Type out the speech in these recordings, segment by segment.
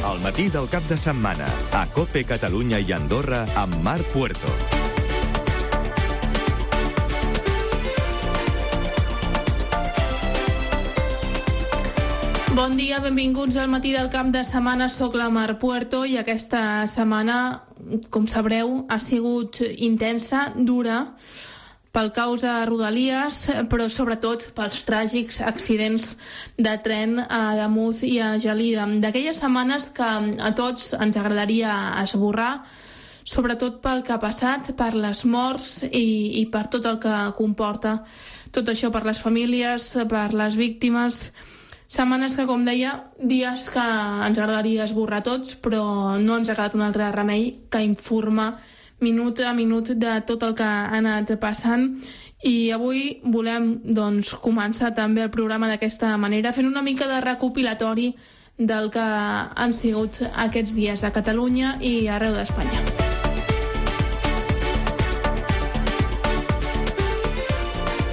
El matí del cap de setmana, a COPE Catalunya i Andorra, amb Marc Puerto. Bon dia, benvinguts al matí del cap de setmana. Soc la Mar Puerto i aquesta setmana, com sabreu, ha sigut intensa, dura, pel caos a Rodalies, però sobretot pels tràgics accidents de tren a Ademús i a Gelida. D'aquelles setmanes que a tots ens agradaria esborrar, sobretot pel que ha passat, per les morts i per tot el que comporta. Tot això per les famílies, per les víctimes. Setmanes que, com deia, dies que ens agradaria esborrar tots, però no ens ha quedat un altre remei que informar minut a minut de tot el que ha anat passant. I avui volem començar també el programa d'aquesta manera, fent una mica de recopilatori del que han sigut aquests dies a Catalunya i arreu d'Espanya.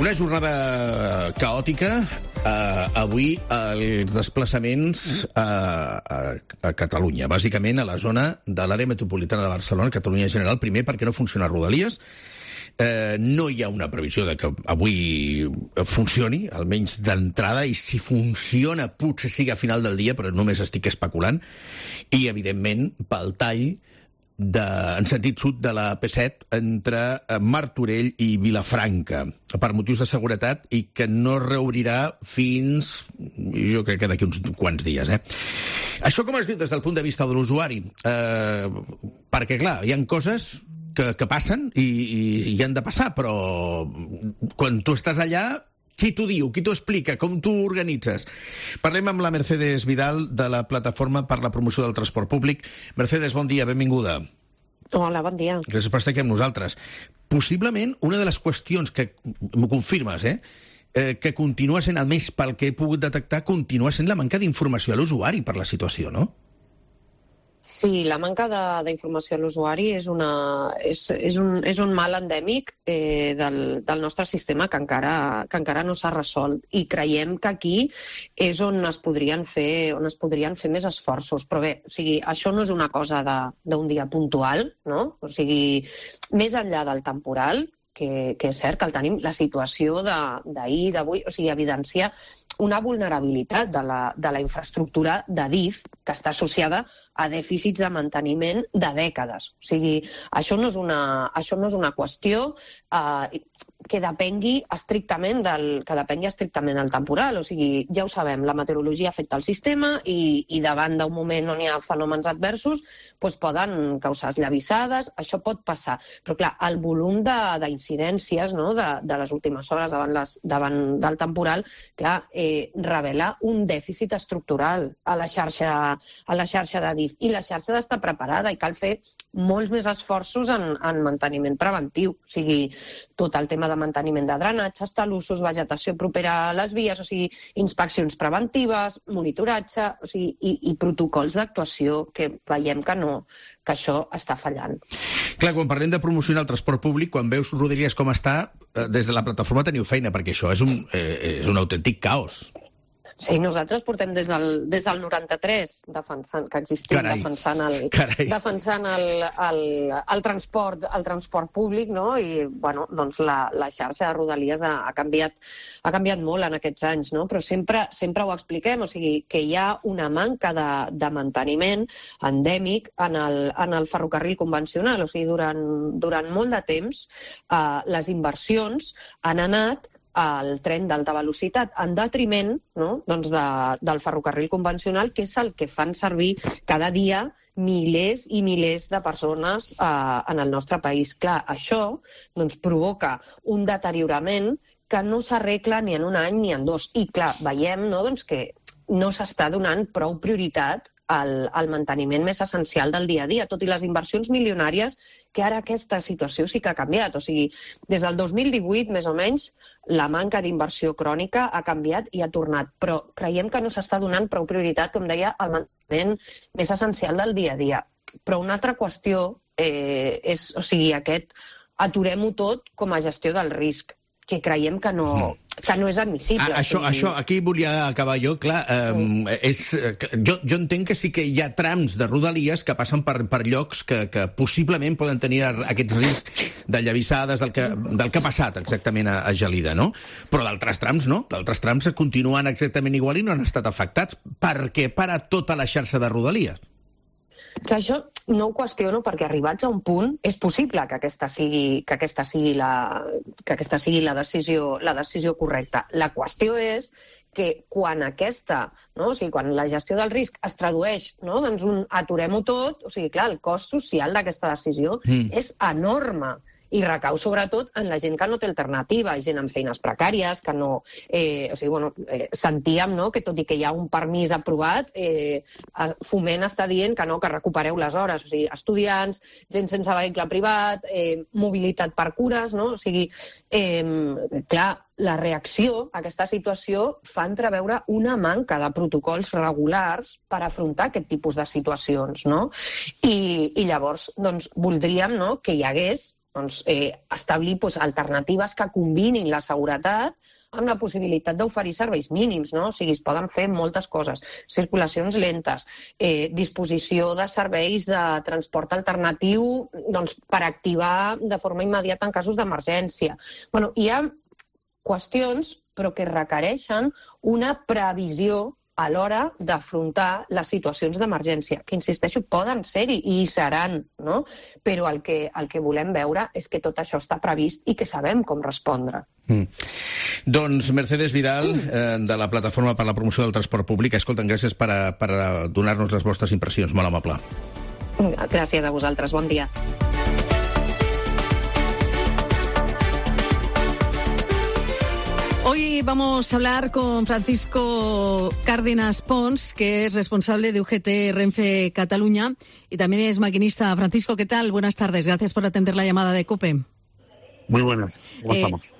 Una jornada caòtica. Avui els desplaçaments a Catalunya, bàsicament a la zona de l'àrea metropolitana de Barcelona, Catalunya en general, primer perquè no funciona Rodalies. No hi ha una previsió de que avui funcioni, almenys d'entrada, i si funciona potser sigui a final del dia, però només estic especulant. I, evidentment, pel tall en sentit sud de la P7 entre Martorell i Vilafranca per motius de seguretat i que no reobrirà fins, jo crec que d'aquí uns quants dies. Això com es diu des del punt de vista de l'usuari? Perquè, clar, hi ha coses que passen i han de passar, però quan tu estàs allà, qui t'ho diu? Qui t'ho explica? Com t'ho organitzes? Parlem amb la Mercedes Vidal de la Plataforma per la Promoció del Transport Públic. Mercedes, bon dia, benvinguda. Hola, bon dia. Gràcies per estar aquí amb nosaltres. Possiblement, una de les qüestions que m'ho confirmes, que continua sent, almenys pel que he pogut detectar, continua sent la manca d'informació a l'usuari per la situació, no? Sí, la manca d'informació a l'usuari és un mal endèmic del nostre sistema que encara no s'ha resolt, i creiem que aquí és on es podrien fer més esforços. Però bé, o sigui, això no és una cosa d'un dia puntual, no? O sigui, més enllà del temporal, que és cert que el tenim, la situació d'ahir, d'avui, o sigui, evidencia una vulnerabilitat de la infraestructura de DIF que està associada a dèficits de manteniment de dècades. O sigui, això no és una qüestió que depengui estrictament del temporal. O sigui, ja ho sabem, la meteorologia afecta el sistema i davant d'un moment on hi ha fenòmens adversos poden causar esllavissades, això pot passar. Però clar, el volum d'incidències de les últimes hores davant del temporal, clar, revela un dèficit estructural a la xarxa de DIF, i la xarxa ha d'estar preparada i cal fer molts més esforços en manteniment preventiu. O sigui, tot el tema de manteniment de drenatges, talussos, vegetació propera a les vies, o sigui, inspeccions preventives, monitoratge, o sigui, i protocols d'actuació, que veiem que això està fallant. Clar, quan parlem de promocionar el transport públic, quan veus Rodalies com està, des de la plataforma teniu feina, perquè això és un autèntic caos. Sí, nosaltres portem des del 93 defensant que existim, defensant el transport públic, no? I bueno, doncs la xarxa de Rodalies ha canviat molt en aquests anys, no? Però sempre ho expliquem, o sigui, que hi ha una manca de manteniment endèmic en el ferrocarril convencional. O sigui, durant molt de temps les inversions han anat al tren d'alta velocitat, en detriment, no? Doncs del ferrocarril convencional, que és el que fan servir cada dia milers i milers de persones en el nostre país. Clar, això provoca un deteriorament que no s'arregla ni en un any ni en dos. I clar, veiem que no s'està donant prou prioritat al manteniment més essencial del dia a dia, tot i les inversions milionàries, que ara aquesta situació sí que ha canviat. O sigui, des del 2018, més o menys, la manca d'inversió crònica ha canviat i ha tornat, però creiem que no s'està donant prou prioritat, com deia, al manteniment més essencial del dia a dia. Però una altra qüestió és, o sigui, aturem-ho tot com a gestió del risc. que creiem que no és admissible. Això, aquí volia acabar jo. Clar, jo entenc que sí que hi ha trams de Rodalies que passen per llocs que possiblement poden tenir aquests riscs de llavissades del que ha passat exactament a Gelida, no? Però d'altres trams no. D'altres trams continuen exactament igual i no han estat afectats. Per què para tota la xarxa de Rodalies? Que això no ho qüestiono perquè arribats a un punt és possible que aquesta sigui la decisió correcta. La qüestió és que quan quan la gestió del risc es tradueix, no, doncs aturem-ho tot, clar, el cost social d'aquesta decisió és enorme. I recau sobretot en la gent que no té alternativa, gent amb feines precàries, que no... sentíem que tot i que hi ha un permís aprovat, Foment està dient que no, que recupereu les hores. O sigui, estudiants, gent sense vehicle privat, mobilitat per cures, no? O sigui, clar, la reacció a aquesta situació fa entreveure una manca de protocols regulars per afrontar aquest tipus de situacions, no? I llavors, doncs, voldríem que hi hagués establir alternatives que combinin la seguretat amb la possibilitat d'oferir serveis mínims, no? O sigui, es poden fer moltes coses. Circulacions lentes, disposició de serveis de transport alternatiu per activar de forma immediata en casos d'emergència. Bueno, hi ha qüestions, però que requereixen una previsió a l'hora d'afrontar les situacions d'emergència, que, insisteixo, poden ser-hi i hi seran, no? Però el que volem veure és que tot això està previst i que sabem com respondre. Doncs Mercedes Vidal, de la Plataforma per la Promoció del Transport Públic, escolta'm, gràcies per donar-nos les vostres impressions, molt amable. Gràcies a vosaltres, bon dia. Hoy vamos a hablar con Francisco Cárdenas Pons, que es responsable de UGT Renfe Cataluña y también es maquinista. Francisco, ¿qué tal? Buenas tardes. Gracias por atender la llamada de COPE. Muy buenas. ¿Cómo estamos?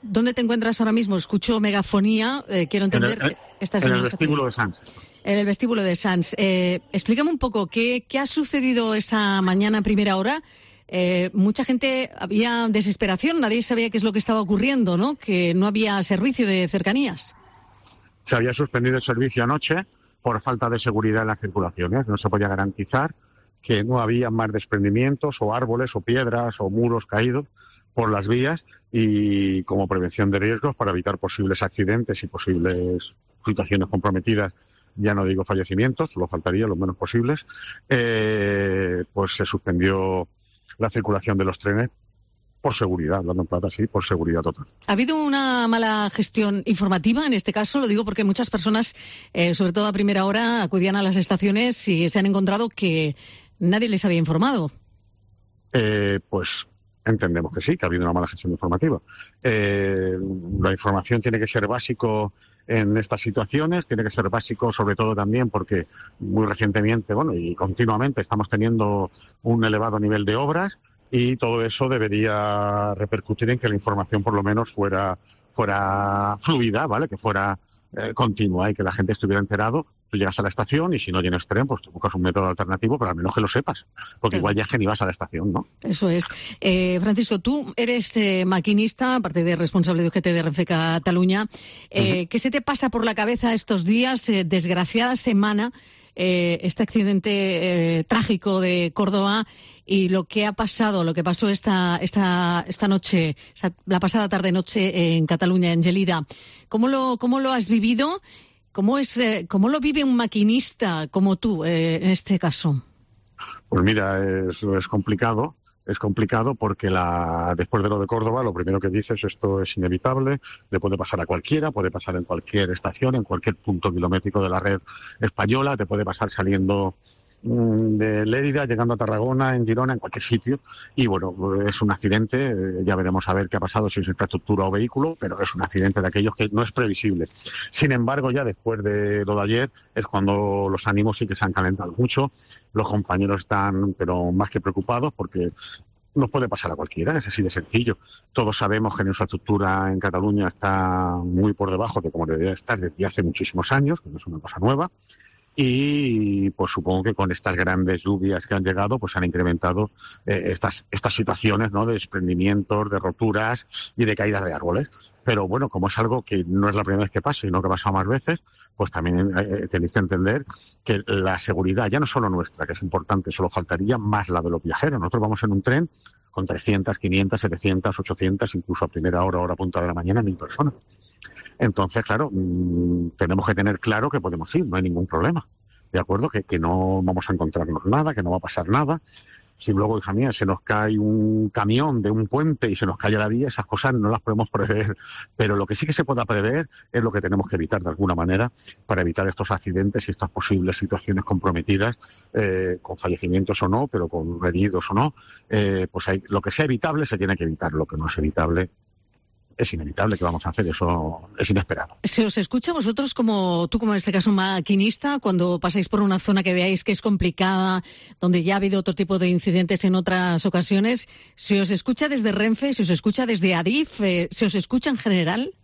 ¿Dónde te encuentras ahora mismo? Escucho megafonía. Quiero entender que estás en el vestíbulo de Sants. En el vestíbulo de Sants. Explícame un poco qué ha sucedido esta mañana a primera hora. Mucha gente, había desesperación, nadie sabía qué es lo que estaba ocurriendo, ¿no? Que no había servicio de cercanías. Se había suspendido el servicio anoche por falta de seguridad en las circulaciones. No se podía garantizar que no había más desprendimientos o árboles o piedras o muros caídos por las vías y como prevención de riesgos para evitar posibles accidentes y posibles situaciones comprometidas. Ya no digo fallecimientos, solo faltaría lo menos posibles. Pues se suspendió la circulación de los trenes por seguridad, hablando en plata, sí, por seguridad total. ¿Ha habido una mala gestión informativa en este caso? Lo digo porque muchas personas, sobre todo a primera hora, acudían a las estaciones y se han encontrado que nadie les había informado. Pues entendemos que sí, que ha habido una mala gestión informativa. La información tiene que ser básico en estas situaciones, tiene que ser básico sobre todo también porque muy recientemente, y continuamente estamos teniendo un elevado nivel de obras y todo eso debería repercutir en que la información por lo menos fuera fluida, ¿vale? Que fuera continua y que la gente estuviera enterado. Tú llegas a la estación y si no tienes tren, pues tú buscas un método alternativo, pero al menos que lo sepas, porque igual ya es que ni vas a la estación, ¿no? Eso es. Francisco, tú eres maquinista, aparte de responsable de UGT de Renfe Cataluña. ¿Qué se te pasa por la cabeza estos días? Desgraciada semana, este accidente trágico de Córdoba y lo que ha pasado, lo que pasó esta noche, la pasada tarde-noche en Cataluña, en Gelida. ¿Cómo lo has vivido? ¿Cómo lo vive un maquinista como tú en este caso? Pues mira, es complicado. Es complicado porque después de lo de Córdoba, lo primero que dices, esto es inevitable, le puede pasar a cualquiera, puede pasar en cualquier estación, en cualquier punto kilométrico de la red española, te puede pasar saliendo de Lérida, llegando a Tarragona, en Girona, en cualquier sitio. Y bueno, es un accidente, ya veremos a ver qué ha pasado, si es infraestructura o vehículo, pero es un accidente de aquellos que no es previsible. Sin embargo, ya después de lo de ayer, es cuando los ánimos sí que se han calentado mucho. Los compañeros están, pero más que preocupados, porque nos puede pasar a cualquiera, es así de sencillo. Todos sabemos que la infraestructura en Cataluña está muy por debajo de como debería estar desde hace muchísimos años, que no es una cosa nueva. y pues supongo que con estas grandes lluvias que han llegado pues han incrementado estas situaciones, ¿no?, de desprendimientos, de roturas y de caídas de árboles. Pero bueno, como es algo que no es la primera vez que pasa, sino que ha pasado más veces, pues también tenéis que entender que la seguridad ya no es solo nuestra, que es importante, solo faltaría más la de los viajeros. Nosotros vamos en un tren con 300, 500, 700, 800, incluso a primera hora punta de la mañana, 1.000 personas. Entonces, claro, tenemos que tener claro que podemos ir, no hay ningún problema, ¿de acuerdo? Que no vamos a encontrarnos nada, que no va a pasar nada. Si luego, hija mía, se nos cae un camión de un puente y se nos cae la vía, esas cosas no las podemos prever. Pero lo que sí que se pueda prever es lo que tenemos que evitar de alguna manera para evitar estos accidentes y estas posibles situaciones comprometidas, con fallecimientos o no, pero con heridos o no. Pues lo que sea evitable se tiene que evitar, lo que no es evitable es inevitable. Que vamos a hacer, eso es inesperado. ¿Se os escucha a vosotros, como tú, como en este caso maquinista, cuando pasáis por una zona que veáis que es complicada, donde ya ha habido otro tipo de incidentes en otras ocasiones? ¿Se os escucha desde Renfe? ¿Se os escucha desde Adif? ¿Se os escucha en general?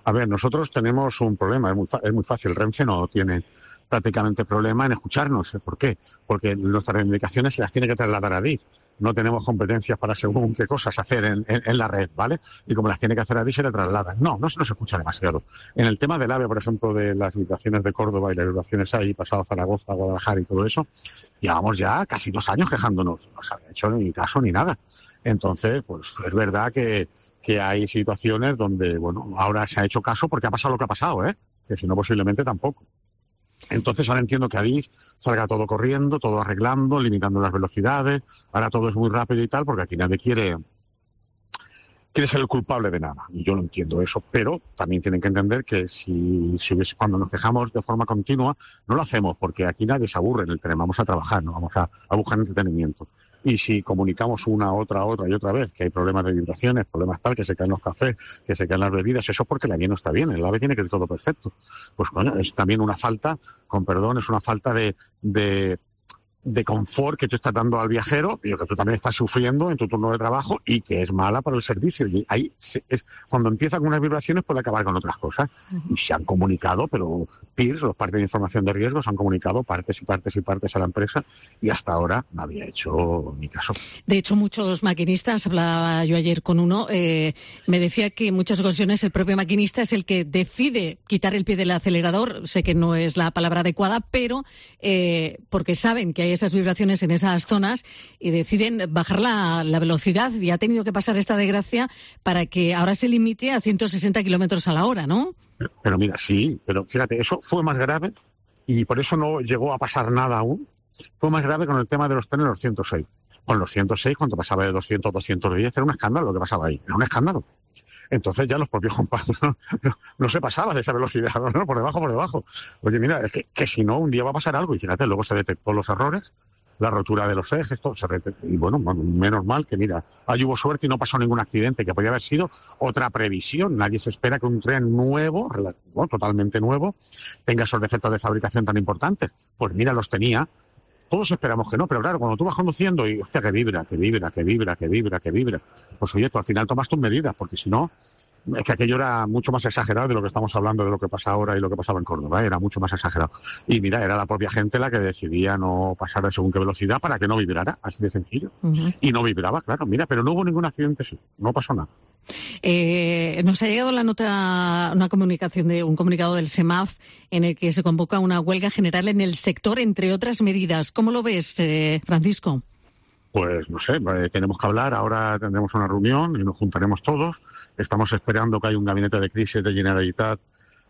A ver, nosotros tenemos un problema, es muy fácil. Renfe no tiene prácticamente problema en escucharnos. ¿Por qué? Porque nuestras reivindicaciones se las tiene que trasladar a Adif. No tenemos competencias para según qué cosas hacer en la red, ¿vale? Y como las tiene que hacer Adif, se le trasladan. No se nos escucha demasiado. En el tema del AVE, por ejemplo, de las vibraciones de Córdoba y las vibraciones ahí, pasado a Zaragoza, Guadalajara y todo eso, llevamos ya casi 2 años quejándonos. No se ha hecho ni caso ni nada. Entonces, pues es verdad que hay situaciones donde, bueno, ahora se ha hecho caso porque ha pasado lo que ha pasado, que si no posiblemente tampoco. Entonces ahora entiendo que Adif salga todo corriendo, todo arreglando, limitando las velocidades. Ahora todo es muy rápido y tal, porque aquí nadie quiere ser el culpable de nada. Y yo lo entiendo eso, pero también tienen que entender que si hubiese, cuando nos quejamos de forma continua, no lo hacemos porque aquí nadie se aburre en el tren, vamos a trabajar, no vamos a buscar entretenimiento. Y si comunicamos otra y otra vez que hay problemas de vibraciones, problemas tal, que se caen los cafés, que se caen las bebidas, eso es porque la vía no está bien, el AVE tiene que ir todo perfecto. Pues bueno, es también una falta, con perdón, es una falta de confort que tú estás dando al viajero, y que tú también estás sufriendo en tu turno de trabajo y que es mala para el servicio. Y ahí cuando empiezan con unas vibraciones puede acabar con otras cosas. Y se han comunicado, pero PIRS, los parques de información de riesgos, han comunicado partes a la empresa y hasta ahora no había hecho ni caso. De hecho, muchos maquinistas, hablaba yo ayer con uno, me decía que en muchas ocasiones el propio maquinista es el que decide quitar el pie del acelerador. Sé que no es la palabra adecuada, pero porque saben que hay esas vibraciones en esas zonas y deciden bajar la velocidad, y ha tenido que pasar esta desgracia para que ahora se limite a 160 kilómetros a la hora, ¿no? Pero mira, sí, pero fíjate, eso fue más grave y por eso no llegó a pasar nada aún. Fue más grave con el tema de los trenes, los 106. Con los 106, cuando pasaba de 200 a 210, era un escándalo lo que pasaba ahí, era un escándalo. Entonces ya los propios compañeros no se pasaba de esa velocidad, ¿no? Por debajo. Oye, mira, es que si no, un día va a pasar algo. Y fíjate, luego se detectó los errores, la rotura de los ejes, y bueno, menos mal que, mira, ahí hubo suerte y no pasó ningún accidente, que podía haber sido otra previsión. Nadie se espera que un tren nuevo, totalmente nuevo, tenga esos defectos de fabricación tan importantes. Pues mira, los tenía. Todos esperamos que no, pero claro, cuando tú vas conduciendo y, hostia, que vibra, pues oye, tú al final tomas tus medidas, porque si no, es que aquello era mucho más exagerado de lo que estamos hablando, de lo que pasa ahora y lo que pasaba en Córdoba, era mucho más exagerado. Y mira, era la propia gente la que decidía no pasar a según qué velocidad para que no vibrara, así de sencillo. Y no vibraba, claro, mira, pero no hubo ningún accidente, sí, no pasó nada. Nos ha llegado la nota, un comunicado del SEMAF en el que se convoca una huelga general en el sector, entre otras medidas. ¿Cómo lo ves, Francisco? Pues no sé, tenemos que hablar, ahora tendremos una reunión y nos juntaremos todos. Estamos esperando que haya un gabinete de crisis de Generalitat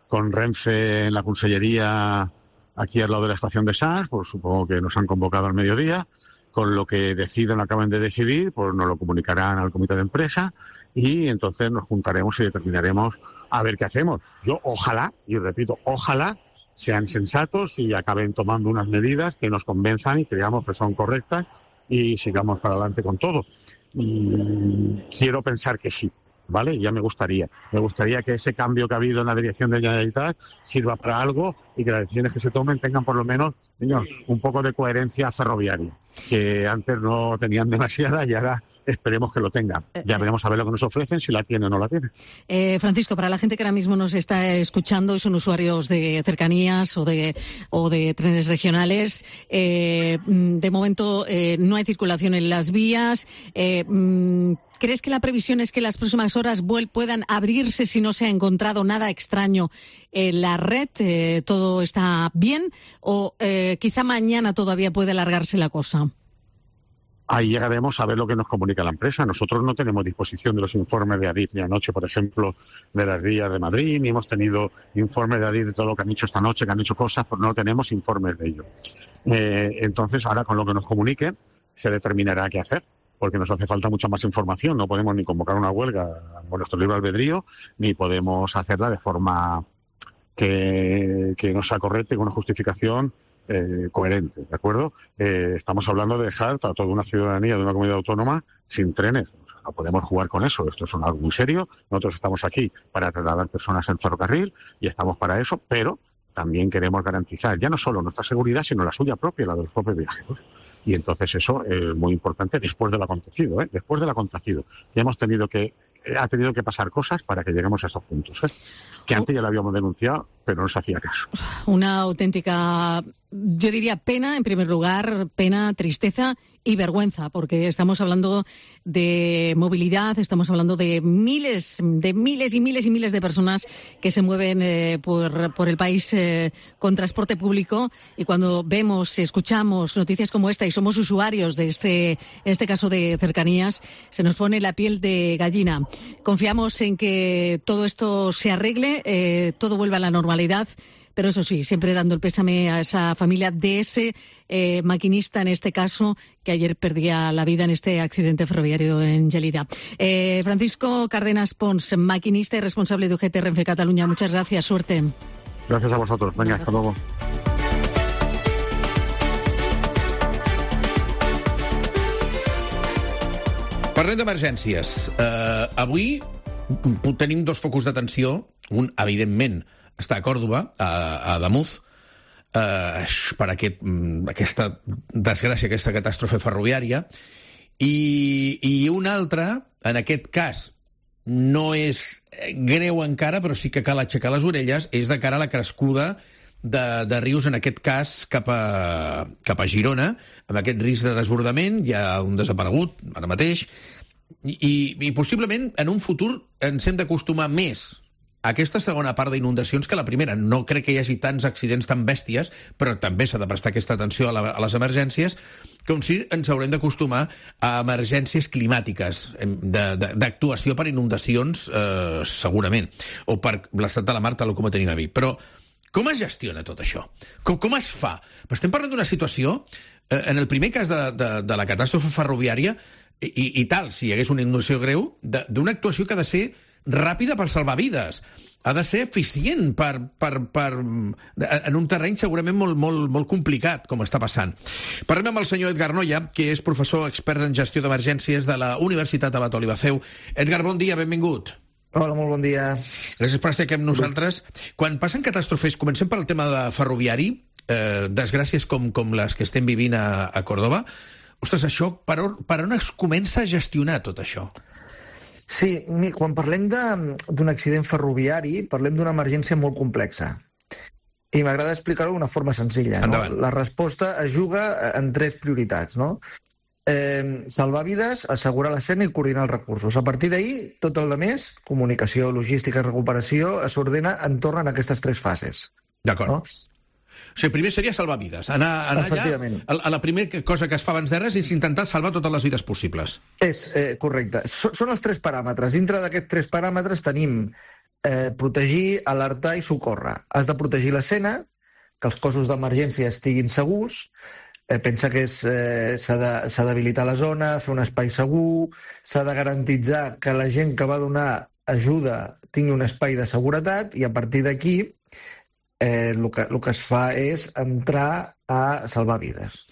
con Renfe en la Consellería aquí al lado de la estación de Sants, pues supongo que nos han convocado al mediodía. Con lo que acaben de decidir, pues nos lo comunicarán al comité de empresa y entonces nos juntaremos y determinaremos a ver qué hacemos. Yo ojalá, y repito, ojalá sean sensatos y acaben tomando unas medidas que nos convenzan y creamos que son correctas y sigamos para adelante con todo. Y quiero pensar que sí, ¿vale? Ya me gustaría que ese cambio que ha habido en la dirección de Generalitat sirva para algo y que las decisiones que se tomen tengan por lo menos, señor, un poco de coherencia ferroviaria, que antes no tenían demasiada y ahora esperemos que lo tenga. Ya veremos a ver lo que nos ofrecen, si la tiene o no la tiene. Francisco, para la gente que ahora mismo nos está escuchando y son usuarios de cercanías o de trenes regionales, de momento no hay circulación en las vías. ¿Crees que la previsión es que las próximas horas puedan abrirse si no se ha encontrado nada extraño en la red? ¿Todo está bien? ¿O quizá mañana todavía puede alargarse la cosa? Ahí llegaremos a ver lo que nos comunica la empresa. Nosotros no tenemos disposición de los informes de Adif ni anoche, por ejemplo, de las vías de Madrid, ni hemos tenido informes de Adif de todo lo que han hecho esta noche, que han hecho cosas, pues no tenemos informes de ello. Entonces, ahora con lo que nos comuniquen, se determinará qué hacer, porque nos hace falta mucha más información. No podemos ni convocar una huelga por nuestro libre albedrío, ni podemos hacerla de forma que no sea correcta y con una justificación coherente, ¿de acuerdo? Estamos hablando de dejar a toda una ciudadanía de una comunidad autónoma sin trenes. O sea, no podemos jugar con eso. Esto es algo muy serio. Nosotros estamos aquí para trasladar personas en ferrocarril y estamos para eso, pero también queremos garantizar ya no solo nuestra seguridad, sino la suya propia, la de los propios viajeros. Y entonces eso es muy importante después del acontecido, después del acontecido. Ya ha tenido que pasar cosas para que lleguemos a estos puntos, que antes ya lo habíamos denunciado, pero no se hacía caso. Una auténtica, yo diría, pena, en primer lugar, pena, tristeza y vergüenza, porque estamos hablando de movilidad, estamos hablando de miles y miles y miles de personas que se mueven por el país con transporte público, y cuando vemos, escuchamos noticias como esta y somos usuarios de en este caso de cercanías, se nos pone la piel de gallina. Confiamos en que todo esto se arregle, todo vuelva a la normalidad, pero eso sí, siempre dando el pésame a esa familia de ese maquinista, en este caso, que ayer perdía la vida en este accidente ferroviario en Gelida. Francisco Cárdenas Pons, maquinista y responsable de UGT Renfe Cataluña, muchas gracias, suerte. Gracias a vosotros. Venga, hasta luego. Parlem d'emergències. Avui tenim dos focus d'atenció. Un, evidentment, està a Còrdova, a Ademuz, per aquesta desgràcia, aquesta catàstrofe ferroviària, i un altre, en aquest cas, no és greu encara, però sí que cal aixecar les orelles, és de cara a la crescuda de rius, en aquest cas cap a Girona, amb aquest risc de desbordament. Hi ha un desaparegut ara mateix, i possiblement en un futur ens hem d'acostumar més a aquesta segona part d'inundacions que la primera. No crec que hi hagi tants accidents tan bèsties, però també s'ha de prestar aquesta atenció a les emergències, com si ens haurem d'acostumar a emergències climàtiques, d'actuació per inundacions, segurament, o per l'estat de la mar, tal com ho tenim a dir. Però com es gestiona tot això? Com es fa? Estem parlant d'una situació, en el primer cas de la catàstrofe ferroviària, i tal, si hi hagués una inundació greu, d'una actuació que ha de ser ràpida per salvar vides. Ha de ser eficient en un terreny segurament molt complicat, com està passant. Parlem amb el senyor Edgar Noya, que és professor expert en gestió d'emergències de la Universitat Abat Oliba Ceu. Edgar, bon dia, benvingut. Hola, molt bon dia. Gràcies per estar aquí amb nosaltres. Quan passen catàstrofes, comencem pel tema de ferroviari, desgràcies com les que estem vivint a Còrdova. Ostres, això, per on es comença a gestionar tot això? Sí, quan parlem d'un accident ferroviari, parlem d'una emergència molt complexa. I m'agrada explicar-ho d'una forma senzilla. Endavant. No? La resposta es juga en tres prioritats, no? Salvar vides, assegurar l'escena i coordinar els recursos. A partir d'ahir, tot el demés, comunicació, logística i recuperació, s'ordena entorn a aquestes tres fases. D'acord. No? O sigui, primer seria salvar vides. Anar allà, la primera cosa que es fa abans de res és intentar salvar totes les vides possibles. És correcte. Són els tres paràmetres. Dintre d'aquests tres paràmetres tenim protegir, alertar i socórrer. Has de protegir l'escena, que els cossos d'emergència estiguin segurs. Pensa que s'ha d'habilitar la zona, fer un espai segur, s'ha de garantitzar que la gent que va donar ajuda tingui un espai de seguretat, i a partir d'aquí el que es fa és entrar a salvar vides.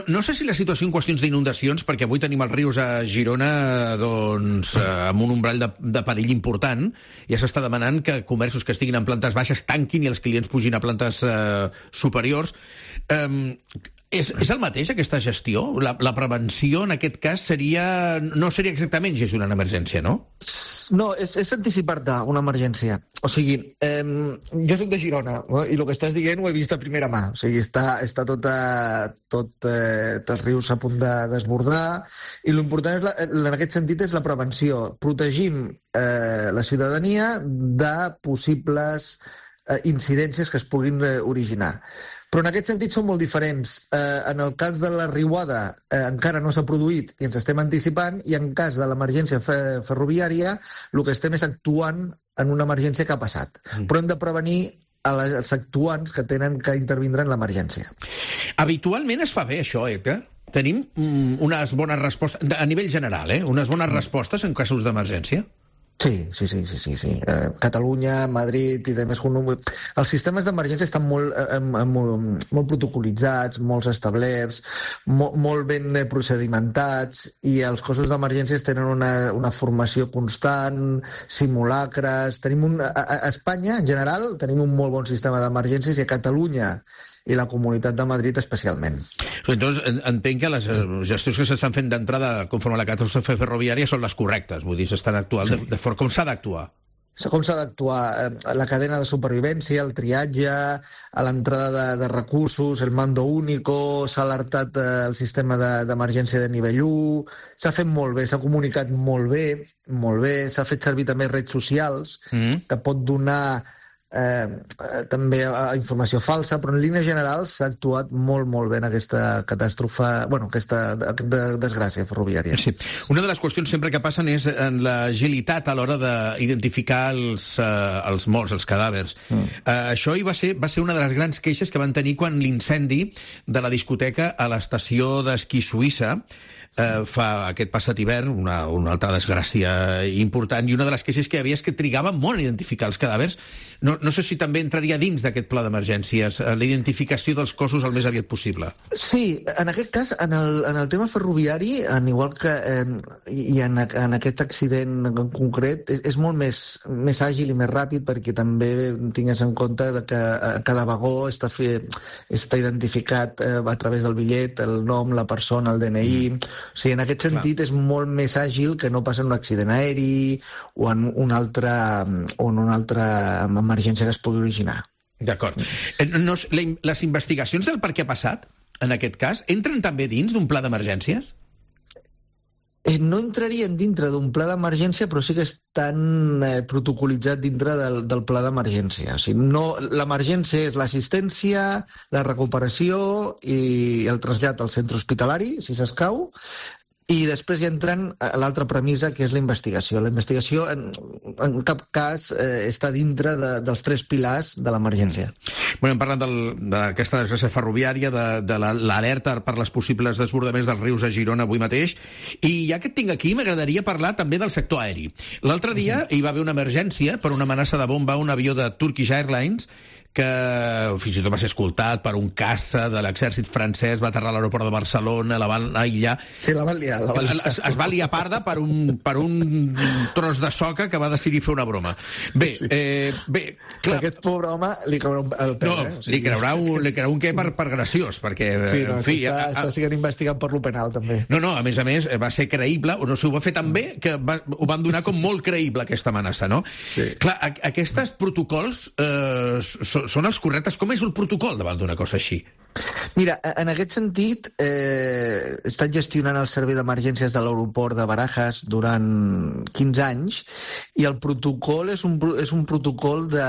No sé si la situació en qüestions d'inundacions, perquè avui tenim els rius a Girona amb un umbrall de perill important, ja s'està demanant que comerços que estiguin en plantes baixes tanquin i els clients pugin a plantes superiors. És el mateix, aquesta gestió? La prevenció, en aquest cas, no seria exactament gestionar una emergència, no? No, és anticipar-te una emergència. O sigui, jo soc de Girona, i el que estàs dient ho he vist a primera mà. O sigui, està tot els rius a punt de desbordar, i l'important en aquest sentit és la prevenció. Protegim la ciutadania de possibles incidències que es puguin originar. Però en aquest sentit són molt diferents. En el cas de la riuada encara no s'ha produït i ens estem anticipant, i en cas de l'emergència ferroviària el que estem és actuant en una emergència que ha passat. Però hem de prevenir els actuants que tenen que intervindre en l'emergència. Habitualment es fa bé això, Edgar? Tenim unes bones respostes, a nivell general, unes bones respostes en casos d'emergència? Sí. Catalunya, Madrid i demés. Els sistemes d'emergència estan molt protocolitzats, molt establerts, molt ben procedimentats, i els cossos d'emergències tenen una formació constant, simulacres. A Espanya, en general, tenim un molt bon sistema d'emergències, i a Catalunya i la Comunitat de Madrid especialment. Entonces, entenc que les gestions que s'estan fent d'entrada conforme a la catàstrofe ferroviària són les correctes, vull dir, s'estan actuant de forma com s'ha d'actuar. Com s'ha d'actuar? La cadena de supervivència, el triatge, a l'entrada de recursos, el mando único, s'ha alertat el sistema d'emergència de nivell 1, s'ha fet molt bé, s'ha comunicat molt bé, s'ha fet servir també redes socials, que pot donar també informació falsa, però en línies generals s'ha actuat molt bé en aquesta catàstrofe, aquesta desgràcia ferroviària. Sí. Una de les qüestions sempre que passen és en l'agilitat a l'hora d'identificar els morts, els cadàvers. Això va ser una de les grans queixes que van tenir quan l'incendi de la discoteca a l'estació d'esquí suïssa fa aquest passat hivern, una altra desgràcia important, i una de les queixes que hi havia és que trigava molt a identificar els cadàvers. No sé si també entraria dins d'aquest pla d'emergències, la identificació dels cossos el més aviat possible. Sí, en aquest cas, en el tema ferroviari, en igual que i en aquest accident en concret, és molt més àgil i més ràpid, perquè també tingues en compte que cada vagó està identificat a través del bitllet, el nom, la persona, el DNI. O sigui, en aquest sentit és molt més àgil que no passa en un accident aeri o en una altra emergència que es pugui originar. D'acord. Les investigacions del per què ha passat, en aquest cas, entren també dins d'un pla d'emergències? No entrarien dintre d'un pla d'emergència, però sí que estan protocolitzat dintre del pla d'emergència. O sigui, l'emergència és l'assistència, la recuperació i el trasllat al centre hospitalari, si s'escau, i després hi entren l'altra premissa, que és la investigació. La investigació en cap cas està dintre dels 3 pilars de l'emergència. Hem parlat d'aquesta desgràcia ferroviària, de l'alerta per les possibles desbordaments dels rius a Girona avui mateix, i ja que et tinc aquí m'agradaria parlar també del sector aeri. L'altre dia hi va haver una emergència per una amenaça de bomba a un avió de Turkish Airlines que fins i tot va ser escoltat per un caça de l'exèrcit francès, va aterrar a l'aeroport de Barcelona, la van aïllar. Sí, la van liar. Es va liar parda per un tros de soca que va decidir fer una broma. Bé, clar... Aquest pobre home li caurà el pèl, No, li caurà un què per graciós, perquè... Sí, està sent investigat per lo penal, també. No, a més, va ser creïble, o no sé, ho va fer tan bé que ho van donar com molt creïble, aquesta amenaça, no? Sí. Clar, aquests protocols són els correctes? Com és el protocol davant d'una cosa així? Mira, en aquest sentit, he estat gestionant el servei d'emergències de l'aeroport de Barajas durant 15 anys, i el protocol és un protocol de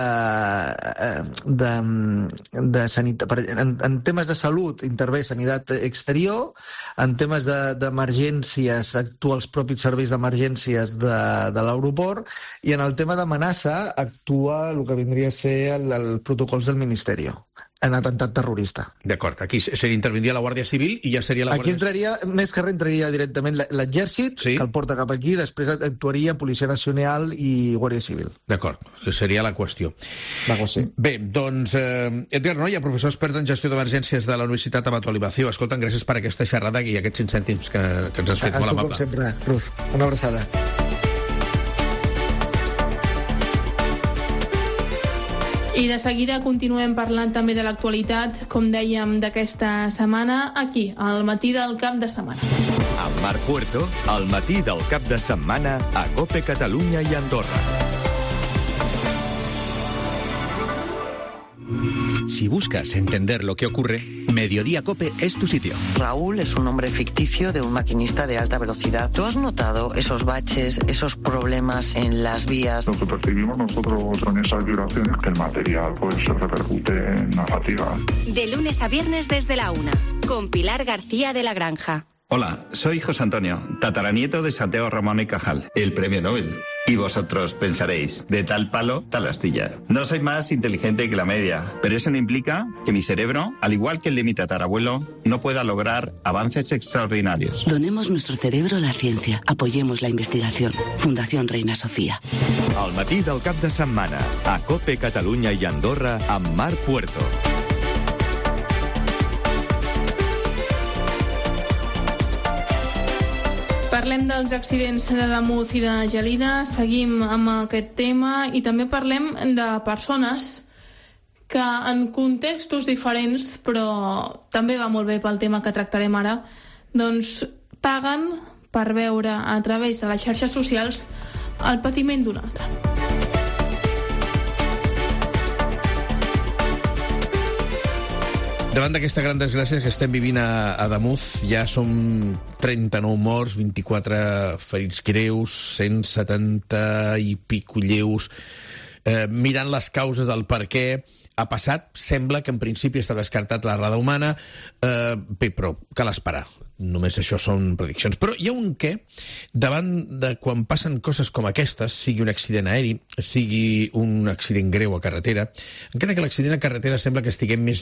sanitat. En temes de salut intervé Sanitat Exterior, en temes d'emergències actua els propis serveis d'emergències de l'aeroport, i en el tema d'amenaça actua el que vindria a ser el protocols del Ministeri. en atemptat terrorista. D'acord, aquí s'intervindria la Guàrdia Civil i ja seria la Aquí entraria, més que res, entraria directament l'exèrcit, que el porta cap aquí, després actuaria Policia Nacional i Guàrdia Civil. D'acord, seria la qüestió. Sí. Bé, doncs, Edgar Noia, professor expert en gestió d'emergències de la Universitat Abato Alibacio. Escolta'm, gràcies per aquesta xerrada i aquests 5 cèntims que ens has fet molt amable. Com sempre, Rus. Una abraçada. I de seguida continuem parlant també de l'actualitat, com dèiem, d'aquesta setmana, aquí, al matí del cap de setmana. Amb Marc Puerto, al matí del cap de setmana a COPE Catalunya i Andorra. Si buscas entender lo que ocurre, Mediodía COPE es tu sitio. Raúl es un nombre ficticio de un maquinista de alta velocidad. ¿Tú has notado esos baches, esos problemas en las vías? Lo que percibimos nosotros en esas violaciones es que el material se repercute en la fatiga. De lunes a viernes desde la 1, con Pilar García de la Granja. Hola, soy José Antonio, tataranieto de Santiago Ramón y Cajal, el premio Nobel. Y vosotros pensaréis, de tal palo, tal astilla. No soy más inteligente que la media, pero eso no implica que mi cerebro, al igual que el de mi tatarabuelo, no pueda lograr avances extraordinarios. Donemos nuestro cerebro a la ciencia. Apoyemos la investigación. Fundación Reina Sofía. Al matí del cap de setmana, a COPE Catalunya i Andorra, amb Marc Puerto. Parlem dels accidents de Damunt i de Gelida, seguim amb aquest tema i també parlem de persones que en contextos diferents, però també va molt bé pel tema que tractarem ara, doncs paguen per veure a través de les xarxes socials el patiment d'un altre. Davant d'aquesta gran desgràcia que estem vivint a Damunt, ja som 39 morts, 24 ferits greus, 170 i pico lleus. Mirant les causes del per què ha passat, sembla que en principi està descartat l'errada humana, bé, però cal esperar. Només això són prediccions. Però hi ha un què, davant de quan passen coses com aquestes, sigui un accident aeri, sigui un accident greu a carretera, encara que l'accident a carretera sembla que estiguem més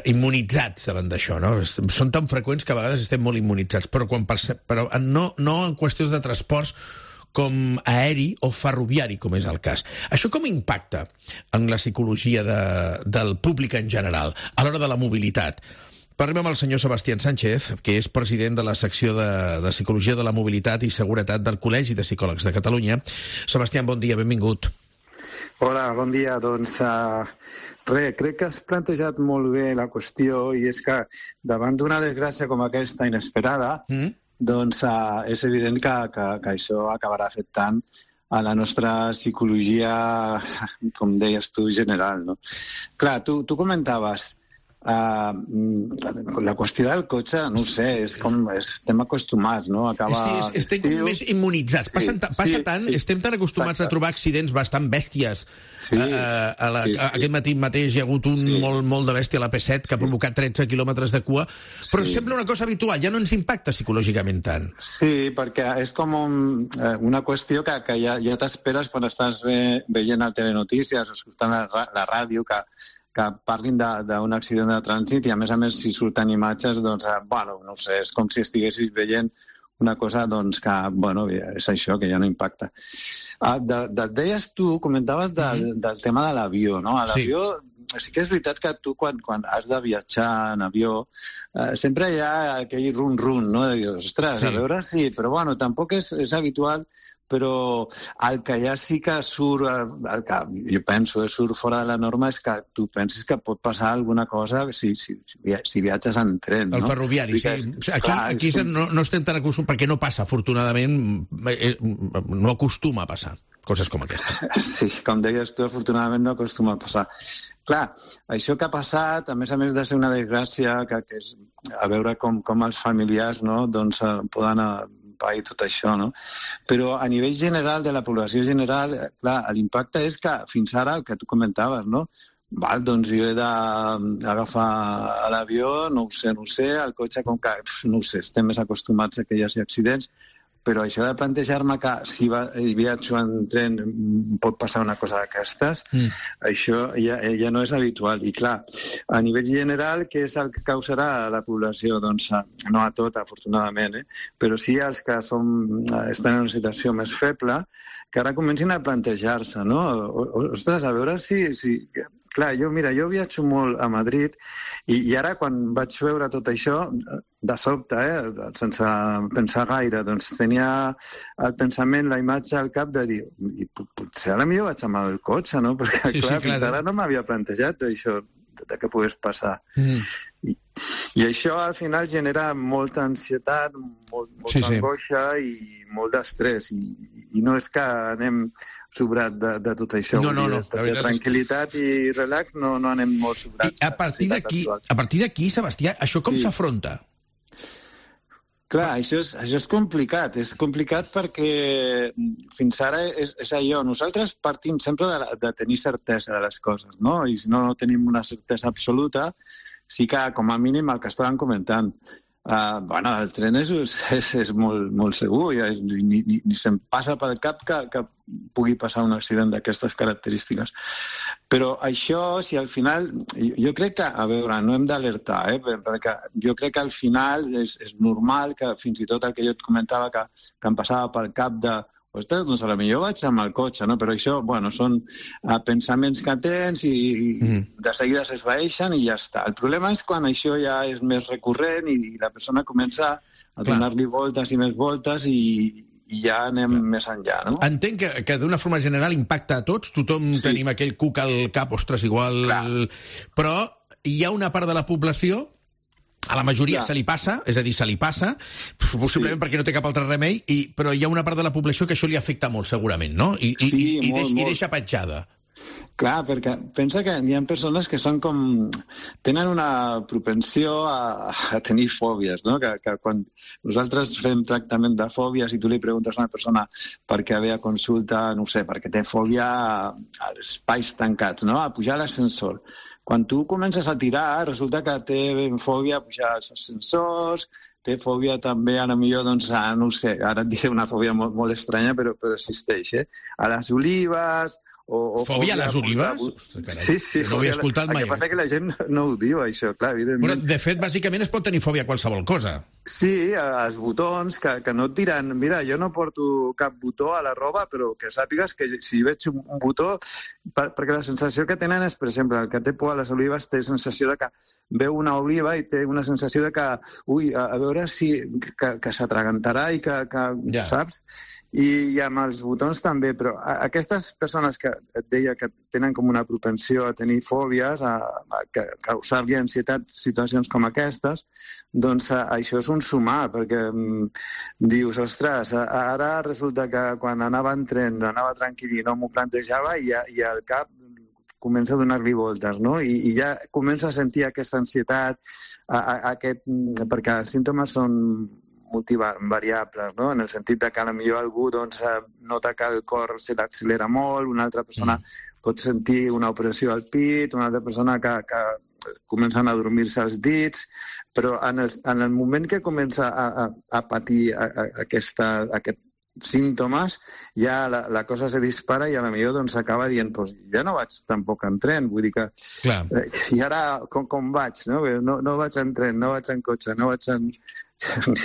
immunitzats davant d'això, no? Són tan freqüents que a vegades estem molt immunitzats, però no en qüestions de transports com aeri o ferroviari, com és el cas. Això com impacta en la psicologia del públic en general, a l'hora de la mobilitat? Parlem amb el senyor Sebastián Sánchez, que és president de la secció de Psicologia de la Mobilitat i Seguretat del Col·legi de Psicòlegs de Catalunya. Sebastián, bon dia, benvingut. Hola, bon dia. Doncs crec que has plantejat molt bé la qüestió i és que davant d'una desgràcia com aquesta inesperada, doncs és evident que això acabarà afectant a la nostra psicologia, com deies tu, general, no? Clar, tu comentaves la qüestió del cotxe, no ho sé, és com estem acostumats, no? Sí, estem com més immunitzats. Passa tant, estem tan acostumats a trobar accidents bastant bèsties. Aquest matí mateix hi ha hagut un molt de bèstia a la P7 que ha provocat 13 quilòmetres de cua, però sembla una cosa habitual, ja no ens impacta psicològicament tant. Sí, perquè és com una qüestió que ja t'esperes quan estàs veient el Telenotícies o escoltant la ràdio que parlin d'un accident de trànsit i, a més, si surten imatges, doncs, no sé, és com si estiguessis veient una cosa, doncs, que, és això, que ja no impacta. Deies tu, comentaves del tema de l'avió, no? A l'avió, sí que és veritat que tu, quan has de viatjar en avió, sempre hi ha aquell run-run, no? De dir, ostres, a veure si... Però, tampoc és habitual, però el que ja sí que surt, el que jo penso surt fora de la norma és que tu penses que pot passar alguna cosa si viatges en tren, no? El ferroviari, sí. Aquí no estem tan acostumats, perquè no passa, afortunadament, no acostuma a passar coses com aquestes. Sí, com deies tu, afortunadament no acostuma a passar. Clar, això que ha passat, a més de ser una desgràcia, que és a veure com els familiars, no, doncs poden i tot això, no? Però a nivell general, de la població general, clar, l'impacte és que fins ara, el que tu comentaves, no? Doncs jo he d'agafar l'avió, no ho sé, el cotxe, com que, no ho sé, estem més acostumats a que hi hagi accidents, però això de plantejar-me que si viatjo en tren pot passar una cosa d'aquestes, això ja no és habitual. I clar, a nivell general, què és el que causarà a la població? Doncs no a tot, afortunadament, però sí als que estan en una situació més feble, que ara comencin a plantejar-se, no? Ostres, a veure si... Clar, jo viatjo molt a Madrid i ara quan vaig veure tot això, de sobte, sense pensar gaire, doncs tenia el pensament, la imatge al cap de dir potser ara millor vaig amb el cotxe, no? Perquè, clar, fins ara no m'havia plantejat això, de què pogués passar. I això al final genera molta ansietat, molta angoixa i molt d'estrès. I no és que anem sobrat de tot això. De tranquil·litat i relax no anem molt sobrats. A partir d'aquí, Sebastià, això com s'afronta? Clar, això és complicat. És complicat perquè fins ara és allò. Nosaltres partim sempre de tenir certesa de les coses, no? I si no tenim una certesa absoluta, sí que, com a mínim, el que estàvem comentant. El tren és molt segur, ni se'm passa pel cap que pugui passar un accident d'aquestes característiques. Però això, si al final... Jo crec que, a veure, no hem d'alertar, perquè jo crec que al final és normal que fins i tot el que jo et comentava que em passava pel cap de ostres, doncs potser vaig amb el cotxe, no? Però això, són pensaments que tens i de seguida s'esvaeixen i ja està. El problema és quan això ja és més recurrent i la persona comença a donar-li voltes i més voltes i ja anem més enllà, no? Entenc que d'una forma general impacta a tots, tothom tenim aquell cuc al cap, ostres, igual... Però hi ha una part de la població... A la majoria se li passa, és a dir, se li passa, possiblement perquè no té cap altre remei, però hi ha una part de la població que això li afecta molt, segurament, no? I deixa petjada. Clar, perquè pensa que hi ha persones que són com... tenen una propensió a tenir fòbies, no? Que quan nosaltres fem tractament de fòbies i tu li preguntes a una persona per què ve a consulta, no sé, perquè té fòbia als espais tancats, no? A pujar a l'ascensor. Quan tu comences a tirar, resulta que té fòbia a pujar als ascensors, té fòbia també, no sé, ara et diré una fòbia molt estranya, però existeix, a les olives... Fòbia a les olives? Sí, no ho havia escoltat mai. El que passa que la gent no ho diu, això, clar, evidentment. De fet, bàsicament es pot tenir fòbia a qualsevol cosa. Sí, als botons, que no et diran... Mira, jo no porto cap botó a la roba, però que sàpigues que si veig un botó... Perquè la sensació que tenen és, per exemple, el que té por a les olives té sensació de que veu una oliva i té una sensació de que, a veure si... que s'atragantarà i que saps? I amb els botons també, però aquestes persones que et deia que tenen com una propensió a tenir fòbies, a causar-li ansietat situacions com aquestes, doncs això és un sumar, perquè dius, ostres, ara resulta que quan anava en tren, anava tranquil i no m'ho plantejava i al cap comença a donar-li voltes, no? I ja comença a sentir aquesta ansietat, perquè els símptomes són multivariables, no? En el sentit que potser algú nota que el cor se l'accelera molt, una altra persona pot sentir una opressió al pit, una altra persona que comencen a dormir-se els dits, però en el moment que comença a patir aquests símptomes, ja la cosa se dispara i potser s'acaba dient ja no vaig tampoc en tren, vull dir que... I ara com vaig, no? No vaig en tren, no vaig en cotxe, no vaig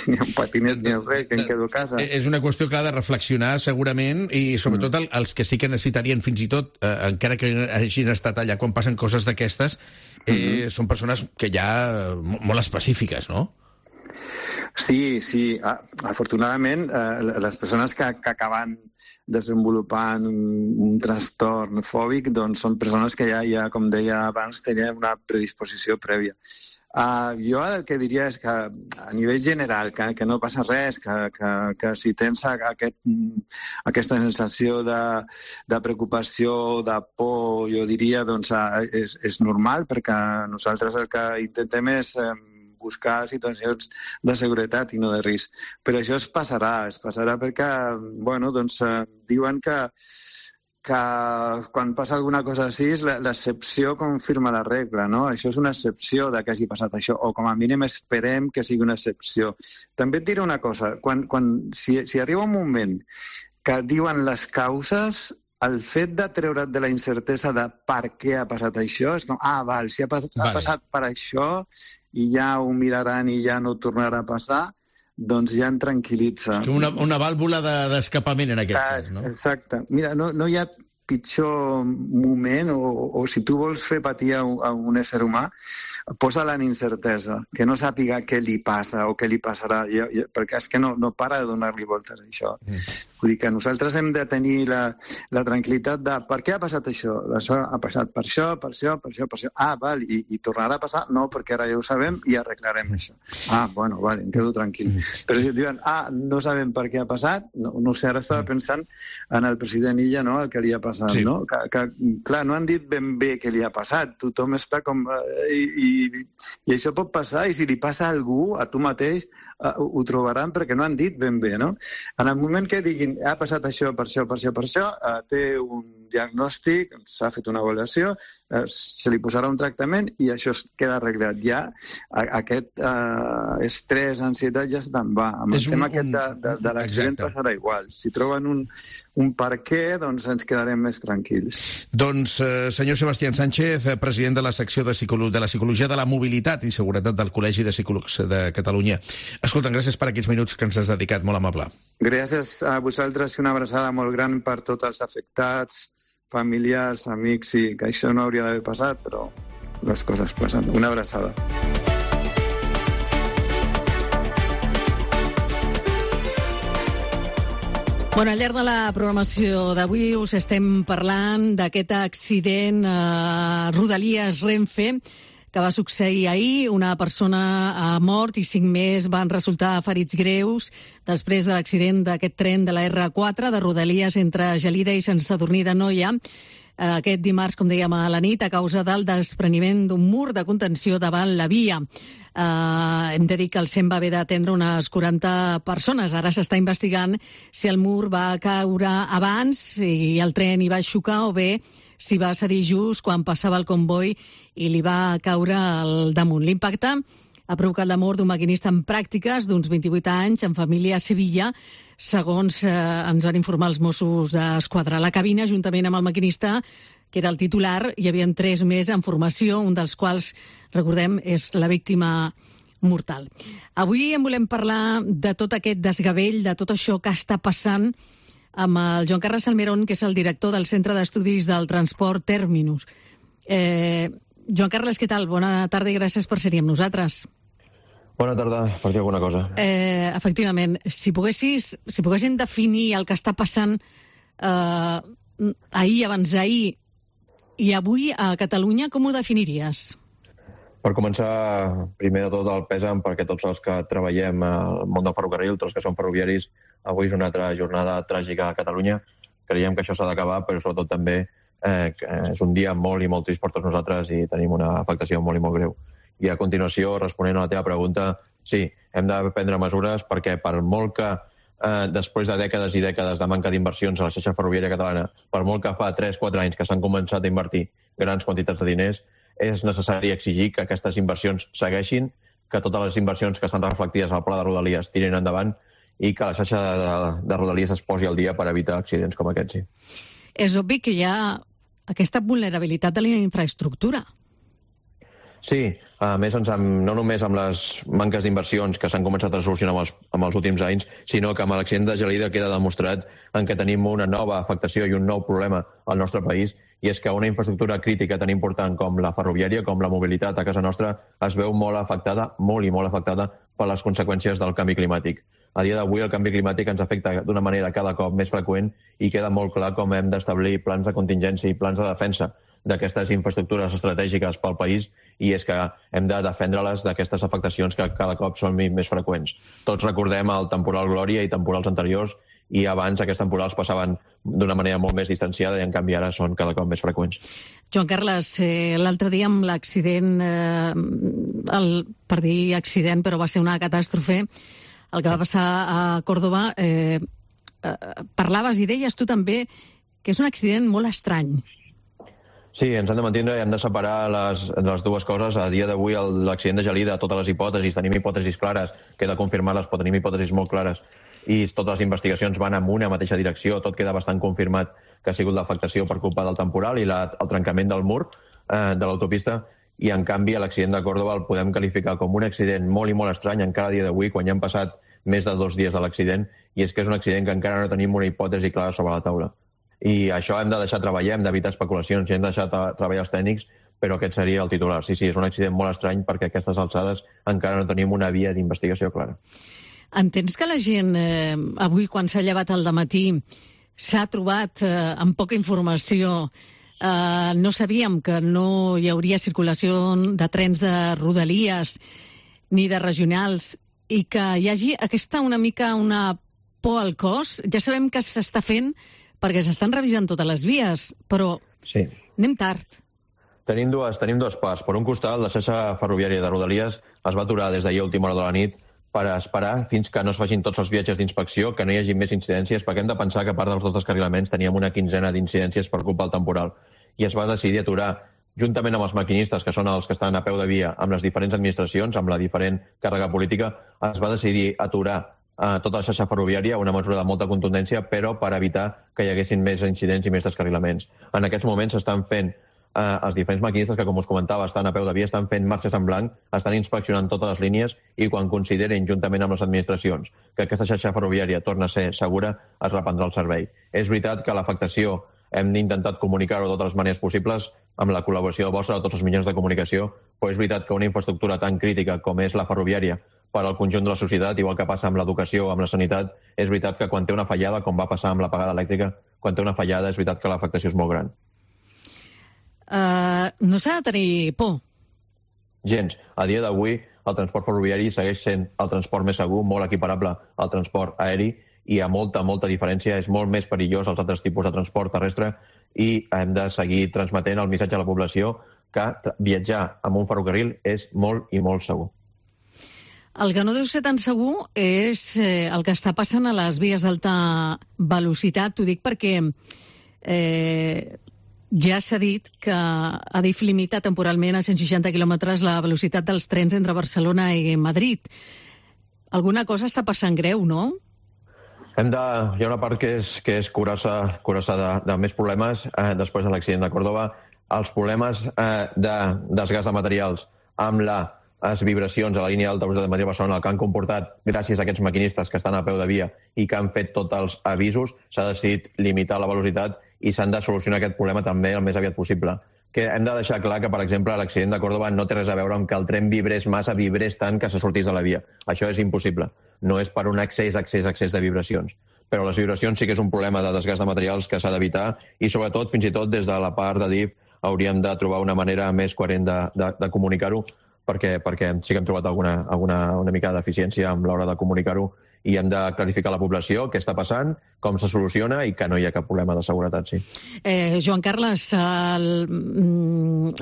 ni en patinet ni en res, que em quedo a casa. És una qüestió que ha de reflexionar segurament i sobretot els que sí que necessitarien fins i tot, encara que hagin estat allà quan passen coses d'aquestes, són persones que ja molt específiques, no? Sí. Afortunadament, les persones que acaben desenvolupant un trastorn fòbic doncs són persones que ja, com deia abans, tenien una predisposició prèvia. Jo el que diria és que a nivell general, que no passa res, que si tens aquesta sensació de preocupació, de por, jo diria, doncs és normal, perquè nosaltres el que intentem és buscar situacions de seguretat i no de risc. Però això es passarà perquè, diuen que quan passa alguna cosa així, l'excepció confirma la regla, no? Això és una excepció de que hagi passat això, o com a mínim esperem que sigui una excepció. També et diré una cosa, si arriba un moment que diuen les causes, el fet de treure't de la incertesa de per què ha passat això, és com, si ha passat per això i ja ho miraran i ja no tornarà a passar, doncs ja em tranquil·litza. Una vàlvula d'escapament en aquest cas, no? Exacte. Mira, no hi ha pitjor moment, o si tu vols fer patir a un ésser humà, posa-la en incertesa, que no sàpiga què li passa o què li passarà, perquè és que no para de donar-li voltes a això. Vull dir que nosaltres hem de tenir la tranquil·litat de per què ha passat això? Això ha passat per això, per això, per això, per això. Val, i tornarà a passar? No, perquè ara ja ho sabem i arreglarem això. Bueno, vale, em quedo tranquil. Però si diuen, no sabem per què ha passat, no sé, ara estava pensant en el president Illa, no?, el que li ha passat. Sí. No? Que, clar, no han dit ben bé què li ha passat. Tothom està com... I això pot passar, i si li passa a algú, a tu mateix, ho trobaran perquè no han dit ben bé, no? En el moment que diguin ha passat això, per això, per això, per això, té un diagnòstic, s'ha fet una avaluació, se li posarà un tractament i això es queda arreglat. Ja aquest estrès, ansietat ja se'n va. Amb el tema aquest de l'accident passarà igual. Si troben un per què, doncs ens quedarem més tranquils. Doncs, senyor Sebastián Sánchez, president de la secció de la Psicologia de la Mobilitat i Seguretat del Col·legi de Psicòlegs de Catalunya. Escolta, gràcies per aquests minuts que ens has dedicat, molt amable. Gràcies a vosaltres i una abraçada molt gran per tots els afectats, familiars, amics, i que això no hauria d'haver passat, però les coses passen. Una abraçada. Bueno, al llarg de la programació d'avui us estem parlant d'aquest accident a Rodalies Renfe que va succeir ahir. Una persona ha mort i 5 més van resultar ferits greus després de l'accident d'aquest tren de la R4 de Rodalies entre Gelida i Sant Sadurní d'Anoia. Aquest dimarts, com dèiem, a la nit, a causa del despreniment d'un mur de contenció davant la via. Hem de dir que el SEM va haver d'atendre unes 40 persones. Ara s'està investigant si el mur va caure abans i el tren hi va xocar o bé si va cedir just quan passava el comboi i li va caure al damunt. L'impacte ha provocat la mort d'un maquinista en pràctiques d'uns 28 anys, en família a Sevilla, segons ens van informar els Mossos d'Esquadra. A la cabina, juntament amb el maquinista, que era el titular, hi havia 3 més en formació, un dels quals, recordem, és la víctima mortal. Avui en volem parlar de tot aquest desgavell, de tot això que està passant amb el Joan Carles Salmerón, que és el director del Centre d'Estudis del Transport Terminus. Joan Carles, què tal? Bona tarda i gràcies per ser-hi amb nosaltres. Bona tarda, per dir alguna cosa. Efectivament, si poguessin definir el que està passant ahir, abans d'ahir i avui a Catalunya, com ho definiries? Per començar, primer de tot el pèsam, perquè tots els que treballem al món del ferrocarril, tots els que som ferroviaris, avui és una altra jornada tràgica a Catalunya. Creiem que això s'ha d'acabar, però sobretot també és un dia molt i molt trist per tots nosaltres i tenim una afectació molt i molt greu. I a continuació, responent a la teva pregunta, sí, hem de prendre mesures perquè per molt que després de dècades i dècades de manca d'inversions a la xarxa ferroviària catalana, per molt que fa 3-4 anys que s'han començat a invertir grans quantitats de diners, és necessari exigir que aquestes inversions segueixin, que totes les inversions que estan reflectides al pla de Rodalies tirin endavant i que la xarxa de Rodalies es posi al dia per evitar accidents com aquests. Sí. És obvi que hi ha aquesta vulnerabilitat de la infraestructura. Sí, a més, no només amb les manques d'inversions que s'han començat a solucionar amb els últims anys, sinó que amb l'accident de Gelida queda demostrat en què tenim una nova afectació i un nou problema al nostre país, i és que una infraestructura crítica tan important com la ferroviària, com la mobilitat a casa nostra, es veu molt afectada, molt i molt afectada per les conseqüències del canvi climàtic. A dia d'avui el canvi climàtic ens afecta d'una manera cada cop més freqüent i queda molt clar com hem d'establir plans de contingència i plans de defensa d'aquestes infraestructures estratègiques pel país, i és que hem de defendre-les d'aquestes afectacions que cada cop són més freqüents. Tots recordem el temporal Glòria i temporals anteriors, i abans aquests temporals passaven d'una manera molt més distanciada i en canvi ara són cada cop més freqüents. Joan Carles, l'altre dia amb l'accident, per dir accident, però va ser una catàstrofe, el que va passar a Còrdova, parlaves i deies tu també que és un accident molt estrany. Sí, ens hem de mantindre i hem de separar les dues coses. A dia d'avui, l'accident de Gelida, totes les hipòtesis, tenim hipòtesis clares, queda confirmar-les, però tenim hipòtesis molt clares, i totes les investigacions van en una mateixa direcció, tot queda bastant confirmat que ha sigut l'afectació per culpa del temporal i el trencament del mur de l'autopista, i en canvi l'accident de Córdoba el podem qualificar com un accident molt i molt estrany encara a dia d'avui, quan ja han passat més de 2 dies de l'accident, i és que és un accident que encara no tenim una hipòtesi clara sobre la taula. I això hem de deixar treballar, hem d'evitar especulacions i hem de deixar treballar els tècnics, però aquest seria el titular. Sí, és un accident molt estrany perquè a aquestes alçades encara no tenim una via d'investigació clara. Entens que la gent avui, quan s'ha llevat al dematí, s'ha trobat amb poca informació? No sabíem que no hi hauria circulació de trens de rodalies ni de regionals i que hi hagi aquesta una por al cos? Ja sabem que s'està fent perquè s'estan revisant totes les vies, però sí, anem tard. Tenim dues parts. Per un costat, la xarxa ferroviària de Rodalies es va aturar des d'ahir a última hora de la nit per esperar fins que no es facin tots els viatges d'inspecció, que no hi hagi més incidències, perquè hem de pensar que a part dels dos descarrilaments teníem una quinzena d'incidències per culpa del temporal. I es va decidir aturar, juntament amb els maquinistes, que són els que estan a peu de via, amb les diferents administracions, amb la diferent càrrega política, es va decidir aturar tota la xarxa ferroviària, una mesura de molta contundència, però per evitar que hi haguessin més incidents i més descarrilaments. En aquests moments s'estan fent, els diferents maquinistes que, com us comentava, estan a peu de via, estan fent marxes en blanc, estan inspeccionant totes les línies i quan considerin, juntament amb les administracions, que aquesta xarxa ferroviària torna a ser segura, es reprendrà el servei. És veritat que l'afectació hem intentat comunicar-ho de totes les maneres possibles amb la col·laboració vostra de tots els mitjans de comunicació, però és veritat que una infraestructura tan crítica com és la ferroviària per al conjunt de la societat, igual que passa amb l'educació o amb la sanitat, és veritat que quan té una fallada, com va passar amb l'apagada elèctrica, quan té una fallada és veritat que l'afectació és molt gran. No s'ha de tenir por? Gens. A dia d'avui, el transport ferroviari segueix sent el transport més segur, molt equiparable al transport aeri, i hi ha molta diferència, és molt més perillós als altres tipus de transport terrestre, i hem de seguir transmetent el missatge a la població que viatjar amb un ferrocarril és molt i molt segur. El que no deu ser tan segur és el que està passant a les vies d'alta velocitat. T'ho dic perquè ja s'ha dit que Adif limita temporalment a 160 quilòmetres la velocitat dels trens entre Barcelona i Madrid. Alguna cosa està passant greu, no? Hi ha una part que és curar-se de més problemes després de l'accident de Córdoba. Els problemes de desgast de materials amb les vibracions a la línia d'alta velocitat de Madrid-Barcelona, el que han comportat gràcies a aquests maquinistes que estan a peu de via i que han fet tots els avisos, s'ha decidit limitar la velocitat i s'han de solucionar aquest problema també el més aviat possible. Que hem de deixar clar que, per exemple, l'accident de Córdoba no té res a veure amb que el tren vibrés tant que se sortís de la via. Això és impossible. No és per un excés de vibracions. Però les vibracions sí que és un problema de desgast de materials que s'ha d'evitar i, sobretot, fins i tot des de la part d'Adif, hauríem de trobar una manera més coherent de comunicar-ho, perquè sí que hem trobat una mica deficiència amb l'hora de comunicar-ho i hem de clarificar a la població què està passant, com se soluciona i que no hi ha cap problema de seguretat, sí. Joan Carles,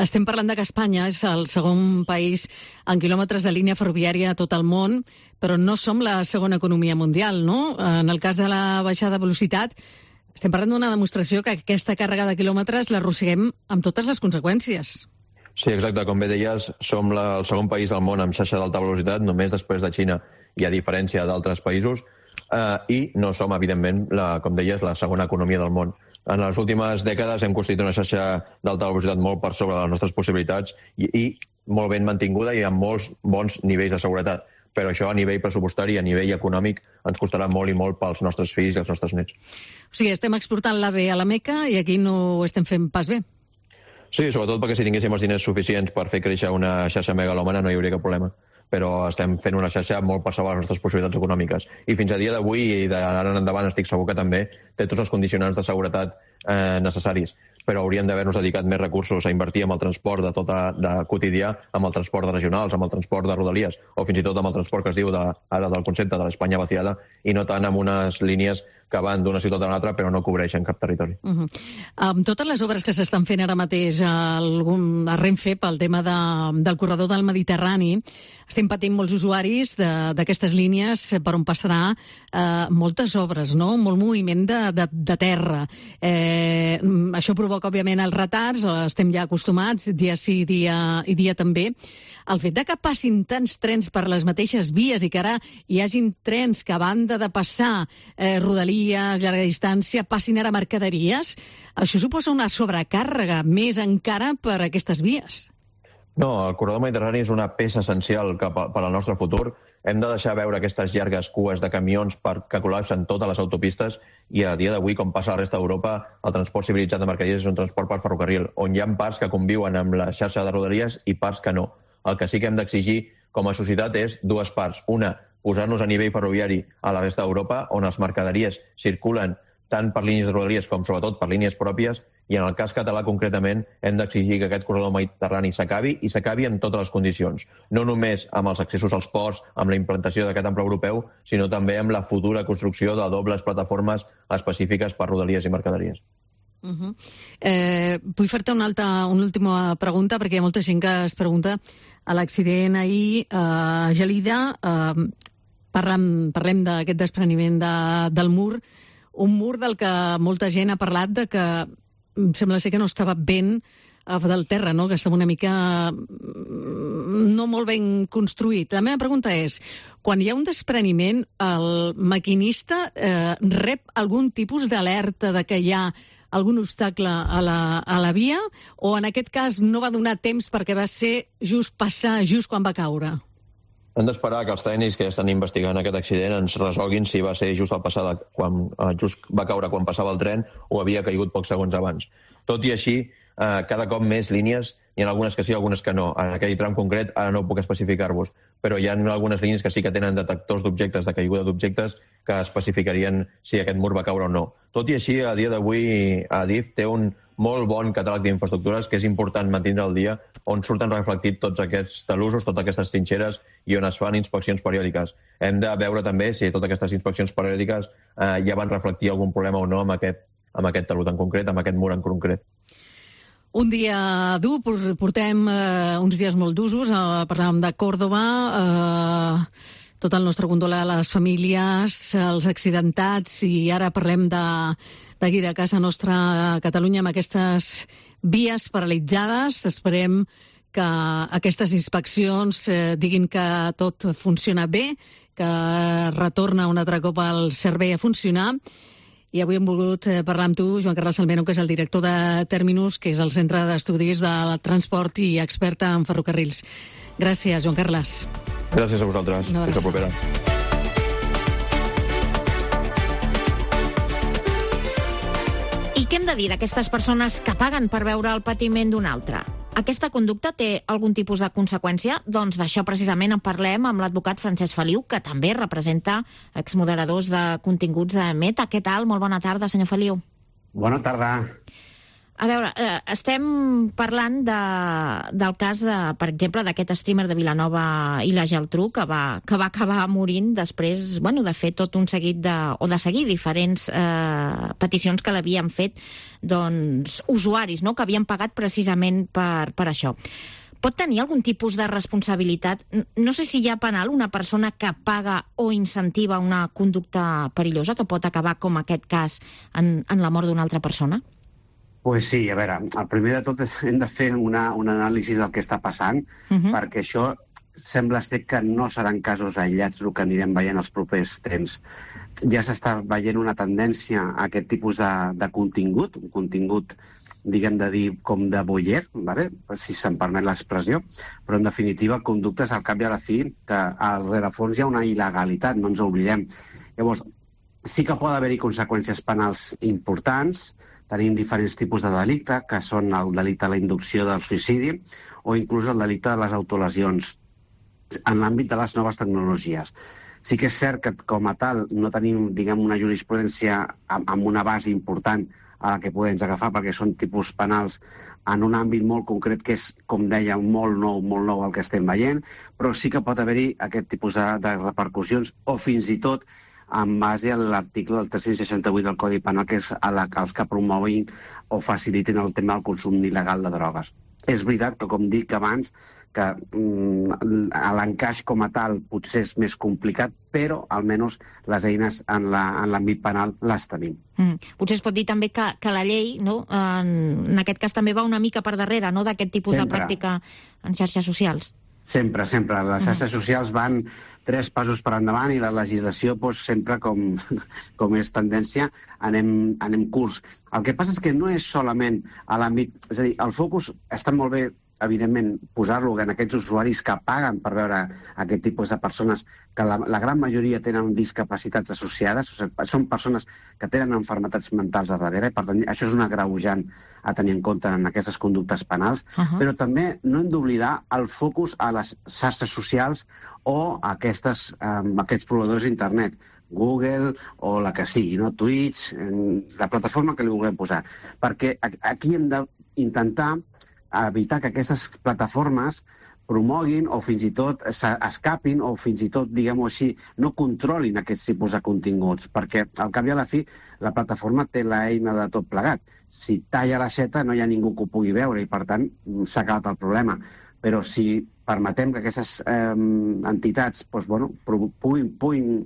estem parlant que Espanya és el segon país en quilòmetres de línia ferroviària a tot el món, però no som la segona economia mundial, no? En el cas de la baixada de velocitat, estem parlant d'una demostració que aquesta càrrega de quilòmetres l'arrosseguem amb totes les conseqüències. Sí, exacte. Com bé deies, som el segon país del món amb xarxa d'alta velocitat, només després de Xina i a diferència d'altres països, i no som, evidentment, com deies, la segona economia del món. En les últimes dècades hem construït una xarxa d'alta velocitat molt per sobre de les nostres possibilitats i molt ben mantinguda i amb molts bons nivells de seguretat. Però això a nivell pressupostari i a nivell econòmic ens costarà molt i molt pels nostres fills i els nostres nets. O sigui, estem exportant l'AVE a la Meca i aquí no ho estem fent pas bé. Sí, sobretot perquè si tinguéssim els diners suficients per fer créixer una xarxa megalòmana no hi hauria cap problema. Però estem fent una xarxa molt per sobre les nostres possibilitats econòmiques. I fins a dia d'avui i d'ara en endavant estic segur que també té tots els condicionants de seguretat necessaris. però hauríem d'haver-nos dedicat més recursos a invertir en el transport de quotidià, amb el transport de regionals, amb el transport de rodalies, o fins i tot amb el transport que es diu ara del concepte de l'Espanya vaciada, i no tant amb unes línies que van d'una ciutat a l'altra però no cobreixen cap territori. Amb totes les obres que s'estan fent ara mateix a Renfe pel tema del corredor del Mediterrani, estem patint molts usuaris d'aquestes línies per on passarà moltes obres, no? Molt moviment de terra. Això provoca, òbviament, els retards, estem ja acostumats, dia sí, dia també. El fet que passin tants trens per les mateixes vies i que ara hi hagin trens que a banda de passar rodalies, llarga distància, passin ara mercaderies, això suposa una sobrecàrrega més encara per a aquestes vies. No, el corredor mediterrani és una peça essencial per al nostre futur. Hem de deixar veure aquestes llargues cues de camions que col·lapsen totes les autopistes i a dia d'avui, com passa a la resta d'Europa, el transport civilitzat de mercaderies és un transport per ferrocarril, on hi ha parts que conviuen amb la xarxa de rodalies i parts que no. El que sí que hem d'exigir com a societat és dues parts. Una, posar-nos a nivell ferroviari a la resta d'Europa, on les mercaderies circulen tant per línies de rodalies com sobretot per línies pròpies, i en el cas català concretament hem d'exigir que aquest corredor mediterrani s'acabi i s'acabi en totes les condicions. No només amb els accessos als ports, amb la implantació d'aquest ample europeu, sinó també amb la futura construcció de dobles plataformes específiques per rodalies i mercaderies. Vull fer-te una última pregunta, perquè hi ha molta gent que es pregunta a l'accident ahir a Gelida. Parlem d'aquest despreniment del mur, un mur del que molta gent ha parlat de que sembla ser que no estava ben del terra, no? Que estava una mica no molt ben construït. La meva pregunta és, quan hi ha un despreniment, el maquinista rep algun tipus d'alerta de que hi ha algun obstacle a la via, o en aquest cas no va donar temps perquè va ser passar just quan va caure? Hem d'esperar que els tècnics que estan investigant aquest accident ens resolguin si va ser just al passar quan just va caure quan passava el tren o havia caigut pocs segons abans. Tot i així, cada cop més línies, hi ha algunes que sí, algunes que no. En aquell tram concret ara no puc especificar-vos, però hi ha algunes línies que sí que tenen detectors d'objectes, de caiguda d'objectes, que especificarien si aquest mur va caure o no. Tot i així, a dia d'avui, Adif té un molt bon catàleg d'infraestructures que és important mantenir al dia, on surten reflectits tots aquests talussos, totes aquestes trinxeres i on es fan inspeccions periòdiques. Hem de veure també si totes aquestes inspeccions periòdiques ja van reflectir algun problema o no amb aquest talut en concret, amb aquest mur en concret. Un dia dur, portem uns dies molt d'usos, parlàvem de Còrdova, tot el nostre condol a les famílies, els accidentats, i ara parlem d'aquí de casa nostra a Catalunya amb aquestes vies paralitzades. Esperem que aquestes inspeccions diguin que tot funciona bé, que retorna un altre cop el servei a funcionar. I avui hem volgut parlar amb tu, Joan Carles Almeno, que és el director de Terminus, que és el Centre d'Estudis del Transport i expert en ferrocarrils. Gràcies, Joan Carles. Gràcies a vosaltres. Fins la propera. I què hem de dir d'aquestes persones que paguen per veure el patiment d'un altre? Aquesta conducta té algun tipus de conseqüència? Doncs d'això precisament en parlem amb l'advocat Francesc Feliu, que també representa exmoderadors de continguts de Meta. Què tal? Molt bona tarda, senyor Feliu. Bona tarda. A veure, estem parlant del cas, per exemple, d'aquest streamer de Vilanova i la Geltrú que va acabar morint després, de fer tot un seguit de seguir diferents peticions que l'havien fet usuaris, que havien pagat precisament per això. Pot tenir algun tipus de responsabilitat? No sé si hi ha penal una persona que paga o incentiva una conducta perillosa que pot acabar, com aquest cas, en la mort d'una altra persona? Pues sí, a veure, el primer de tot hem de fer un anàlisi del que està passant, perquè això sembla ser que no seran casos aïllats el que anirem veient els propers temps. Ja s'està veient una tendència a aquest tipus de contingut, un contingut, diguem de dir, com de voyeur, si se'm permet l'expressió, però en definitiva conductes al cap i a la fi que al rerefons hi ha una il·legalitat, no ens oblidem. Llavors, sí que pot haver-hi conseqüències penals importants. Tenim diferents tipus de delicte, que són el delicte de la inducció del suïcidi o inclús el delicte de les autolesions. en l'àmbit de les noves tecnologies. Sí que és cert que, com a tal, no tenim, diguem, una jurisprudència amb una base important a la que podem agafar, perquè són tipus penals en un àmbit molt concret que és, com deia, molt nou el que estem veient, però sí que pot haver-hi aquest tipus de repercussions, o fins i tot en base a l'article del 368 del Codi Penal, que és els que promoguin o facilitin el tema del consum il·legal de drogues. És veritat que, com dic abans, que l'encaix com a tal potser és més complicat, però almenys les eines en l'àmbit penal les tenim. Potser es pot dir també que la llei, no, en aquest cas també va una mica per darrere, no, d'aquest tipus de pràctica en xarxes socials. Sempre. Les xarxes socials van 3 passos per endavant i la legislació, sempre, com és tendència, anem curts. El que passa és que no és solament a l'àmbit... És a dir, el focus està molt bé, evidentment, posar-lo en aquests usuaris que paguen per veure aquest tipus de persones, que la gran majoria tenen discapacitats associades, són persones que tenen malalties mentals a darrere, i per tant això és un agreujant a tenir en compte en aquestes conductes penals, però també no hem d'oblidar el focus a les xarxes socials o a aquests proveïdors d'internet, Google o la que sigui, no? Twitch, la plataforma que li vulguem posar, perquè aquí hem d'intentar evitar que aquestes plataformes promoguin o fins i tot escapin o fins i tot, diguem-ho així, no controlin aquests tipus de continguts, perquè al cap i a la fi la plataforma té l'eina de tot plegat. Si talla l'aixeta no hi ha ningú que ho pugui veure i per tant s'ha acabat el problema. Però si permetem que aquestes entitats puguin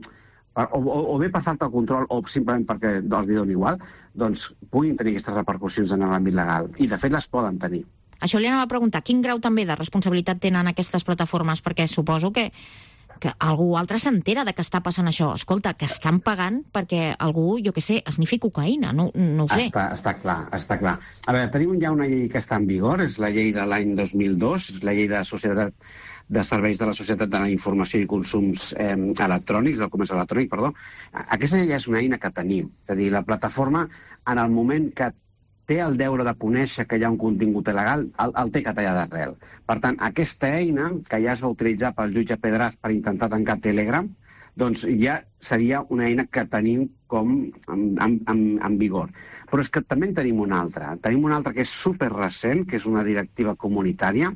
o bé per falta de control o simplement perquè els li doni igual, doncs puguin tenir aquestes repercussions en l'àmbit legal. I de fet les poden tenir. Això li anava a preguntar, quin grau també de responsabilitat tenen aquestes plataformes? Perquè suposo que algú altre s'entera de que està passant això. Escolta, que estan pagant perquè algú, jo què sé, esnifi cocaïna, no ho sé. Està clar. A veure, tenim ja una llei que està en vigor, és la llei de l'any 2002, és la llei de serveis de la Societat de la Informació i Consums electrònics, del comerç electrònic, perdó. Aquesta llei és una eina que tenim. És a dir, la plataforma, en el moment que té el deure de conèixer que hi ha un contingut il·legal, el té que tallar d'arrel. Per tant, aquesta eina, que ja es va utilitzar pel jutge Pedraz per intentar tancar Telegram, doncs ja seria una eina que tenim en vigor. Però és que també en tenim una altra. Tenim una altra que és superrecent, que és una directiva comunitària,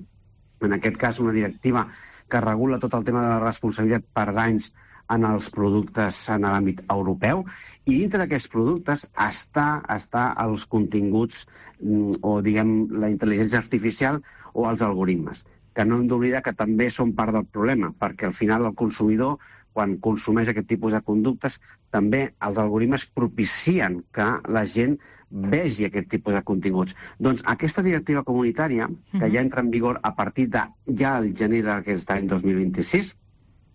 en aquest cas una directiva que regula tot el tema de la responsabilitat per danys en els productes en l'àmbit europeu, i dintre d'aquests productes està els continguts o, diguem, la intel·ligència artificial o els algoritmes, que no hem d'oblidar que també són part del problema, perquè al final el consumidor, quan consumeix aquest tipus de conductes, també els algoritmes propicien que la gent vegi aquest tipus de continguts. Doncs aquesta directiva comunitària, que ja entra en vigor a partir de ja el gener d'aquest any 2026,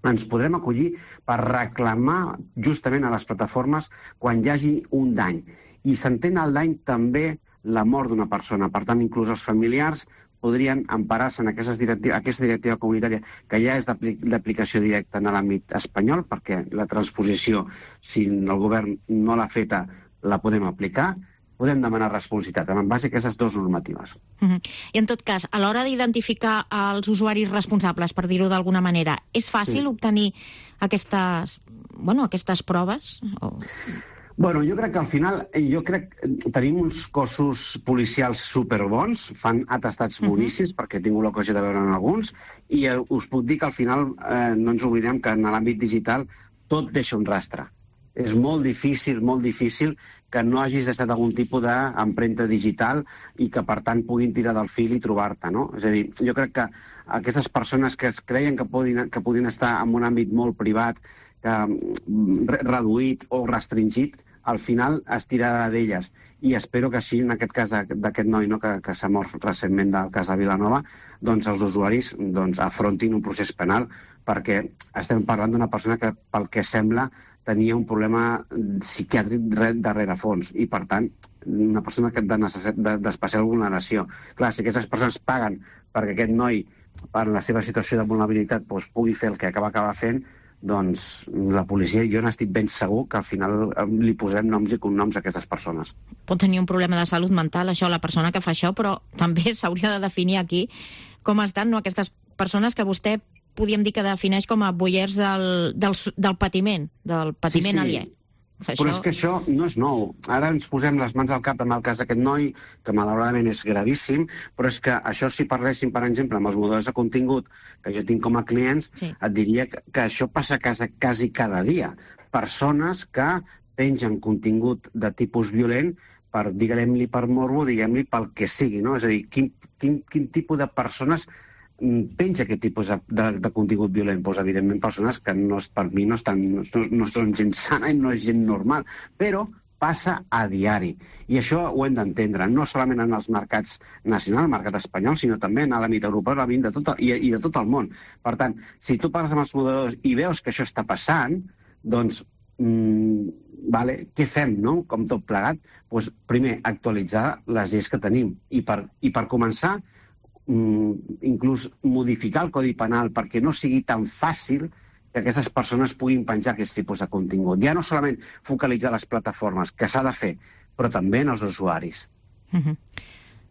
ens podrem acollir per reclamar justament a les plataformes quan hi hagi un dany. I s'entén el dany també la mort d'una persona. Per tant, inclús els familiars podrien emparar-se en aquesta directiva comunitària, que ja és d'aplicació directa en l'àmbit espanyol, perquè la transposició, si el govern no l'ha feta, la podem aplicar. Podem demanar responsabilitat en base a aquestes dues normatives. I en tot cas, a l'hora d'identificar els usuaris responsables, per dir-ho d'alguna manera, és fàcil obtenir aquestes proves? Bueno, jo crec que al final tenim uns cossos policials superbons, fan atestats boníssims, perquè he tingut l'ocasió de veure en alguns, i us puc dir que al final no ens oblidem que en l'àmbit digital tot deixa un rastre. És molt difícil que no hagis deixat algun tipus d'empremta digital i que, per tant, puguin tirar del fil i trobar-te, no? És a dir, jo crec que aquestes persones que es creien que podien estar en un àmbit molt privat, reduït o restringit, al final es tirarà d'elles. I espero que així, en aquest cas d'aquest noi que s'ha mort recentment del cas de Vilanova, doncs els usuaris afrontin un procés penal, perquè estem parlant d'una persona que, pel que sembla, tenia un problema psiquiàtric darrere fons i, per tant, una persona d'especial vulneració. Clar, si aquestes persones paguen perquè aquest noi, per la seva situació de vulnerabilitat, pugui fer el que acaba fent, doncs la policia, jo n'estic ben segur que al final li posem noms i cognoms a aquestes persones. Pot tenir un problema de salut mental, això, la persona que fa això, però també s'hauria de definir aquí com estan aquestes persones que vostè podríem dir que defineix com a boiers del patiment aliè. Però és que això no és nou. Ara ens posem les mans al cap amb el cas d'aquest noi, que malauradament és gravíssim, però és que això, si parléssim, per exemple, amb els moderadors de contingut que jo tinc com a clients, et diria que això passa quasi cada dia. Persones que pengen contingut de tipus violent diguem-li per morbo, diguem-li pel que sigui, no? És a dir, quin tipus de persones penja aquest tipus de contingut violent? Doncs, evidentment, persones que per mi no són gent sana i no és gent normal, però passa a diari. I això ho hem d'entendre, no solament en els mercats nacionals, el mercat espanyol, sinó també en l'àmbit europeu i de tot el món. Per tant, si tu parles amb els moderadors i veus que això està passant, doncs, què fem, no? Com tot plegat? Doncs, primer, actualitzar les lleis que tenim. I per començar, inclús modificar el Codi Penal perquè no sigui tan fàcil que aquestes persones puguin penjar aquest tipus de contingut. Ja no solament focalitzar les plataformes, que s'ha de fer, però també en els usuaris.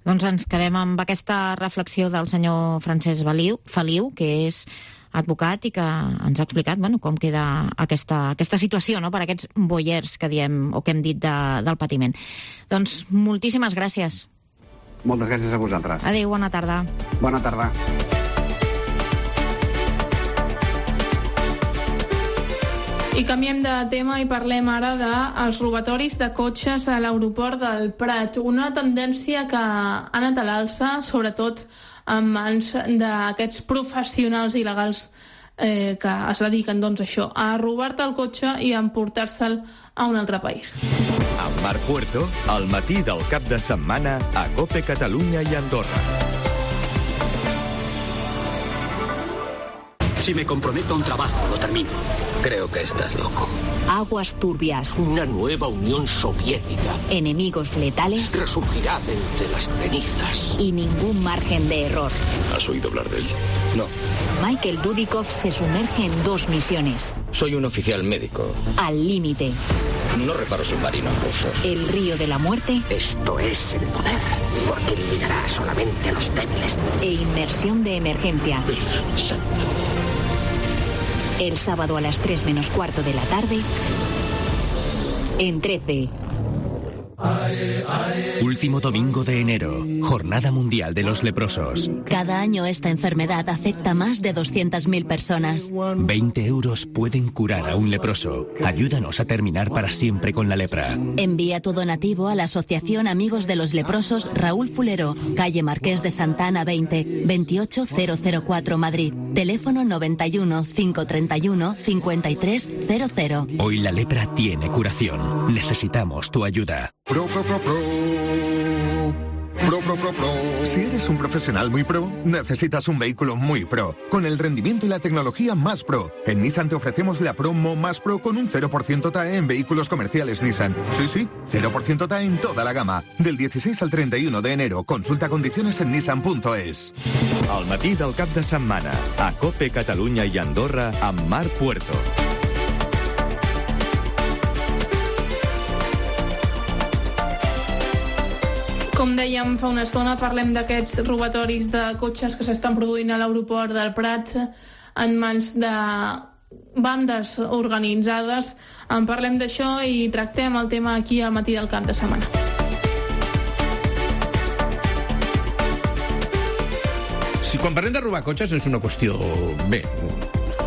Doncs ens quedem amb aquesta reflexió del senyor Francesc Feliu, que és advocat i que ens ha explicat com queda aquesta situació, no?, per aquests boiers que diem o que hem dit del patiment. Doncs moltíssimes gràcies. Moltes gràcies a vosaltres. Adéu, bona tarda. Bona tarda. I canviem de tema i parlem ara dels robatoris de cotxes a l'aeroport del Prat. Una tendència que ha anat a l'alça, sobretot en mans d'aquests professionals il·legals que es dediquen, doncs, això, a robar-te el cotxe i a emportar-se'l a un altre país. Amb Marc Puerto, al matí del cap de setmana a COPE Catalunya i Andorra. Si me comprometo a un trabajo, lo termino. Creo que estás loco. Aguas turbias. Una nueva Unión Soviética. Enemigos letales. Resurgirá de entre las cenizas. Y ningún margen de error. ¿Has oído hablar de él? No. Michael Dudikoff se sumerge en 2 misiones. Soy un oficial médico. Al límite. No reparo submarinos rusos. El río de la muerte. Esto es el poder, porque eliminará solamente a los débiles. E inmersión de emergencia. Virgen Santa. El sábado a las 3 menos cuarto de la tarde, en 13. Último domingo de enero, Jornada Mundial de los Leprosos. Cada año esta enfermedad afecta a más de 200.000 personas. 20 euros pueden curar a un leproso. Ayúdanos a terminar para siempre con la lepra. Envía tu donativo a la Asociación Amigos de los Leprosos Raúl Fulero, calle Marqués de Santa Ana 20, 28004 Madrid. Teléfono 91 531 5300. Hoy la lepra tiene curación. Necesitamos tu ayuda. Pro. Si eres un profesional muy pro, necesitas un vehículo muy pro, con el rendimiento y la tecnología más pro. En Nissan te ofrecemos la promo más pro con un 0% TAE en vehículos comerciales Nissan. Sí, 0% TAE en toda la gama. Del 16 al 31 de enero. Consulta condiciones en nissan.es. Al matí del cap de setmana, a COPE Catalunya i Andorra, amb Marc Puerto. Com dèiem fa una estona, parlem d'aquests robatoris de cotxes que s'estan produint a l'aeroport del Prat en mans de bandes organitzades. En parlem d'això i tractem el tema aquí al matí del cap de setmana. Si quan parlem de robar cotxes és una qüestió... Bé,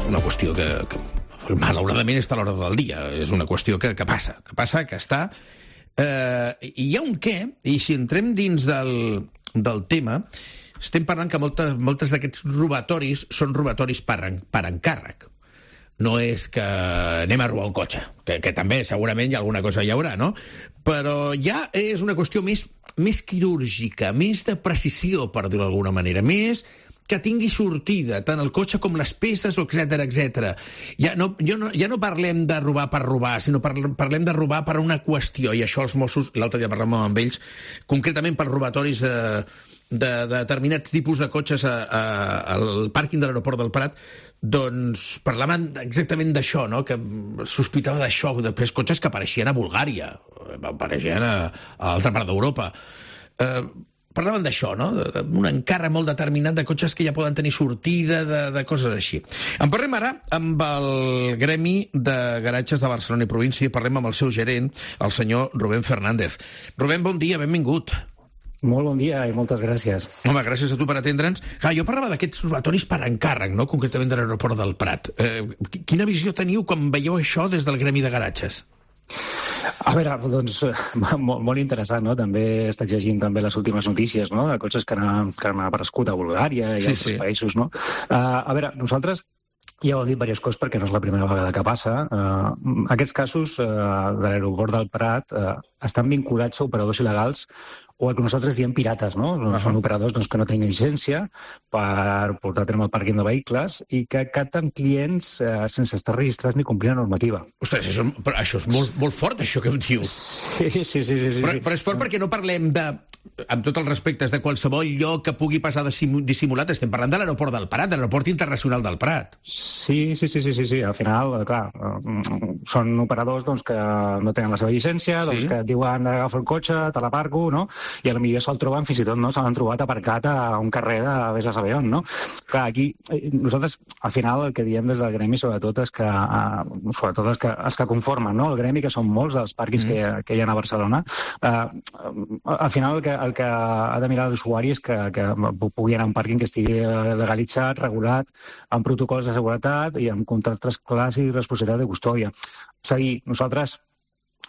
una qüestió que malauradament està a l'hora del dia. És una qüestió que passa, que està... hi ha un què, i si entrem dins del tema, estem parlant que moltes d'aquests robatoris són robatoris per encàrrec. No és que anem a robar un cotxe, que també segurament hi ha alguna cosa hi haurà, no? Però ja és una qüestió més quirúrgica, més de precisió, per dir-ho d'alguna manera, més que tingui sortida, tant el cotxe com les peces, etc. Ja no parlem de robar per robar, sinó parlem de robar per una qüestió, i això els Mossos, l'altre dia parlàvem amb ells, concretament per robatoris de determinats tipus de cotxes al pàrquing de l'aeroport del Prat, doncs parlaven exactament d'això, no? Que sospitava d'això, després cotxes que apareixien a Bulgària, apareixien a altra part d'Europa. parlàvem d'això, no? Un encàrrec molt determinat de cotxes que ja poden tenir sortida, de coses així. En parlem ara amb el Gremi de Garatges de Barcelona i província, parlem amb el seu gerent, el senyor Rubén Fernández. Rubén, bon dia, benvingut. Molt bon dia i moltes gràcies. Home, gràcies a tu per atendre'ns. Clar, jo parlava d'aquests robatoris per encàrrec, no? Concretament de l'aeroport del Prat. Quina visió teniu quan veieu això des del Gremi de Garatges? A veure, doncs, molt interessant, no? També he estat llegint també les últimes notícies, no?, de cotxes que han aparegut a Bulgària i altres països, no? A veure, nosaltres ja ho he dit diverses coses perquè no és la primera vegada que passa. Aquests casos de l'aeroport del Prat estan vinculats a operadors il·legals o el que nosaltres diem pirates, no? Són operadors que no tenen llicència per portar a terme el pàrquing de vehicles i que capten clients sense estar registrats ni complir la normativa. Ostres, això és molt fort, això que em dius. Sí. Però és fort perquè no parlem de, amb tots els respectes, de qualsevol lloc que pugui passar dissimulat. Estem parlant de l'aeroport del Prat, de l'aeroport internacional del Prat. Sí. Al final, clar, són operadors que no tenen la seva llicència, que et diuen agafa el cotxe, te l'aparco, no? I potser se'l troben, fins i tot, no? Se l'han trobat aparcat a un carrer de vés a saber on, no? Clar, aquí, nosaltres, al final, el que diem des del Gremi, sobretot, és que els que conformen, no?, el Gremi, que són molts dels pàrquings que hi ha a Barcelona, al final el que ha de mirar l'usuari és que pugui anar a un pàrquing que estigui legalitzat, regulat, amb protocols de seguretat i amb contractes clars i responsabilitat de custòdia. És a dir, nosaltres,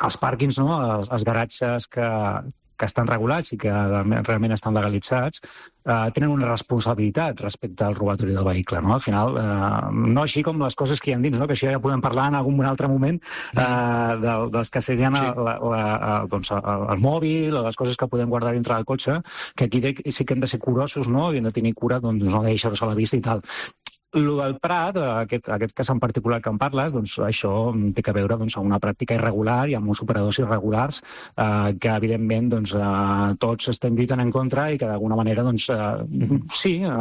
els pàrquings, no?, els garatges que estan regulats i que realment estan legalitzats, tenen una responsabilitat respecte al robatori del vehicle, no? Al final, no així com les coses que hi ha dins, no? Que això ja podem parlar en algun altre moment dels que serien el mòbil, les coses que podem guardar dintre del cotxe, que aquí sí que hem de ser curosos, no? I hem de tenir cura, doncs, no deixar-los a la vista i tal. El del Prat, aquest cas en particular que en parles, doncs això té a veure amb una pràctica irregular i amb uns operadors irregulars que, evidentment, tots estem lluitant en contra i que, d'alguna manera,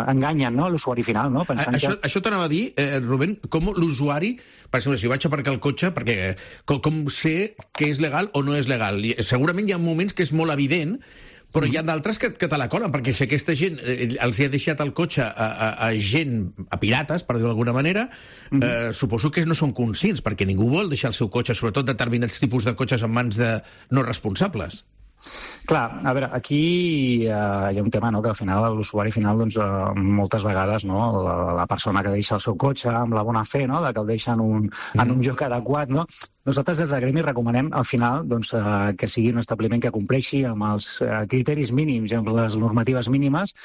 enganyen l'usuari final. Això t'anava a dir, Rubén, com l'usuari, per exemple, si vaig a aparcar el cotxe, com sé que és legal o no és legal? Segurament hi ha moments que és molt evident, però hi ha d'altres que te la colen, perquè si aquesta gent els ha deixat el cotxe a pirates, per dir-ho d'alguna manera, suposo que no són conscients, perquè ningú vol deixar el seu cotxe, sobretot determinats tipus de cotxes en mans de no responsables. Clar, a veure, aquí hi ha un tema, que al final l'usuari final, moltes vegades, la persona que deixa el seu cotxe amb la bona fe, que el deixa en un lloc adequat, nosaltres des del Gremi recomanem al final que sigui un establiment que compleixi amb els criteris mínims i amb les normatives mínimes.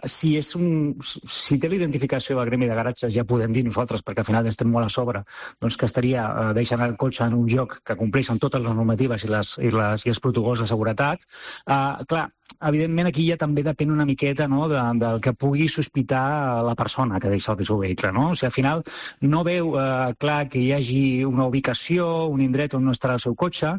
Si té l'identificació del Gremi de Garatges, ja podem dir nosaltres, perquè al final estem molt a sobre, que estaria deixant el cotxe en un lloc que compleix amb totes les normatives i els protocols de seguretat. Clar, evidentment aquí ja també depèn una miqueta del que pugui sospitar la persona que deixa el seu vehicle. Si al final no veu clar que hi hagi una ubicació, un indret on no estarà el seu cotxe,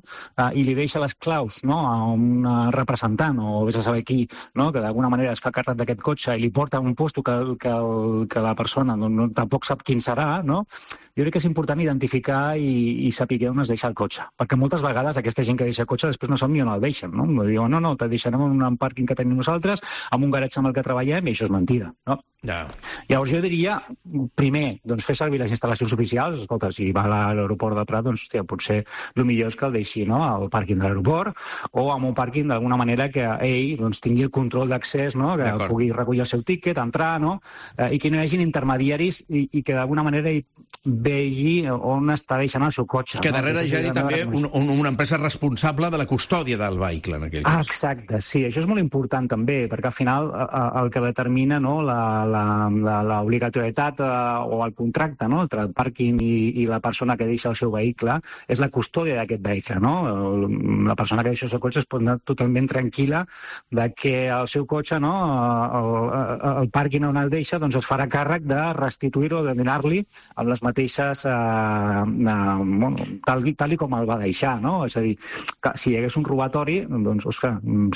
i li deixa les claus a un representant o vés a saber qui, que d'alguna manera es fa càrrec d'aquest cotxe i li porta a un lloc que la persona tampoc sap quin serà, jo crec que és important identificar i saber on es deixa el cotxe, perquè moltes vegades aquesta gent que deixa el cotxe després no sap ni on el deixen, diuen, no, te deixarem en un pàrquing que tenim nosaltres, amb un garatge amb el que treballem, i això és mentida, Llavors jo diria, primer, fer servir les instal·lacions oficials. Escolta, si va a l'aeroport del Prat, potser el millor és que el deixi al pàrquing de l'aeroport o en un pàrquing d'alguna manera que ell tingui el control d'accés, que pugui recollir el seu tíquet, entrar, i que no hi hagi intermediaris i que d'alguna manera vegi on està deixant el seu cotxe. Que darrere hi hagi també una empresa responsable de la custòdia del vehicle, en aquell cas. Exacte, sí, això és molt important també, perquè al final el que determina l'obligatorietat o el contracte entre el pàrquing i la persona que deixa el seu vehicle és la custòdia d'aquest vehicle. La persona que deixa el seu cotxe es pot anar totalment tranquil·la que el seu cotxe, el pàrquing on el deixa, es farà càrrec de restituir-lo, de donar-li amb les mateixes tal com el va deixar. És a dir, si hi hagués un robatori,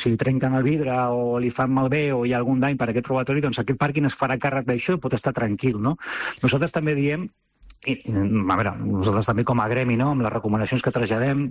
si li trenquen el vidre o li fan malbé o hi ha algun dany per aquest robatori, aquest pàrquing es farà càrrec d'això i pot estar tranquil. Nosaltres també diem a veure, nosaltres també com a gremi, no?, amb les recomanacions que traslladem,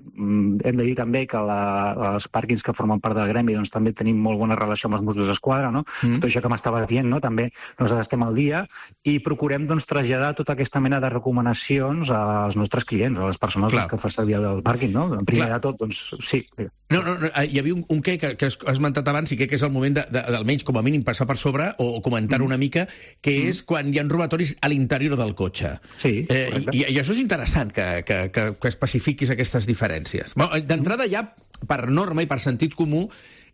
hem de dir també que els pàrquings que formen part del gremi doncs, també tenim molt bona relació amb els Mossos d'Esquadra, no? Tot això que m'estaves dient, no?, també nosaltres estem al dia i procurem doncs, traslladar tota aquesta mena de recomanacions als nostres clients, a les persones que fan servir el pàrquing, no? Primer de tot, doncs, sí. No, hi havia un que has esmentat abans i que és el moment d'almenys, com a mínim, passar per sobre o comentar una mica, que és quan hi ha robatoris a l'interior del cotxe. Sí. I això és interessant, que especifiquis aquestes diferències. D'entrada, ja per norma i per sentit comú,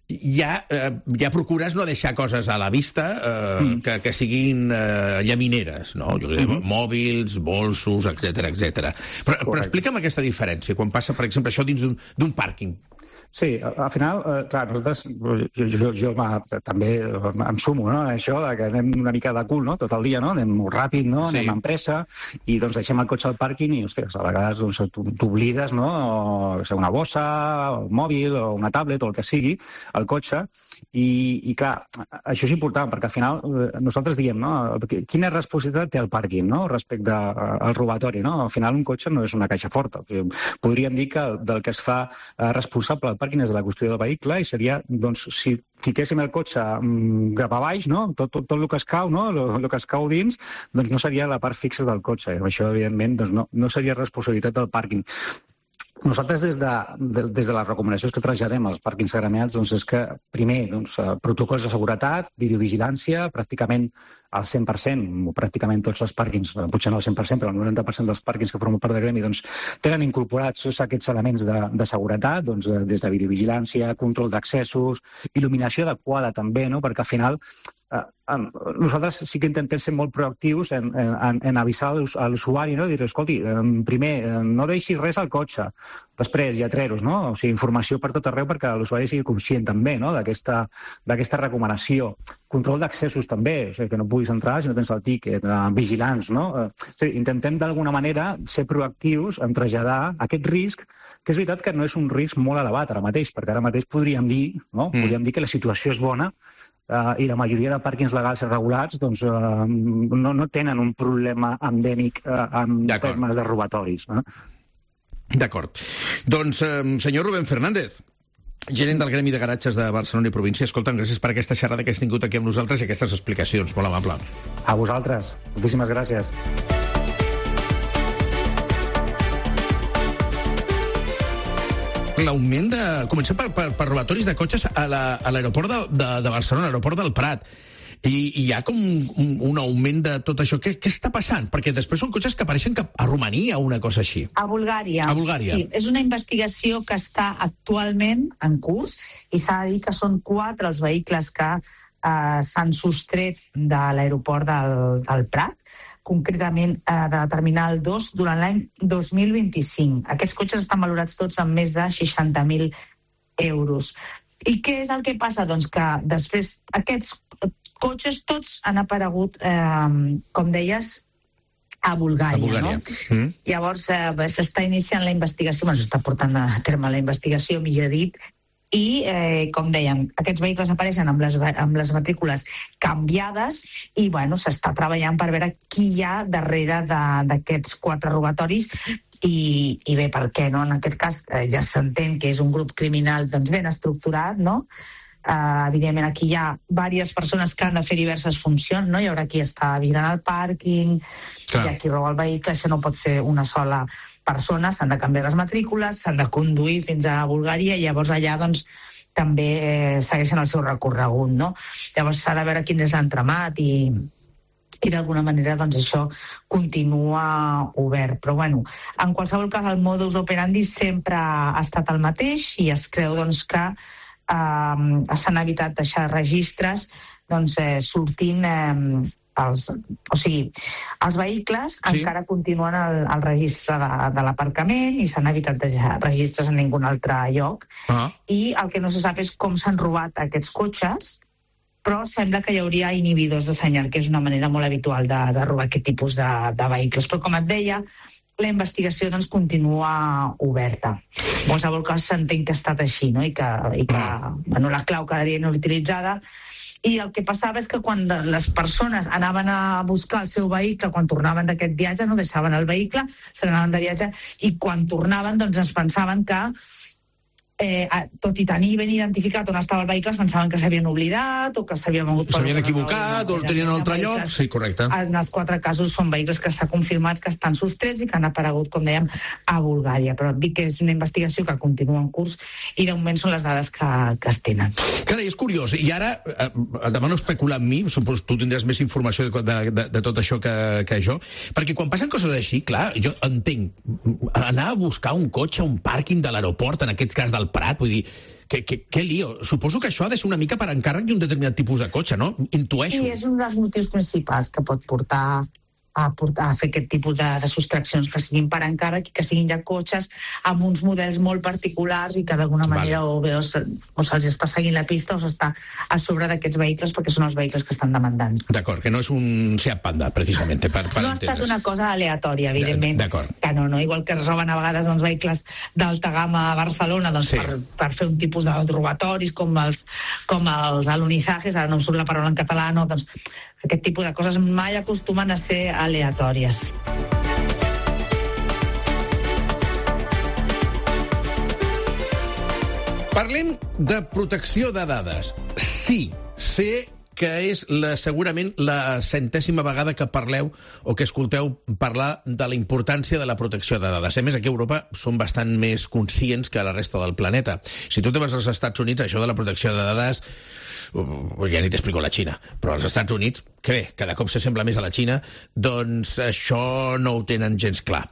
ja procures no deixar coses a la vista que siguin llamineres, no? Mòbils, bolsos, etc. Però explica'm aquesta diferència, quan passa, per exemple, això dins d'un pàrquing. Sí, al final, clar, nosaltres, jo també em sumo, no?, això que anem una mica de cul, no?, tot el dia, no?, anem molt ràpid, no?, anem amb pressa, i doncs deixem el cotxe al pàrquing i, ostres, a vegades doncs, t'oblides, no?, o una bossa, el mòbil, o una tablet, o el que sigui, al cotxe, i clar, això és important, perquè al final nosaltres diem, no?, quina responsabilitat té el pàrquing, no?, respecte al robatori, no?, al final un cotxe no és una caixa forta. Podríem dir que del que es fa responsable pàrquing és de la qüestió del vehicle i seria, doncs, si fiquéssim el cotxe cap a baix, no?, tot el que es cau, no?, el que es cau dins, doncs no seria la part fixa del cotxe. Això, evidentment, doncs no seria responsabilitat del pàrquing. Nosaltres, des de les recomanacions que traslladem als pàrquings agremiats, doncs és que, primer, doncs, protocols de seguretat, videovigilància, pràcticament al 100%, pràcticament tots els pàrquings, potser no al 100%, però el 90% dels pàrquings que formen part del gremi, doncs, tenen incorporats tots aquests elements de seguretat, doncs, des de videovigilància, control d'accessos, il·luminació adequada també, no?, perquè al final nosaltres sí que intentem ser molt proactius en avisar a l'usuari, no?, dir, escolti, primer, no deixi res al cotxe, després, lletreros, no?, o sigui, informació per tot arreu perquè l'usuari sigui conscient també, no?, d'aquesta recomanació. Control d'accessos també, o sigui, que no puguis entrar si no tens el tíquet, vigilants, no? O sigui, intentem d'alguna manera ser proactius en traslladar aquest risc, que és veritat que no és un risc molt elevat ara mateix, perquè ara mateix podríem dir, no?, podríem dir que la situació és bona, i la majoria de pàrquings legals i regulats doncs, no tenen un problema endèmic en termes de robatoris. D'acord. Doncs, senyor Rubén Fernández, gerent del Gremi de Garatges de Barcelona i Província, escolta'm, gràcies per aquesta xerrada que has tingut aquí amb nosaltres i aquestes explicacions. Molt amable. A vosaltres. Moltíssimes gràcies. L'augment de... Comencem per robatoris de cotxes a l'aeroport de Barcelona, a l'aeroport del Prat. I hi ha com un augment de tot això. Què està passant? Perquè després són cotxes que apareixen a Romania o una cosa així. A Bulgària. A Bulgària. Sí, és una investigació que està actualment en curs i s'ha de dir que són 4 els vehicles que s'han sostret de l'aeroport del Prat, concretament de Terminal 2, durant l'any 2025. Aquests cotxes estan valorats tots amb més de 60.000 euros. I què és el que passa? Doncs que després aquests cotxes tots han aparegut, com deies, a Bulgària. No? Llavors s'està iniciant la investigació, s'està portant a terme la investigació, millor dit, i, com dèiem, aquests vehicles apareixen amb les matrícules canviades i, bueno, s'està treballant per veure qui hi ha darrere d'aquests 4 robatoris i bé, per què, no? En aquest cas ja s'entén que és un grup criminal doncs, ben estructurat, no? Evidentment, aquí hi ha diverses persones que han de fer diverses funcions, no? Hi haurà qui està vigilant el pàrquing, hi ha qui roba el vehicle, això no pot fer una sola persona, s'han de canviar les matrícules, s'han de conduir fins a Bulgària i llavors allà doncs, també segueixen el seu recorregut. No? Llavors s'ha de veure quin és l'entramat i d'alguna manera doncs, això continua obert. Però bueno, en qualsevol cas el modus operandi sempre ha estat el mateix i es creu doncs, que s'han evitat deixar registres doncs, sortint... els vehicles encara continuen al registre de l'aparcament i s'han evitat deixar registres en ningun altre lloc. I el que no se sap és com s'han robat aquests cotxes, però sembla que hi hauria inhibidors de senyal, que és una manera molt habitual de robar aquest tipus de vehicles. Però com et deia, la investigació doncs, continua oberta. En qualsevol cas s'entén que ha estat així, no? I que bueno, la clau quedaria inutilitzada I el que passava és que quan les persones anaven a buscar el seu vehicle, quan tornaven d'aquest viatge, no deixaven el vehicle, se n'anaven de viatge, i quan tornaven doncs es pensaven que tot i tenir ben identificat on estava el vehicle, es pensaven que s'havien oblidat o que s'havien mogut... S'havien equivocat o el tenien a un altre lloc. Sí, correcte. En els 4 casos són vehicles que s'ha confirmat que estan sostrets i que han aparegut, com dèiem, a Bulgària. Però dic que és una investigació que continua en curs i de moment són les dades que es tenen. Carai, és curiós. I ara, demano especular amb mi, suposo tu tindràs més informació de tot això que jo, perquè quan passen coses així, clar, jo entenc, anar a buscar un cotxe a un pàrquing de l'aeroport, en aquest cas del Prat, vull dir, que lío. Suposo que això ha de ser una mica per encàrrec d'un determinat tipus de cotxe, no? Intueixo. I és un dels motius principals que pot portar a fer aquest tipus de sostraccions, que siguin per encàrrec i que siguin ja cotxes amb uns models molt particulars i que d'alguna manera o se'ls està seguint la pista o s'està a sobre d'aquests vehicles perquè són els vehicles que estan demandant. D'acord, que no és un Seat Panda, precisament. No ha estat una cosa aleatòria, evidentment. D'acord. Que no, igual que es roben a vegades vehicles d'alta gamma a Barcelona per fer un tipus de robatoris com els alunizajes, ara no em surt la paraula en català, no, doncs aquest tipus de coses mai acostumen a ser aleatòries. Parlem de protecció de dades. Sí, sé que és segurament la 100ª vegada que parleu o que escolteu parlar de la importància de la protecció de dades. A més, aquí a Europa són bastant més conscients que a la resta del planeta. Si tu te vas als Estats Units, això de la protecció de dades, ja ni t'explico la Xina, però als Estats Units, que bé, cada cop s'assembla més a la Xina, doncs això no ho tenen gens clar.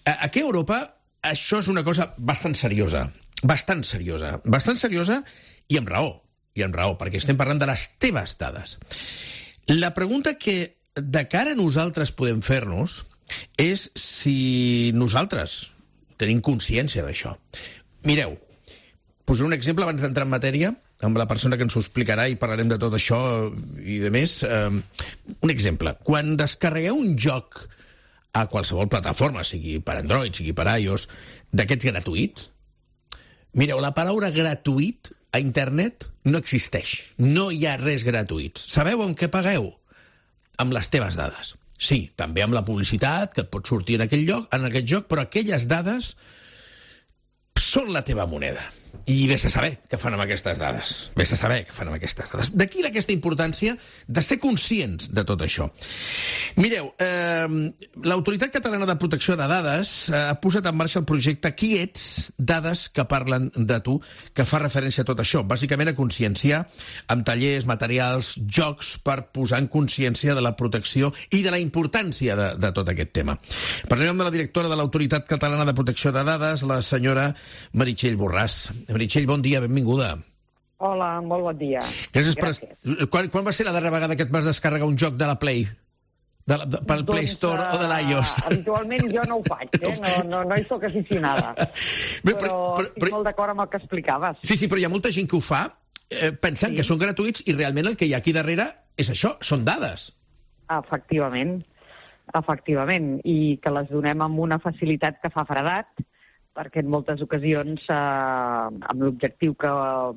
Aquí a Europa això és una cosa bastant seriosa i amb raó, perquè estem parlant de les teves dades. La pregunta que de cara a nosaltres podem fer-nos és si nosaltres tenim consciència d'això. Mireu, posaré un exemple abans d'entrar en matèria, amb la persona que ens ho explicarà i parlarem de tot això i de més. Un exemple, quan descarregueu un joc a qualsevol plataforma, sigui per Android, sigui per iOS, d'aquests gratuïts, mireu, la paraula gratuït a internet no existeix. No hi ha res gratuït. Sabeu amb què pagueu? Amb les teves dades. Sí, també amb la publicitat que et pot sortir en aquest joc, però aquelles dades són la teva moneda. I vés a saber què fan amb aquestes dades. D'aquí aquesta importància de ser conscients de tot això. Mireu, l'Autoritat Catalana de Protecció de Dades ha posat en marxa el projecte Qui ets? Dades que parlen de tu, que fa referència a tot això. Bàsicament a conscienciar amb tallers, materials, jocs per posar en consciència de la protecció i de la importància de tot aquest tema. Parlem amb la directora de l'Autoritat Catalana de Protecció de Dades, la senyora Meritxell Borràs. Meritxell, bon dia, benvinguda. Hola, molt bon dia. Gràcies. Quan va ser la darrera vegada que et vas descarregar un joc de la Play? Pel Play Store o de l'iOS? Habitualment jo no ho faig, no hi soc aficionada. Però estic molt d'acord amb el que explicaves. Sí, però hi ha molta gent que ho fa pensant que són gratuïts i realment el que hi ha aquí darrere és això, són dades. Efectivament, i que les donem amb una facilitat que fa fredat, perquè en moltes ocasions, amb l'objectiu que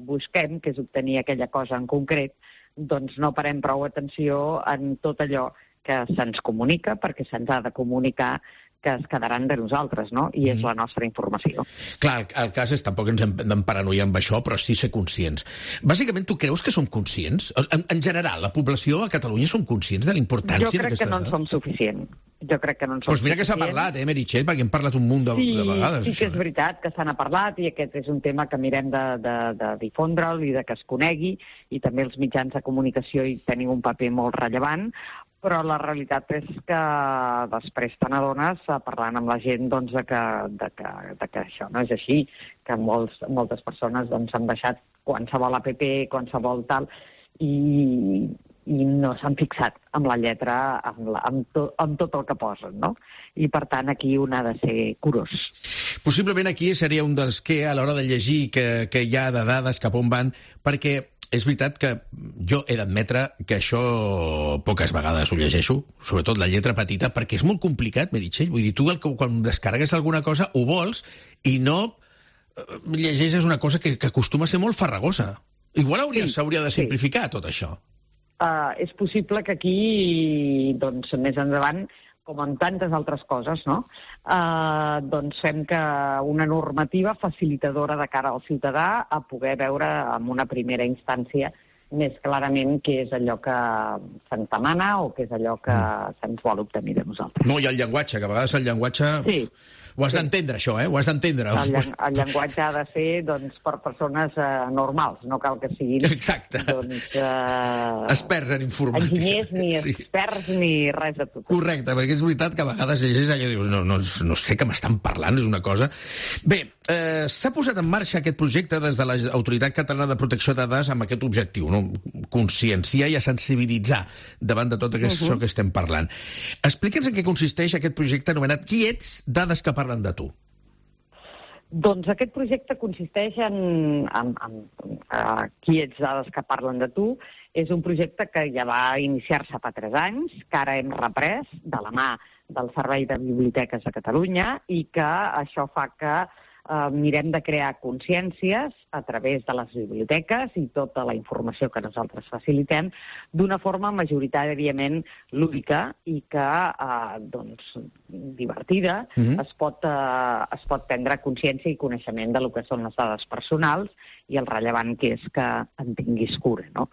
busquem, que és obtenir aquella cosa en concret, doncs no parem prou atenció en tot allò que se'ns comunica, perquè se'ns ha de comunicar que es quedaran de nosaltres, no? I és la nostra informació. Clar, el cas és, tampoc ens hem d'emparanoiar amb això, però sí ser conscients. Bàsicament, tu creus que som conscients? En general, la població a Catalunya som conscients de la importància d'aquestes dades? Jo crec que no en som suficient. Doncs mira que s'ha parlat, Meritxell, perquè hem parlat un munt de vegades. Sí que és veritat que se n'ha parlat i aquest és un tema que mirem de difondre'l i de que es conegui, i també els mitjans de comunicació hi tenen un paper molt rellevant, però la realitat és que després te n'adones, parlant amb la gent, doncs, de que això no és així, que moltes persones han baixat qualsevol app, qualsevol tal, i no s'han fixat amb la lletra, amb tot el que posen, no? I, per tant, aquí un ha de ser curós. Possiblement aquí seria un dels que, a l'hora de llegir que hi ha de dades cap on van, perquè és veritat que jo he d'admetre que això poques vegades ho llegeixo, sobretot la lletra petita, perquè és molt complicat, Meritxell. Vull dir, tu quan descarregues alguna cosa ho vols i no llegeixes una cosa que acostuma a ser molt farragosa. Igual s'hauria de simplificar tot això. És possible que aquí, doncs, més endavant, com en tantes altres coses, no? Doncs fem que una normativa facilitadora de cara al ciutadà a poder veure en una primera instància més clarament què és allò que se'ns demana o què és allò que se'ns vol obtenir de nosaltres. No, i el llenguatge, que a vegades el llenguatge... Sí. Ho has d'entendre, això, Ho has d'entendre. El llenguatge ha de ser, doncs, per persones normals, no cal que siguin... Exacte. Doncs, experts en informàtica. Enginyers, ni experts, ni res de tot. Correcte, perquè és veritat que a vegades llegeix allò i dius, no sé què m'estan parlant, és una cosa... Bé, s'ha posat en marxa aquest projecte des de l'Autoritat Catalana de Protecció de Dades amb aquest objectiu, no? Conscienciar i a sensibilitzar davant de tot això que estem parlant. Explica'ns en què consisteix aquest projecte anomenat Qui ets? Dades que parlen de tu. Doncs aquest projecte consisteix en Qui ets? Dades que parlen de tu. És un projecte que ja va iniciar-se fa 3 anys, que ara hem reprès de la mà del Servei de Biblioteques de Catalunya i que això fa que mirem de crear consciències a través de les biblioteques i tota la informació que nosaltres facilitem d'una forma majoritàriament lúdica i que, doncs, divertida, es pot prendre consciència i coneixement de lo que són les dades personals i el rellevant que és que en tinguis cura, no?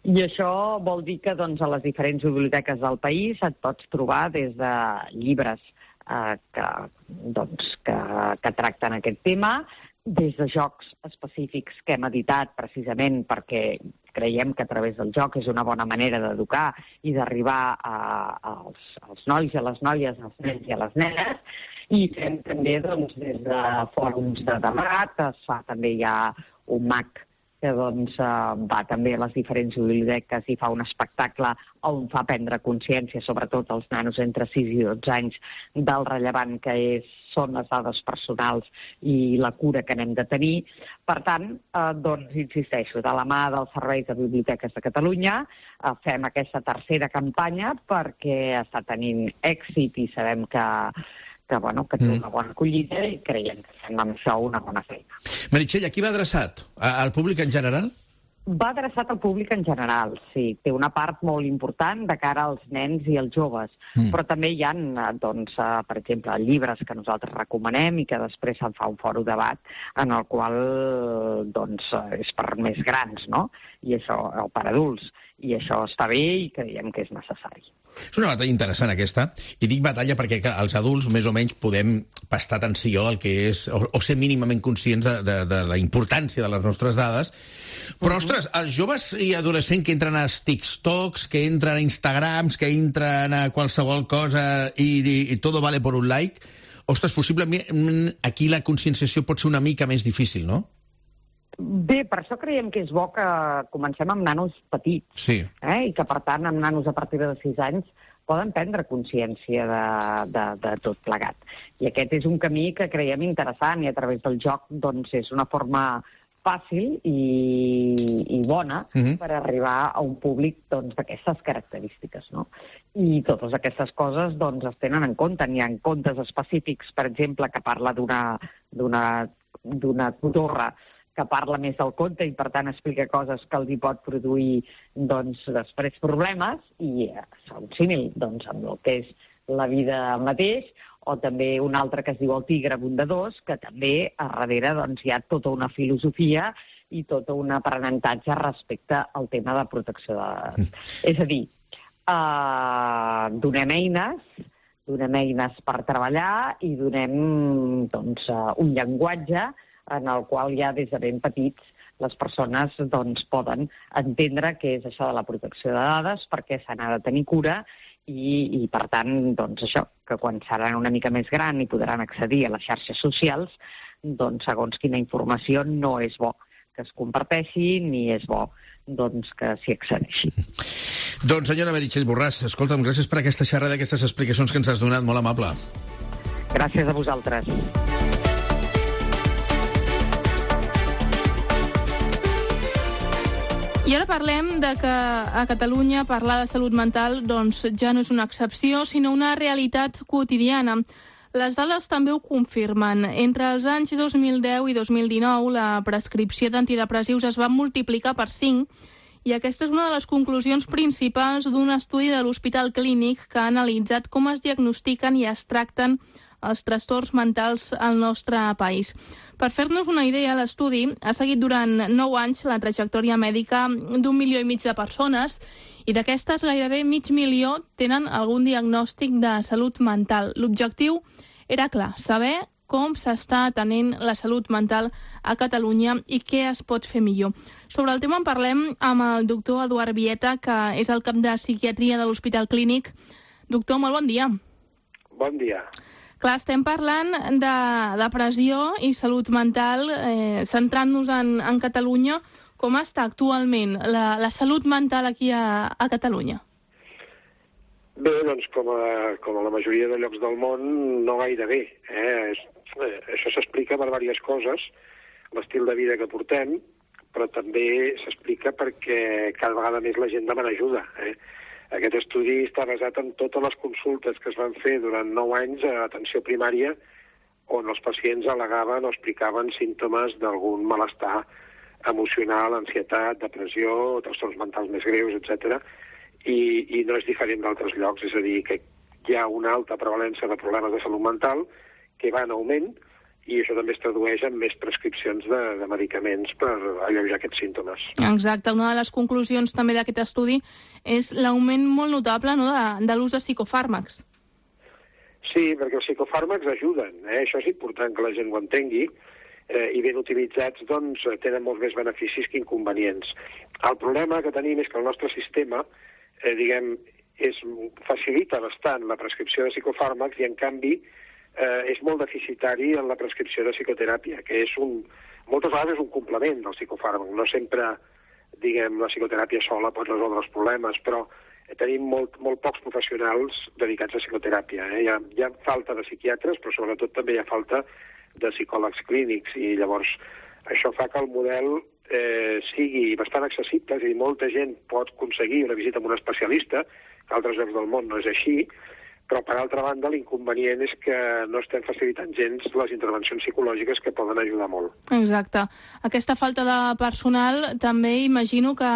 I això vol dir que, doncs, a les diferents biblioteques del país et pots trobar des de llibres que tracten aquest tema, des de jocs específics que hem editat precisament perquè creiem que a través del joc és una bona manera d'educar i d'arribar als nois i a les noies, als nens i a les nenes, i fem també, doncs, des de fòrums de debat, es fa també ja un mag que doncs, va també a les diferents biblioteques i fa un espectacle on fa prendre consciència, sobretot als nanos entre 6 i 12 anys, del rellevant que són les dades personals i la cura que n'hem de tenir. Per tant, doncs, insisteixo, de la mà dels serveis de biblioteques de Catalunya fem aquesta tercera campanya perquè està tenint èxit i sabem que té una bona acollida i creiem que fem amb això una bona feina. Meritxell, a qui va adreçat? Al públic en general? Va adreçat al públic en general, sí. Té una part molt important de cara als nens i als joves, però també hi ha, doncs, per exemple, llibres que nosaltres recomanem i que després se'n fa un fòrum debat en el qual, doncs, és per més grans, no? I això, o per adults. I això està bé i creiem que és necessari. És una batalla interessant aquesta, i dic batalla perquè els adults més o menys podem prestar atenció al que és, o ser mínimament conscients de la importància de les nostres dades, però, ostres, els joves i adolescents que entren a TikToks, que entren a Instagrams, que entren a qualsevol cosa i todo vale por un like, ostres, possiblement aquí la conscienciació pot ser una mica més difícil, no? Bé, per això creiem que és bo que comencem amb nanos petits, sí. I que, per tant, amb nanos a partir de 6 anys poden prendre consciència de tot plegat. I aquest és un camí que creiem interessant i a través del joc, doncs, és una forma fàcil i bona per arribar a un públic, doncs, d'aquestes característiques, no? I totes aquestes coses, doncs, es tenen en compte. N'hi ha contes específics, per exemple, que parla d'una torre que parla més del conte i, per tant, explica coses que els hi pot produir, doncs, després problemes, i un símil, doncs, amb el que és la vida mateix, o també un altre que es diu El tigre bondadós, que també a darrere, doncs, hi ha tota una filosofia i tot un aprenentatge respecte al tema de protecció de dades. És a dir, donem eines per treballar i donem, doncs, un llenguatge en el qual ja des de ben petits les persones, doncs, poden entendre què és això de la protecció de dades, perquè se n'ha de tenir cura i per tant, doncs, això, que quan seran una mica més gran i podran accedir a les xarxes socials, doncs, segons quina informació no és bo que es comparteixi ni és bo, doncs, que s'hi accedeixi. Doncs, senyora Meritxell Borràs, escolta'm, gràcies per aquesta xerrada, aquestes explicacions que ens has donat, molt amable. Gràcies a vosaltres. I ara parlem de que a Catalunya parlar de salut mental, doncs, ja no és una excepció, sinó una realitat quotidiana. Les dades també ho confirmen. Entre els anys 2010 i 2019, la prescripció d'antidepressius es va multiplicar per 5 i aquesta és una de les conclusions principals d'un estudi de l'Hospital Clínic que ha analitzat com es diagnostiquen i es tracten els trastorns mentals al nostre país. Per fer-nos una idea, l'estudi ha seguit durant 9 anys la trajectòria mèdica d'1,5 milió de persones i d'aquestes gairebé 500.000 tenen algun diagnòstic de salut mental. L'objectiu era clar, saber com s'està atenent la salut mental a Catalunya i què es pot fer millor. Sobre el tema en parlem amb el doctor Eduard Vieta, que és el cap de psiquiatria de l'Hospital Clínic. Doctor, molt bon dia. Bon dia. Clar, estem parlant de depressió i salut mental, centrant-nos en Catalunya. Com està actualment la salut mental aquí a Catalunya? Bé, doncs com a la majoria de llocs del món, no gaire bé. Això s'explica per diverses coses, l'estil de vida que portem, però també s'explica perquè cada vegada més la gent demana ajuda. Aquest estudi està basat en totes les consultes que es van fer durant 9 anys a atenció primària, on els pacients al·legaven o explicaven símptomes d'algun malestar emocional, ansietat, depressió, trastorns mentals més greus, etc. I no és diferent d'altres llocs, és a dir, que hi ha una alta prevalència de problemes de salut mental que va en augment i això també es tradueix en més prescripcions de medicaments per alleujar aquests símptomes. Exacte. Una de les conclusions també d'aquest estudi és l'augment molt notable, no?, de l'ús de psicofàrmacs. Sí, perquè els psicofàrmacs ajuden. Això és important que la gent ho entengui i ben utilitzats doncs, tenen molts més beneficis que inconvenients. El problema que tenim és que el nostre sistema facilita bastant la prescripció de psicofàrmacs i, en canvi, és molt deficitari en la prescripció de psicoteràpia, que moltes vegades és un complement del psicofàrmac. No sempre, la psicoteràpia sola pot resoldre els problemes, però tenim molt pocs professionals dedicats a psicoteràpia. Hi ha falta de psiquiatres, però sobretot també hi ha falta de psicòlegs clínics, i llavors això fa que el model sigui bastant accessible, és a dir, molta gent pot aconseguir una visita amb un especialista, que a altres llocs del món no és així, però, per altra banda, l'inconvenient és que no estem facilitant gens les intervencions psicològiques que poden ajudar molt. Exacte. Aquesta falta de personal també imagino que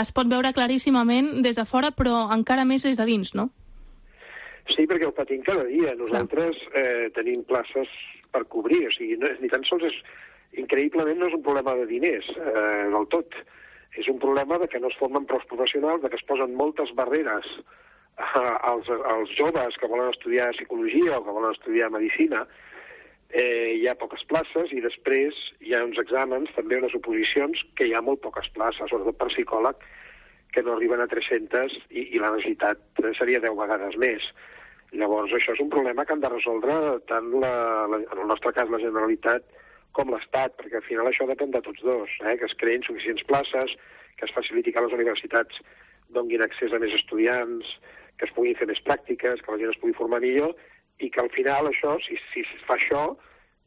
es pot veure claríssimament des de fora, però encara més des de dins, no? Sí, perquè ho patim cada dia. Nosaltres tenim places per cobrir, o sigui, ni tan sols increïblement no és un problema de diners del tot. És un problema de que no es formen prou professionals, de que es posen moltes barreres als joves que volen estudiar psicologia o que volen estudiar medicina. Hi ha poques places i després hi ha uns exàmens, també unes oposicions, que hi ha molt poques places, sobretot per psicòleg, que no arriben a 300 i la necessitat seria 10 vegades més. Llavors, això és un problema que han de resoldre tant, en el nostre cas, la Generalitat com l'Estat, perquè al final això depèn de tots dos, que es creïn suficients places, que es faciliti que les universitats donguin accés a més estudiants, que es puguin fer més pràctiques, que la gent es pugui formar millor, i que al final això, si es fa això,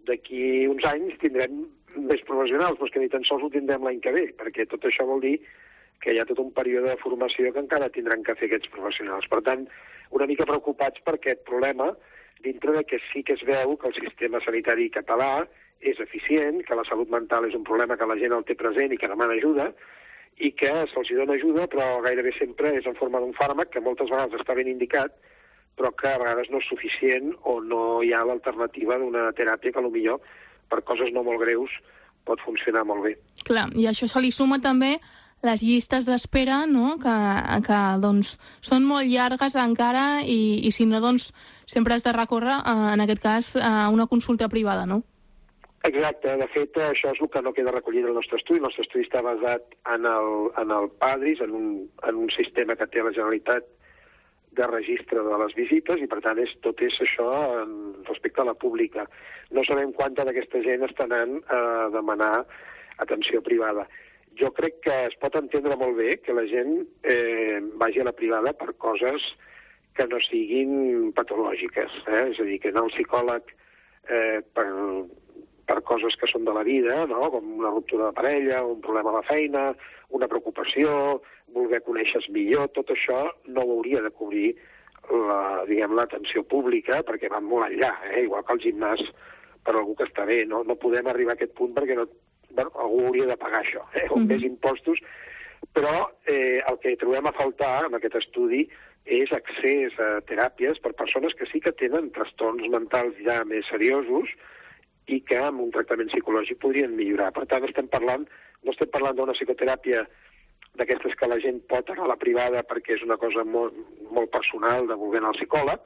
d'aquí uns anys tindrem més professionals, però que ni tan sols ho tindrem l'any que ve, perquè tot això vol dir que hi ha tot un període de formació que encara tindran que fer aquests professionals. Per tant, una mica preocupats per aquest problema, dintre de que sí que es veu que el sistema sanitari català és eficient, que la salut mental és un problema que la gent el té present i que demana ajuda, i que se'ls dona ajuda, però gairebé sempre és en forma d'un fàrmac, que moltes vegades està ben indicat, però que a vegades no és suficient o no hi ha l'alternativa d'una teràpia que potser per coses no molt greus pot funcionar molt bé. Clar, i això se li suma també les llistes d'espera, no?, que doncs, són molt llargues encara i si no, doncs, sempre has de recórrer, en aquest cas, a una consulta privada, no? Exacte. De fet, això és el que no queda recollit del nostre estudi. El nostre estudi està basat en el PADRIS, en un sistema que té la Generalitat de registre de les visites, i per tant tot és això respecte a la pública. No sabem quanta d'aquesta gent està anant a demanar atenció privada. Jo crec que es pot entendre molt bé que la gent vagi a la privada per coses que no siguin patològiques. És a dir, que anar al psicòleg per coses que són de la vida, no?, com una ruptura de parella, un problema a la feina, una preocupació, voler conèixer millor, tot això no ho hauria de cobrir l'atenció pública, perquè van molt enllà, igual que el gimnàs per algú que està bé. No podem arribar a aquest punt perquè algú hauria de pagar això, més impostos. Però el que trobem a faltar en aquest estudi és accés a teràpies per persones que sí que tenen trastorns mentals ja més seriosos i que amb un tractament psicològic podrien millorar. Per tant, no estem parlant d'una psicoteràpia d'aquestes que la gent pot anar a la privada perquè és una cosa molt personal de voler anar al psicòleg,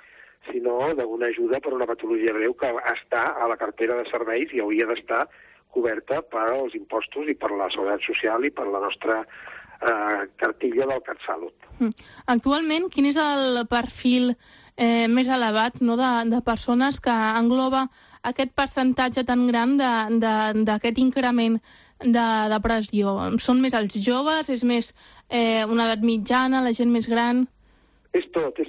sinó d'una ajuda per una patologia greu que està a la cartera de serveis i hauria d'estar coberta pels impostos i per la seguretat social i per la nostra cartilla del CatSalut. Actualment, quin és el perfil més elevat de persones que engloba aquest percentatge tan gran d'aquest increment de depressió? Són més els joves? És més una edat mitjana, la gent més gran? És tot.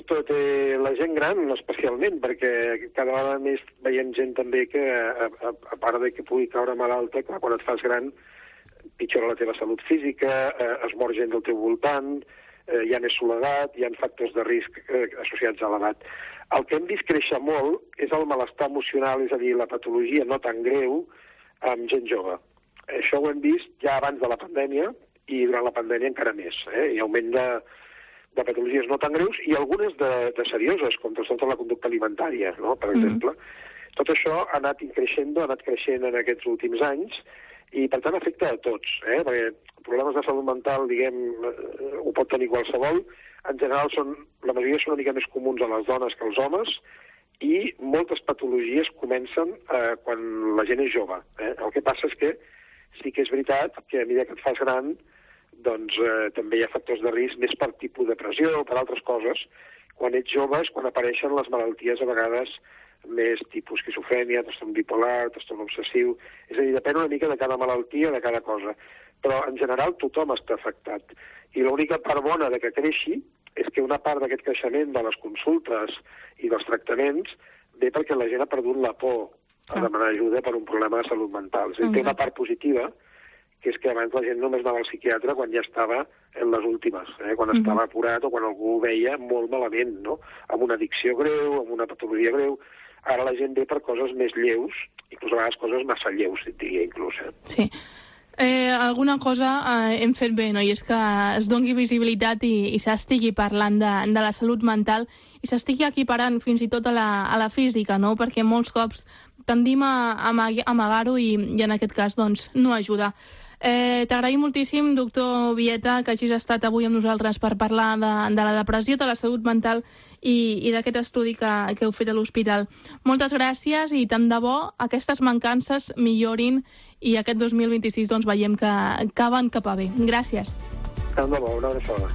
La gent gran especialment, perquè cada vegada més veiem gent també que, a part de que pugui caure malalta, clar, quan et fas gran pitjora la teva salut física, es mor gent del teu voltant, hi ha més soledat, hi ha factors de risc associats a l'edat. El que hem vist créixer molt és el malestar emocional, és a dir, la patologia no tan greu amb gent jove. Això ho hem vist ja abans de la pandèmia i durant la pandèmia encara més. Hi ha augment de patologies no tan greus i algunes de serioses, com trastorns de la conducta alimentària, no? Per exemple. Tot això ha anat creixent en aquests últims anys i, per tant, afecta a tots, perquè problemes de salut mental, ho pot tenir qualsevol. En general, la majoria són una mica més comuns a les dones que als homes i moltes patologies comencen quan la gent és jove. El que passa és que sí que és veritat que a mesura que et fas gran doncs també hi ha factors de risc més per tipus de depressió o per altres coses. Quan ets jove és quan apareixen les malalties a vegades més tipus esquizofrènia, trastorn bipolar, trastorn obsessiu. És a dir, depèn una mica de cada malaltia, de cada cosa. Però en general tothom està afectat. I l'única part bona de que creixi és que una part d'aquest creixement de les consultes i dels tractaments ve perquè la gent ha perdut la por a demanar ajuda per un problema de salut mental. És a dir, té una part positiva, que és que abans la gent només anava al psiquiatre quan ja estava en les últimes, quan estava apurat o quan algú ho veia molt malament, no? Amb una addicció greu, amb una patologia greu. Ara la gent ve per coses més lleus, inclús a vegades coses massa lleus, diria inclús. Sí. Alguna cosa hem fet bé, no? I és que es doni visibilitat i s'estigui parlant de la salut mental i s'estigui equiparant fins i tot a la física, no? Perquè molts cops tendim a amagar-ho i en aquest cas doncs, no ajuda. T'agraïm moltíssim, doctor Vieta, que hagis estat avui amb nosaltres per parlar de la depressió, de la salut mental i d'aquest estudi que heu fet a l'hospital. Moltes gràcies i tant de bo aquestes mancances millorin i aquest 2026 doncs, veiem que van cap a bé. Gràcies. Tant de bo, una abraçada.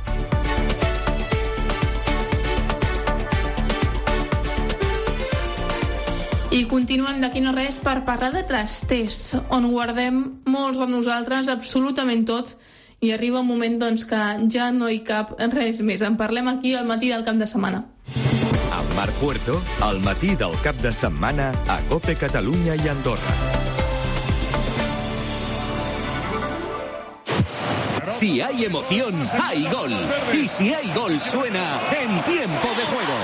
I continuem d'aquí no res per parlar de trasters, on guardem molts de nosaltres absolutament tot i arriba un moment doncs, que ja no hi cap res més. En parlem aquí al matí del cap de setmana. Amb Marc Puerto, al matí del cap de setmana a COPE Catalunya i Andorra. Si hay emoción, hay gol. Y si hay gol, suena en Tiempo de Juego.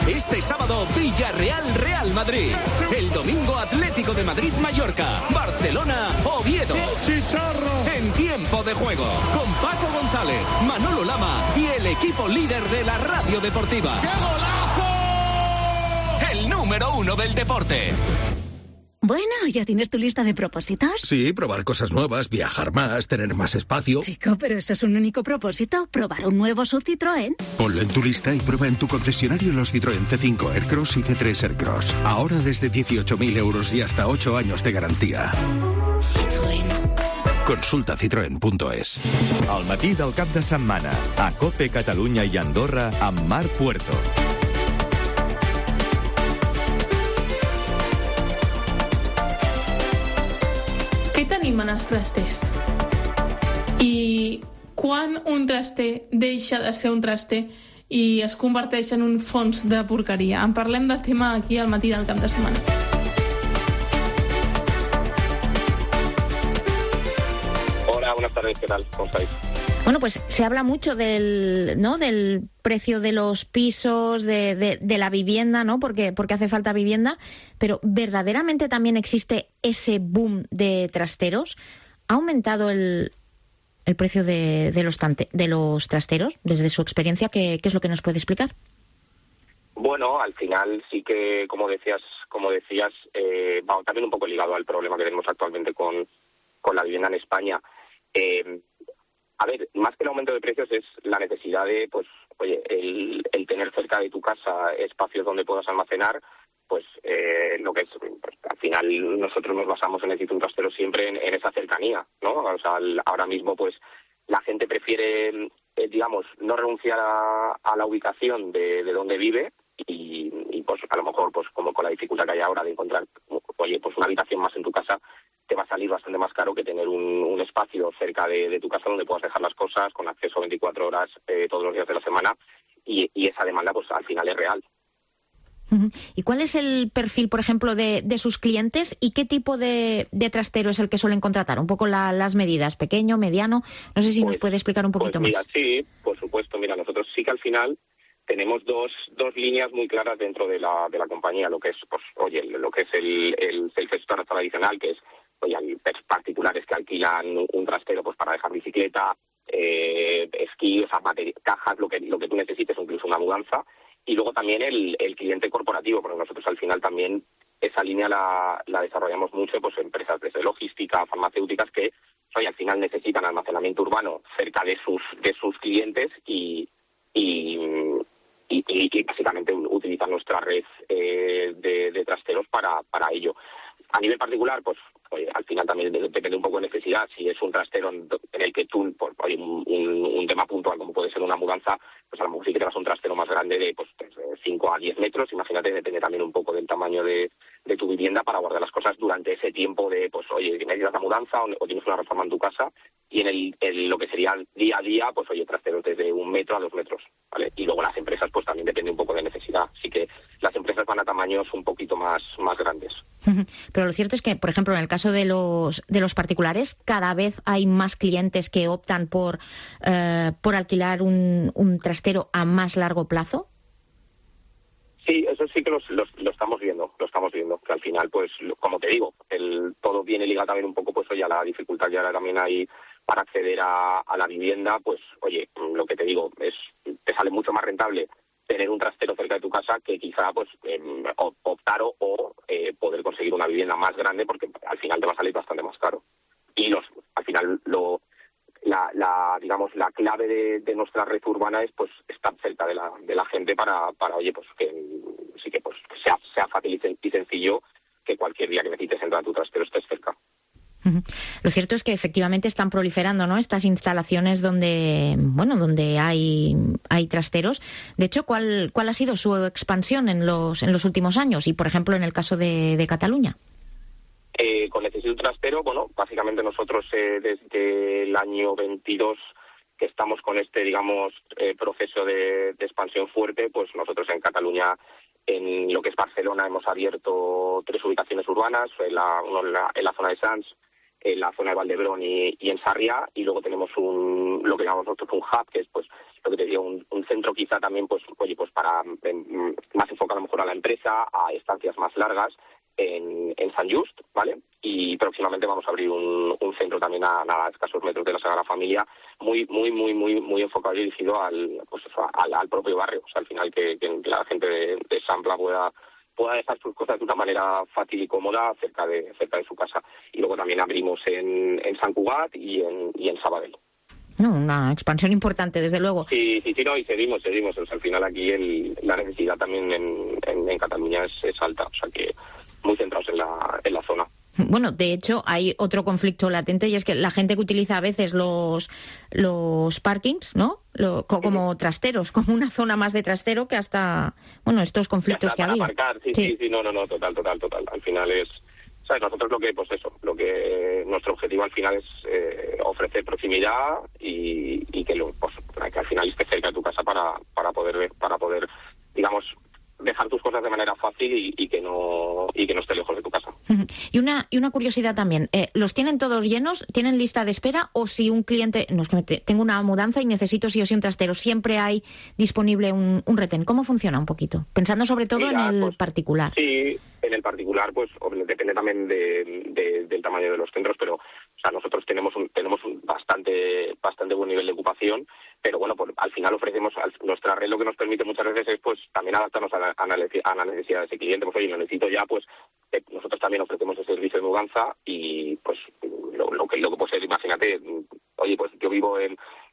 Este sábado, Villarreal-Real Madrid. El domingo, Atlético de Madrid-Mallorca. Barcelona-Oviedo. En Tiempo de Juego. Con Paco González, Manolo Lama y el equipo líder de la radio deportiva. ¡Qué golazo! El número 1 del deporte. Bueno, ¿ya tienes tu lista de propósitos? Sí, probar cosas nuevas, viajar más, tener más espacio. Chico, pero eso es un único propósito, probar un nuevo SUV Citroën. Ponlo en tu lista y prueba en tu concesionario los Citroën C5 Aircross y C3 Aircross. Ahora desde 18.000 euros y hasta 8 años de garantía. Citroën. Consulta citroen.es. Al matí del cap de setmana, a COPE Catalunya i Andorra amb Marc Puerto. Què tenim en els trasters? I quan un traster deixa de ser un traster i es converteix en un fons de porqueria? En parlem del tema aquí al matí del cap de setmana. Hola, buenas tardes, ¿qué tal? ¿Cómo estáis? Bueno, pues se habla mucho del precio de los pisos, de la vivienda, ¿no? Porque hace falta vivienda, pero ¿verdaderamente también existe ese boom de trasteros? ¿Ha aumentado el precio de los trasteros desde su experiencia? ¿Qué es lo que nos puede explicar? Bueno, al final sí que, como decías, va también un poco ligado al problema que tenemos actualmente con la vivienda en España. A ver, más que el aumento de precios es la necesidad de, pues, oye, el tener cerca de tu casa espacios donde puedas almacenar, pues lo que es, pues, al final nosotros nos basamos en el trastero siempre en esa cercanía, ¿no? O sea, ahora mismo, pues, la gente prefiere, digamos, no renunciar a la ubicación de donde vive y pues a lo mejor, pues como con la dificultad que hay ahora de encontrar, oye, pues una habitación más en tu casa, te va a salir bastante más caro que tener un espacio cerca de tu casa donde puedas dejar las cosas con acceso 24 horas todos los días de la semana y esa demanda pues al final es real. ¿Y cuál es el perfil, por ejemplo, de sus clientes y qué tipo de trastero es el que suelen contratar? Un poco las medidas, pequeño, mediano, no sé si nos puede explicar un poquito más. Sí, por supuesto, nosotros sí que al final tenemos dos líneas muy claras dentro de la compañía, lo que es, pues, oye, lo que es el self-storage tradicional, que es, oye, hay particulares que alquilan un trastero pues para dejar bicicleta, esquí, o sea, cajas, lo que tú necesites, incluso una mudanza. Y luego también el cliente corporativo, porque nosotros al final también esa línea la desarrollamos mucho, pues empresas desde logística, farmacéuticas que, oye, al final necesitan almacenamiento urbano cerca de sus clientes y básicamente utilizan nuestra red de trasteros para ello. A nivel particular, pues oye, al final también depende un poco de necesidad. Si es un trastero en el que tú, por un tema puntual como puede ser una mudanza, pues a lo mejor sí que te vas a un trastero más grande de pues 5 a 10 metros. Imagínate, depende también un poco del tamaño de tu vivienda para guardar las cosas durante ese tiempo de, pues oye, necesitas la mudanza o tienes una reforma en tu casa. Y en lo que sería día a día, pues oye, trasteros desde 1 metro a 2 metros, ¿vale? Y luego las empresas, pues también depende un poco de necesidad. Así que las empresas van a tamaños un poquito más grandes. Pero lo cierto es que, por ejemplo, en el caso de los particulares, cada vez hay más clientes que optan por alquilar un trastero a más largo plazo. Sí, eso sí que lo estamos viendo, que al final, pues, como te digo, todo viene ligado también un poco, pues, oye, a la dificultad que ahora también hay para acceder a la vivienda, pues, oye, lo que te digo, te sale mucho más rentable tener un trastero cerca de tu casa que quizá, pues, optar o poder conseguir una vivienda más grande, porque al final te va a salir bastante más caro. Y al final digamos, la clave de nuestra red urbana es, pues, estar cerca de la gente para oye, pues, que sí que, pues, sea fácil y sencillo que cualquier día que necesites entrar a tu trastero estés cerca. Lo cierto es que efectivamente están proliferando, ¿no?, estas instalaciones donde hay trasteros. De hecho, ¿cuál ha sido su expansión en los últimos años? Y, por ejemplo, en el caso de Cataluña. Con Necesito un trastero, bueno, básicamente nosotros desde el año 22 que estamos con este, digamos, proceso de expansión fuerte, pues nosotros en Cataluña, en lo que es Barcelona, hemos abierto 3 ubicaciones urbanas, en la zona de Sants, en la zona de Valdebrón y en Sarriá, y luego tenemos lo que llamamos nosotros un hub, que es, pues, lo que te digo, un centro quizá también, pues, oye, pues para más enfocado a lo mejor a la empresa, a estancias más largas, en Sant Just, ¿vale? Y próximamente vamos a abrir un centro también a escasos metros de la Sagrada Familia, muy enfocado y dirigido al propio barrio. O sea, al final que la gente de Sampla pueda dejar sus cosas de una manera fácil y cómoda cerca de su casa. Y luego también abrimos en Sant Cugat y en Sabadell. Una expansión importante, desde luego. Sí, no, y seguimos. O sea, al final aquí la necesidad también en Cataluña es alta. O sea que muy centrados en la zona. Bueno, de hecho, hay otro conflicto latente y es que la gente que utiliza a veces los parkings, ¿no?, como trasteros, como una zona más de trastero, que hasta, bueno, estos conflictos que ha habido. Aparcar, sí, no, total. Al final es, ¿sabes? Nosotros lo que nuestro objetivo al final es ofrecer proximidad y que al final esté cerca de tu casa para poder, digamos, dejar tus cosas de manera fácil y que no esté lejos de tu casa. Y una curiosidad también, ¿los tienen todos llenos? ¿Tienen lista de espera? O si un cliente, no, es que tengo una mudanza y necesito sí o sí un trastero, ¿siempre hay disponible un retén? ¿Cómo funciona un poquito? Pensando sobre todo en el particular. Sí, en el particular, pues depende también del tamaño de los centros, pero nosotros tenemos un bastante buen nivel de ocupación, pero bueno, al final ofrecemos, nuestra red lo que nos permite muchas veces es pues también adaptarnos a la necesidad de ese cliente. Pues oye, lo necesito ya, pues nosotros también ofrecemos ese servicio de mudanza y pues lo que puede ser, imagínate, oye, pues yo vivo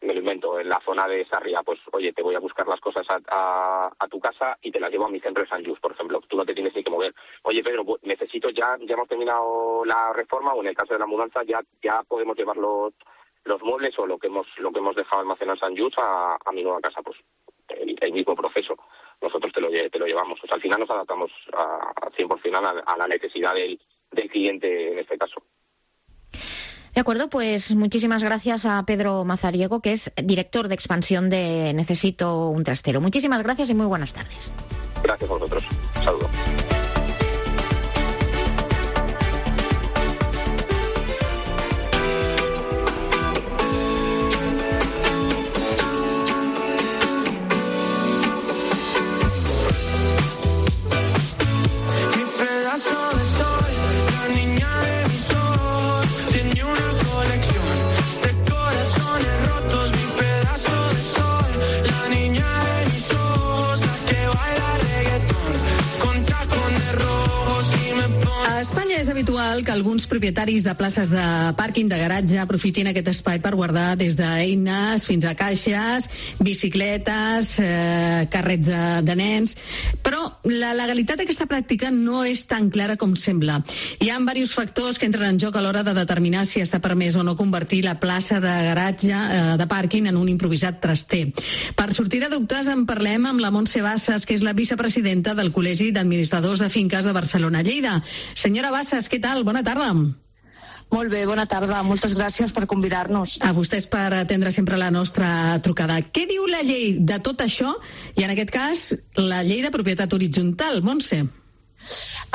me lo invento, en la zona de Sarriá, pues oye, te voy a buscar las cosas a tu casa y te las llevo a mi centro de Sant Just, por ejemplo. Tú no te tienes ni que mover. Oye, Pedro, pues necesito ya hemos terminado la reforma, o en el caso de la mudanza ya podemos llevar los muebles o lo que hemos dejado almacenado en Sant Just a mi nueva casa, pues el mismo proceso. Nosotros te lo llevamos. O sea, al final nos adaptamos a 100% a la necesidad del cliente en este caso. De acuerdo, pues muchísimas gracias a Pedro Mazariego, que es director de expansión de Necesito un Trastero. Muchísimas gracias y muy buenas tardes. Gracias a vosotros. Un saludo. És habitual que alguns propietaris de places de pàrquing, de garatge, aprofitin aquest espai per guardar des d'eines fins a caixes, bicicletes, carrets de nens, però la legalitat d'aquesta pràctica no és tan clara com sembla. Hi ha diversos factors que entren en joc a l'hora de determinar si està permès o no convertir la plaça de garatge de pàrquing en un improvisat traster. Per sortir de dubtes en parlem amb la Montse Bassas, que és la vicepresidenta del Col·legi d'Administradors de Finques de Barcelona-Lleida. Senyora Bassas, què tal? Bona tarda. Molt bé, bona tarda. Moltes gràcies per convidar-nos. A vostès per atendre sempre la nostra trucada. Què diu la llei de tot això? I en aquest cas, la llei de propietat horitzontal. Montse.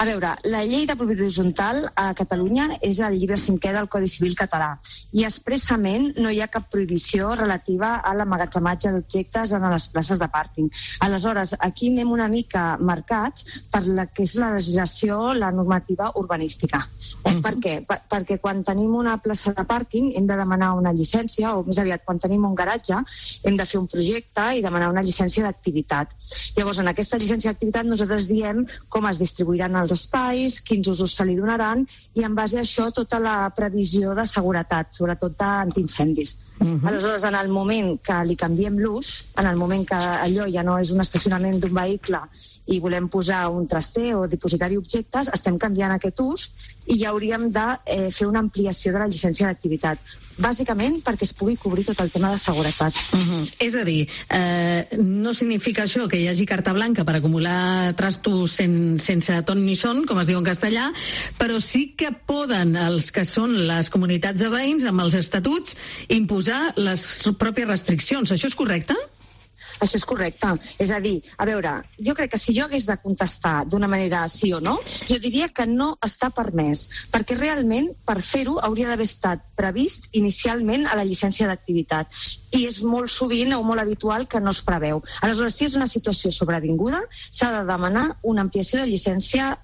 A veure, la llei de propietat horitzontal a Catalunya és el llibre 5è del Codi Civil català i expressament no hi ha cap prohibició relativa a l'emmagatzematge d'objectes en les places de pàrquing. Aleshores, aquí anem una mica marcats per la que és la legislació, la normativa urbanística. Per què? Perquè quan tenim una plaça de pàrquing hem de demanar una llicència, o més aviat, quan tenim un garatge hem de fer un projecte i demanar una llicència d'activitat. Llavors, en aquesta llicència d'activitat nosaltres diem com es distribuiran els espais, quins usos se li donaran i en base a això tota la previsió de seguretat, sobretot d'antiincendis. Aleshores, en el moment que li canviem l'ús, en el moment que allò ja no és un estacionament d'un vehicle i volem posar un traster o dipositar-hi objectes, estem canviant aquest ús i ja hauríem de fer una ampliació de la llicència d'activitat. Bàsicament perquè es pugui cobrir tot el tema de seguretat. És a dir, no significa això que hi hagi carta blanca per acumular trastos sense ton ni son, com es diu en castellà, però sí que poden els que són les comunitats de veïns amb els estatuts imposar les pròpies restriccions. Això és correcte? Això és correcte. És a dir, a veure, jo crec que si jo hagués de contestar d'una manera sí o no, jo diria que no està permès, perquè realment per fer-ho hauria d'haver estat previst inicialment a la llicència d'activitat i és molt sovint o molt habitual que no es preveu. Aleshores, si és una situació sobrevinguda, s'ha de demanar una ampliació de llicència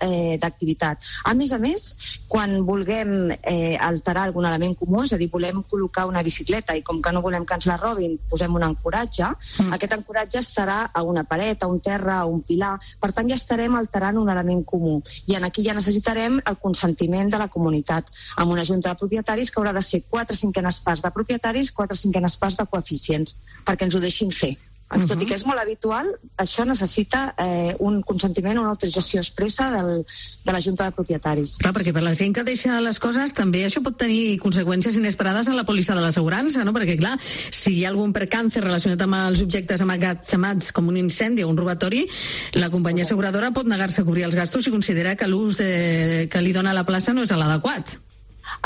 d'activitat. A més, quan vulguem alterar algun element comú, és a dir, volem col·locar una bicicleta i com que no volem que ens la robin, posem un ancoratge, aquest ancoratge estarà a una paret, a un terra, a un pilar, per tant ja estarem alterant un element comú. I aquí ja necessitarem el consentiment de la comunitat, amb una junta de propietaris que haurà de ser 4/5 parts de propietaris, 4/5 parts de coeficients, perquè ens ho deixin fer. Tot i que és molt habitual, això necessita un consentiment, una autorització expressa de la Junta de Propietaris. Clar, perquè per la gent que deixa les coses també això pot tenir conseqüències inesperades en la pòlissa de l'assegurança, no? Perquè clar, si hi ha algun percance relacionat amb els objectes emmagatzemats com un incendi o un robatori, la companyia asseguradora pot negar-se a cobrir els gastos si considera que l'ús que li dona la plaça no és l'adequat.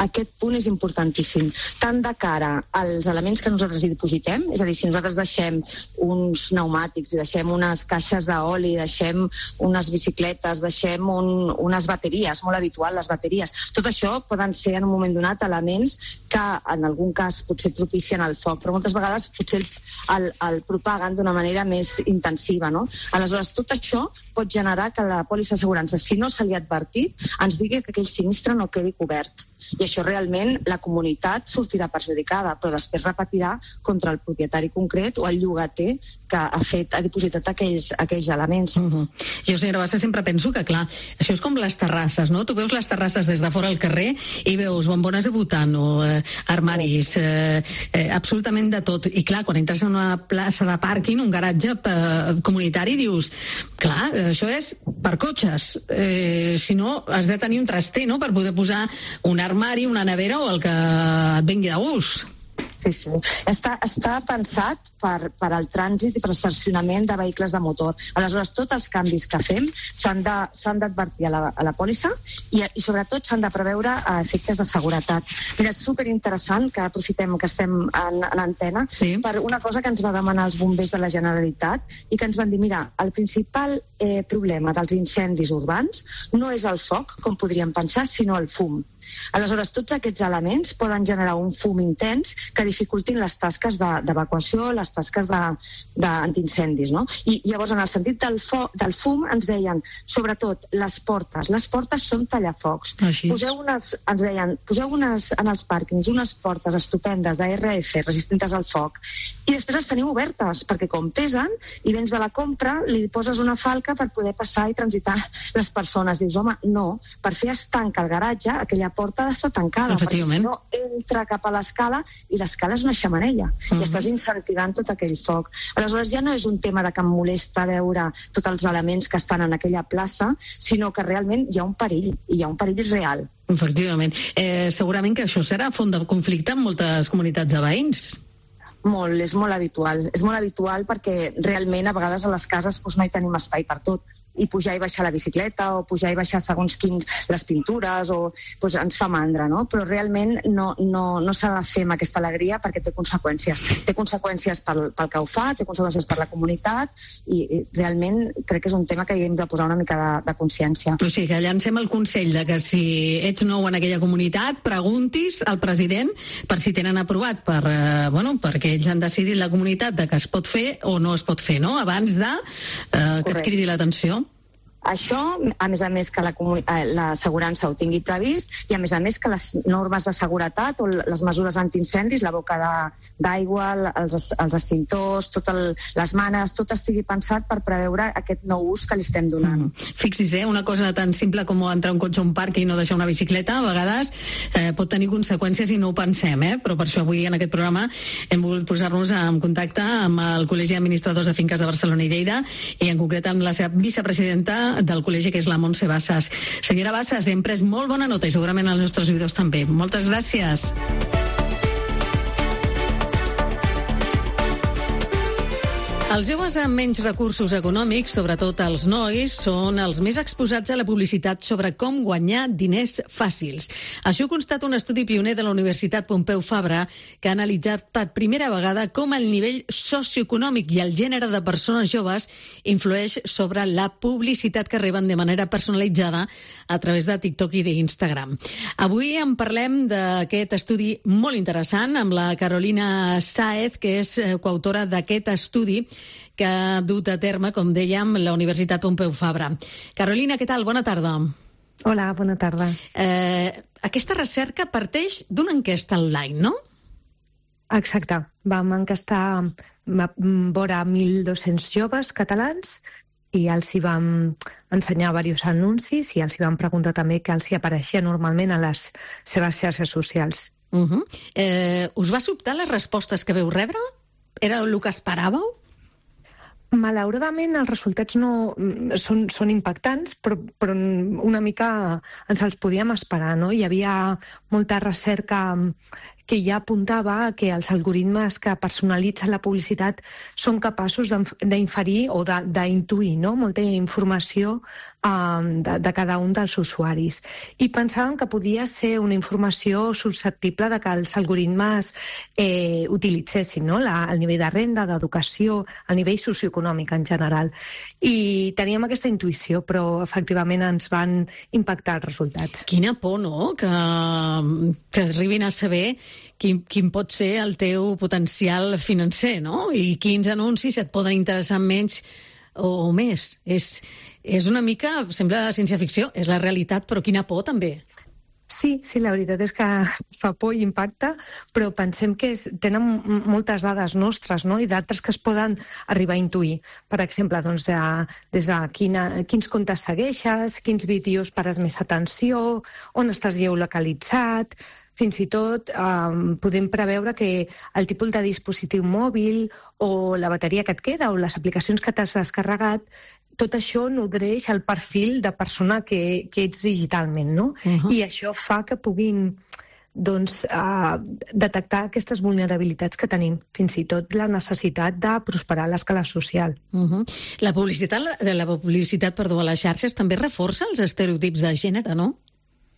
Aquest punt és importantíssim, tant de cara als elements que nosaltres hi dipositem, és a dir, si nosaltres deixem uns pneumàtics, deixem unes caixes d'oli, deixem unes bicicletes, deixem unes bateries, molt habitual les bateries, tot això poden ser en un moment donat elements que en algun cas potser propicien el foc, però moltes vegades potser el propaguen d'una manera més intensiva, no? Aleshores, tot això pot generar que la pòlissa d'assegurança, si no se li ha advertit, ens digui que aquell sinistre no quedi cobert. I això realment la comunitat sortirà perjudicada, però després repetirà contra el propietari concret o el llogater que ha dipositat aquells elements. Jo, senyora Bassa, sempre penso que, clar, això és com les terrasses, no? Tu veus les terrasses des de fora al carrer i veus bombones de butano, armaris, absolutament de tot. I, clar, quan entres en una plaça de pàrquing, un garatge comunitari, dius, clar, això és per cotxes. Si no, has de tenir un traster, no?, per poder posar un armari, una nevera o el que et vingui de gust. Sí. Està pensat per al trànsit i per l'estacionament de vehicles de motor. Aleshores, tots els canvis que fem s'han d'advertir a la pòlissa i sobretot s'han de preveure efectes de seguretat. Mira, és superinteressant que aprofitem que estem en antena per una cosa que ens va demanar els bombers de la Generalitat i que ens van dir, mira, el principal problema dels incendis urbans no és el foc, com podríem pensar, sinó el fum. Aleshores, tots aquests elements poden generar un fum intens que dificultin les tasques d'evacuació, les tasques d'antiincendis, no? I llavors, en el sentit del fum, ens deien, sobretot, les portes són tallafocs. Ens deien, poseu en els pàrquings unes portes estupendes d'ARF resistents al foc i després les teniu obertes, perquè com pesen i vens de la compra, li poses una falca per poder passar i transitar les persones. Dius, home, no, per fer estanca el garatge, aquella porta ha d'estar tancada, perquè si no entra cap a l'escala i l'escala és una xemeneia i estàs incentivant tot aquell foc. Aleshores ja no és un tema de que em molesta veure tots els elements que estan en aquella plaça, sinó que realment hi ha un perill, i hi ha un perill real. Efectivament. Segurament que això serà font de conflicte en moltes comunitats de veïns. Molt, és molt habitual. És molt habitual perquè realment a vegades a les cases no hi tenim espai per tot. I pujar i baixar la bicicleta o pujar i baixar segons quins les pintures o ens fa mandra, no? Però realment no s'ha de fer amb aquesta alegria perquè té conseqüències. Té conseqüències pel que ho fa, té conseqüències per la comunitat i realment crec que és un tema que hi hem de posar una mica de consciència. O sigui, que llancem el consell de que si ets nou en aquella comunitat, preguntis al president per si tenen aprovat perquè ells han decidit la comunitat de que es pot fer o no es pot fer, no? Abans de que et cridi l'atenció. Això, a més que l'assegurança ho tingui previst i a més que les normes de seguretat o les mesures antiincendis, la boca d'aigua, els extintors, les manes, tot estigui pensat per preveure aquest nou ús que li estem donant. Fixis, una cosa tan simple com entrar un cotxe a un parc i no deixar una bicicleta, a vegades pot tenir conseqüències i no ho pensem, però per això avui en aquest programa hem volgut posar-nos en contacte amb el Col·legi d'Administradors de Finques de Barcelona i Lleida i en concret amb la seva vicepresidenta del col·legi, que és la Montse Bassas. Senyora Bassas, hem pres molt bona nota i segurament els nostres oïdors també. Moltes gràcies. Els joves amb menys recursos econòmics, sobretot els nois, són els més exposats a la publicitat sobre com guanyar diners fàcils. Això constata un estudi pioner de la Universitat Pompeu Fabra que ha analitzat per primera vegada com el nivell socioeconòmic i el gènere de persones joves influeix sobre la publicitat que reben de manera personalitzada a través de TikTok i d'Instagram. Avui en parlem d'aquest estudi molt interessant amb la Carolina Sáez, que és coautora d'aquest estudi que ha dut a terme, com dèiem, la Universitat Pompeu Fabra. Carolina, què tal? Bona tarda. Hola, bona tarda. Aquesta recerca parteix d'una enquesta online, no? Exacte. Vam enquestar vora 1.200 joves catalans i els hi vam ensenyar diversos anuncis i els hi vam preguntar també què els hi apareixia normalment a les seves xarxes socials. Us va sobtar les respostes que veu rebre? Era el que esperàveu? Malauradament els resultats no són impactants, però una mica ens els podíem esperar, no? Hi havia molta recerca que ja apuntava que els algoritmes que personalitzen la publicitat són capaços d'inferir o d'intuir, no?, molta informació de cada un dels usuaris. I pensàvem que podia ser una informació susceptible de que els algoritmes utilitzessin, no?, el nivell de renda, d'educació, el nivell socioeconòmic en general. I teníem aquesta intuïció, però efectivament ens van impactar els resultats. Quina por, no?, que arribin a saber quin pot ser el teu potencial financer, no?, i quins anuncis et poden interessar menys o més. És una mica, sembla ciència-ficció, és la realitat, però quina por també. Sí, la veritat és que fa por i impacta, però pensem que tenen moltes dades nostres, no?, i d'altres que es poden arribar a intuir. Per exemple, doncs, des de quins comptes segueixes, quins vídeos pares més atenció, on estàs geolocalitzat. Fins i tot podem preveure que el tipus de dispositiu mòbil o la bateria que et queda o les aplicacions que t'has descarregat, tot això nodreix el perfil de persona que ets digitalment, no? I això fa que puguin detectar aquestes vulnerabilitats que tenim, fins i tot la necessitat de prosperar a l'escala social. La publicitat a les xarxes també reforça els estereotips de gènere, no?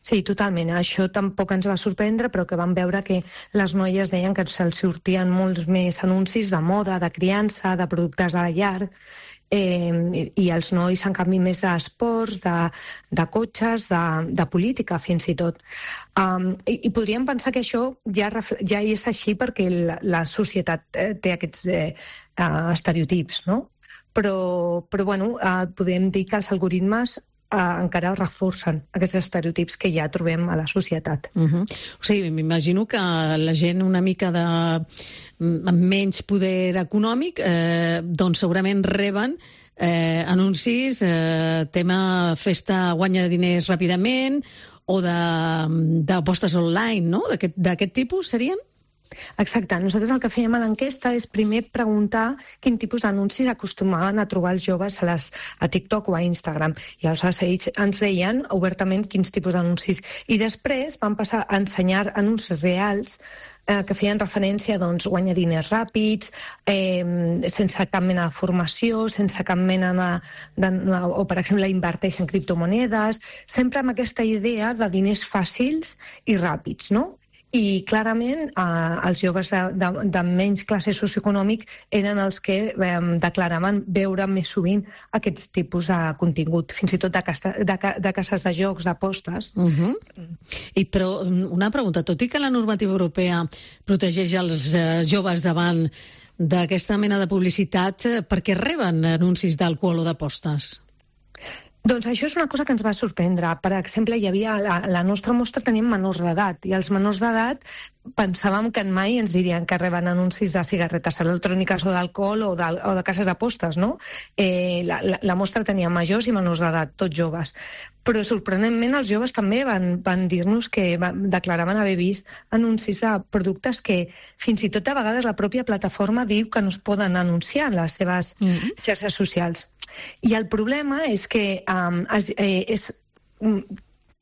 Sí, totalment. Això tampoc ens va sorprendre, però que vam veure que les noies deien que se'ls sortien molts més anuncis de moda, de criança, de productes de la llar, i els nois, en canvi, més d'esports, de cotxes, de política, fins i tot. I podríem pensar que això ja és així perquè la societat té aquests estereotips, no? Però bueno, podem dir que els algoritmes encara reforcen aquests estereotips que ja trobem a la societat. O sigui, m'imagino que la gent una mica amb menys poder econòmic doncs segurament reben anuncis, tema festa guanya diners ràpidament o d'apostes online, no? D'aquest tipus serien? Exacte. Nosaltres el que fèiem a l'enquesta és primer preguntar quin tipus d'anuncis acostumaven a trobar els joves a TikTok o a Instagram. I aleshores ells ens deien obertament quins tipus d'anuncis. I després vam passar a ensenyar anuncis reals que feien referència a guanyar diners ràpids, sense cap mena de formació, sense cap mena o, per exemple, inverteix en criptomonedes, sempre amb aquesta idea de diners fàcils i ràpids, no? I clarament els joves de menys classe socioeconòmic eren els que declaraven veure més sovint aquests tipus de contingut, fins i tot de cases de jocs, d'apostes. Però una pregunta, tot i que la normativa europea protegeix els joves davant d'aquesta mena de publicitat, per què reben anuncis d'alcohol o d'apostes? Doncs això és una cosa que ens va sorprendre. Per exemple, hi havia la nostra mostra tenim menors d'edat, i els menors d'edat pensàvem que mai ens dirien que reben anuncis de cigarretes electròniques o d'alcohol o de cases d'apostes, no? La mostra tenia majors i menors d'edat, tots joves. Però sorprenentment els joves també van dir-nos que declaraven haver vist anuncis de productes que fins i tot a vegades la pròpia plataforma diu que no es poden anunciar en les seves xarxes socials. I el problema és que és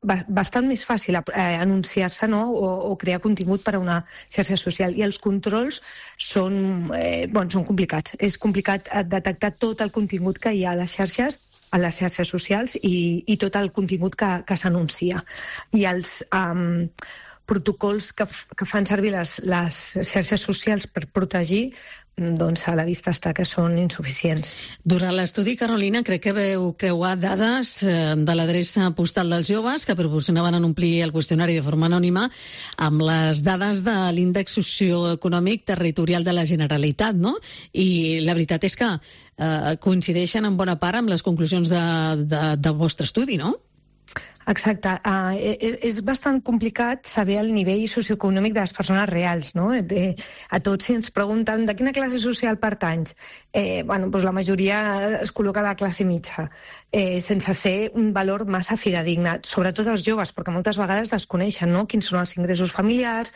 bastant més fàcil anunciar-se, no?, o crear contingut per a una xarxa social, i els controls són complicats. És complicat detectar tot el contingut que hi ha a les xarxes socials i tot el contingut que s'anuncia. I els protocols que fan servir les xarxes socials per protegir, doncs a la vista està que són insuficients. Durant l'estudi, Carolina, crec que veu creuar dades de l'adreça postal dels joves que proporcionaven en omplir el qüestionari de forma anònima amb les dades de l'índex socioeconòmic territorial de la Generalitat, no? I la veritat és que coincideixen en bona part amb les conclusions del vostre estudi, no? Exacte. És bastant complicat saber el nivell socioeconòmic de les persones reals, no? A tots, si ens pregunten de quina classe social pertanys, la majoria es col·loca a la classe mitja. sense ser un valor massa fidedigne, sobretot els joves, perquè moltes vegades desconeixen, no?, quins són els ingressos familiars,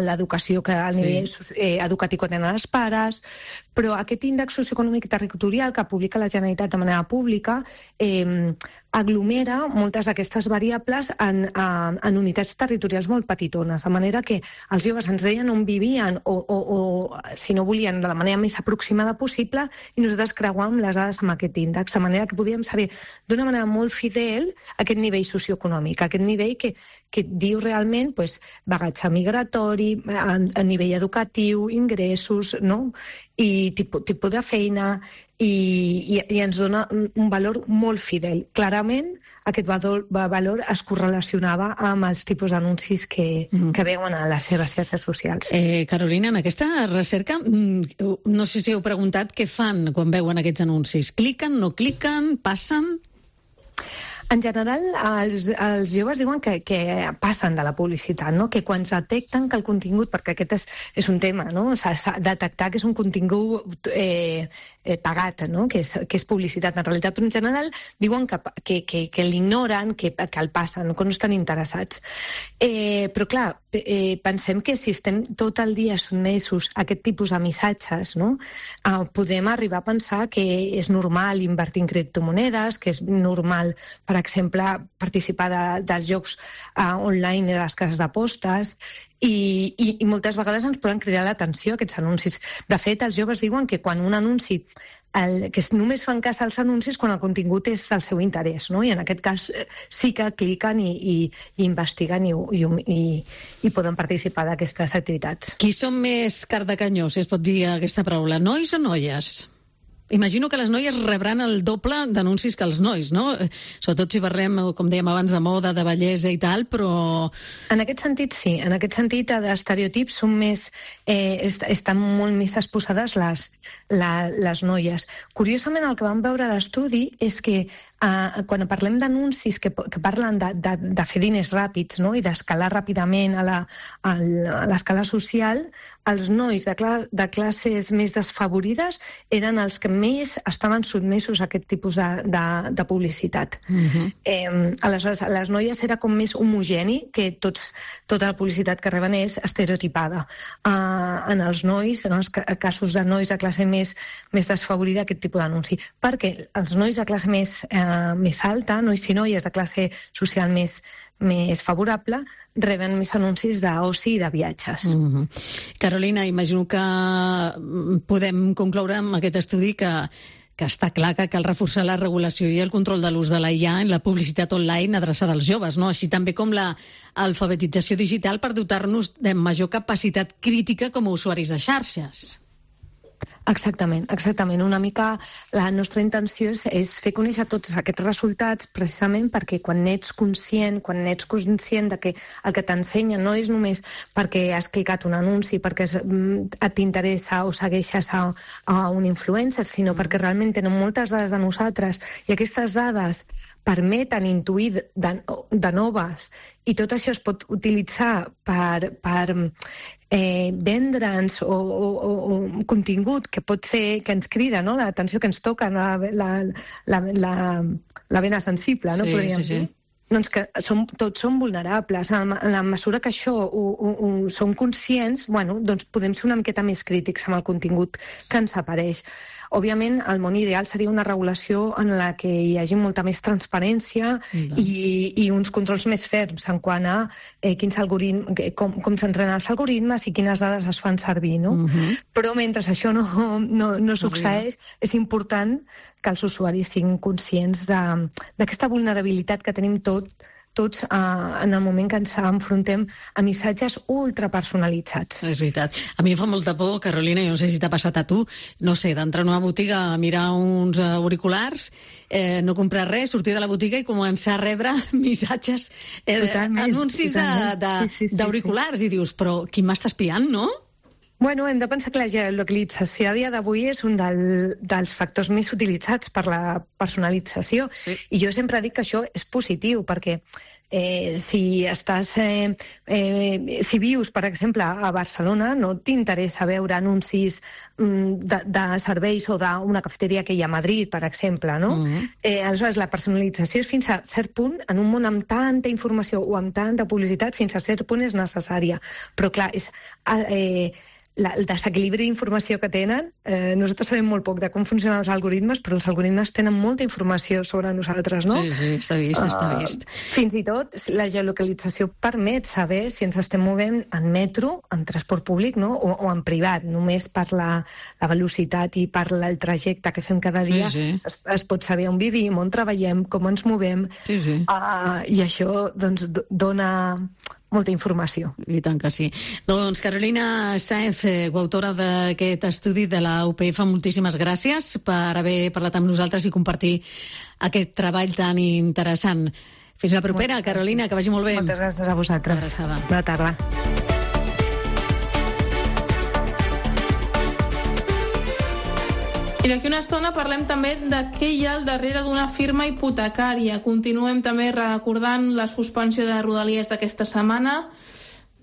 l'educació que a nivell educatiu que tenen els pares, però aquest índex socioeconòmic territorial que publica la Generalitat de manera pública aglomera moltes d'aquestes variables en unitats territorials molt petitones, de manera que els joves ens deien on vivien o si no volien, de la manera més aproximada possible, i nosaltres creuàvem les dades amb aquest índex, de manera que podíem saber d'una manera molt fidel aquest nivell socioeconòmic, aquest nivell que diu realment bagatge migratori, a nivell educatiu, ingressos, no?, i tipus de feina, i ens dona un valor molt fidel. Clarament, aquest valor es correlacionava amb els tipus d'anuncis que veuen a les seves xarxes socials. Carolina, en aquesta recerca, no sé si heu preguntat què fan quan veuen aquests anuncis. Cliquen, no cliquen, passen? En general, els joves diuen que passen de la publicitat, no?, que quan detecten que el contingut, perquè aquest és un tema, no?, s'ha de detectar que és un contingut pagat, no?, que és publicitat en realitat, però en general diuen que l'ignoren, que el passen, que no estan interessats. Però clar, pensem que si estem tot el dia sotmesos a aquest tipus de missatges, no?, podem arribar a pensar que és normal invertir en criptomonedes, que és normal, per exemple, participar dels jocs online i de les cases d'apostes, i moltes vegades ens poden cridar l'atenció aquests anuncis. De fet, els joves diuen que quan un anunci, que només fan cas als anuncis quan el contingut és del seu interès, no?, i en aquest cas sí que cliquen i investiguen i poden participar d'aquestes activitats. Qui són més cardacanyó, si es pot dir aquesta paraula, nois o noies? Imagino que les noies rebran el doble d'anuncis que els nois, no? Sobretot si parlem, com dèiem abans, de moda, de bellesa i tal, però... En aquest sentit, sí. En aquest sentit, d'estereotips són més... estan molt més exposades les noies. Curiosament, el que vam veure a l'estudi és que quan parlem d'anuncis que parlen de fer diners ràpids, no?, i d'escalar ràpidament a l'escala social, els nois de classes més desfavorides eren els que més estaven sotmesos a aquest tipus de publicitat. Aleshores, a les noies era com més homogeni, que tota la publicitat que reben és estereotipada. En els nois, en els casos de nois de classe més desfavorida, aquest tipus d'anunci. Perquè els nois de classe més alta, nois i noies de classe social més favorable, reben més anuncis d'oci i de viatges. Carolina, imagino que podem concloure amb aquest estudi que està clar que cal reforçar la regulació i el control de l'ús de la IA en la publicitat online adreçada als joves, no? Així també com l'alfabetització digital per dotar-nos de major capacitat crítica com a usuaris de xarxes. Exactament. Una mica la nostra intenció és fer conèixer tots aquests resultats precisament perquè quan ets conscient de que el que t'ensenya no és només perquè has clicat un anunci, perquè t'interessa o segueixes a un influencer, sinó perquè realment tenen moltes dades de nosaltres i aquestes dades permeten intuir de noves i tot això es pot utilitzar per vendre'ns o contingut que pot ser que ens crida, no?, l'atenció, que ens toca la vena sensible, no? Podríem dir. Doncs que tots som vulnerables. En la mesura que això som conscients, doncs podem ser una miqueta més crítics amb el contingut que ens apareix. Òbviament, el món ideal seria una regulació en la que hi hagi molta més transparència i uns controls més ferms en quant a com s'entrenen els algoritmes i quines dades es fan servir, no? Però mentre això no succeeix, és important que els usuaris siguin conscients d'aquesta vulnerabilitat que tenim tots en el moment que ens enfrontem a missatges ultrapersonalitzats. És veritat. A mi em fa molta por, Carolina, jo no sé si t'ha passat a tu, no sé, d'entrar en una botiga a mirar uns auriculars, no comprar res, sortir de la botiga i començar a rebre missatges, anuncis d'auriculars, i dius, però qui m'està espiant, no? Bueno, hem de pensar que la geolocalització a dia d'avui és un dels factors més utilitzats per la personalització. Sí. I jo sempre dic que això és positiu, perquè si vius, per exemple, a Barcelona, no t'interessa veure anuncis de serveis o d'una cafeteria que hi ha a Madrid, per exemple, no? Aleshores, la personalització és fins a cert punt, en un món amb tanta informació o amb tanta publicitat, fins a cert punt és necessària. Però, clar, és... el desequilibri d'informació que tenen, nosaltres sabem molt poc de com funcionen els algoritmes, però els algoritmes tenen molta informació sobre nosaltres, no? Sí, està vist. Fins i tot la geolocalització permet saber si ens estem movent en metro, en transport públic, no? O en privat, només per la velocitat i per el trajecte que fem cada dia. Es pot saber on vivim, on treballem, com ens movem, i això doncs, dona molta informació. I tant que sí. Doncs Carolina Sáenz, coautora d'aquest estudi de la UPF, moltíssimes gràcies per haver parlat amb nosaltres i compartir aquest treball tan interessant. Fins la propera, Carolina, que vagi molt bé. Moltes gràcies a vosaltres. Bona tarda. I d'aquí una estona parlem també de què hi ha al darrere d'una firma hipotecària. Continuem també recordant la suspensió de Rodalies d'aquesta setmana,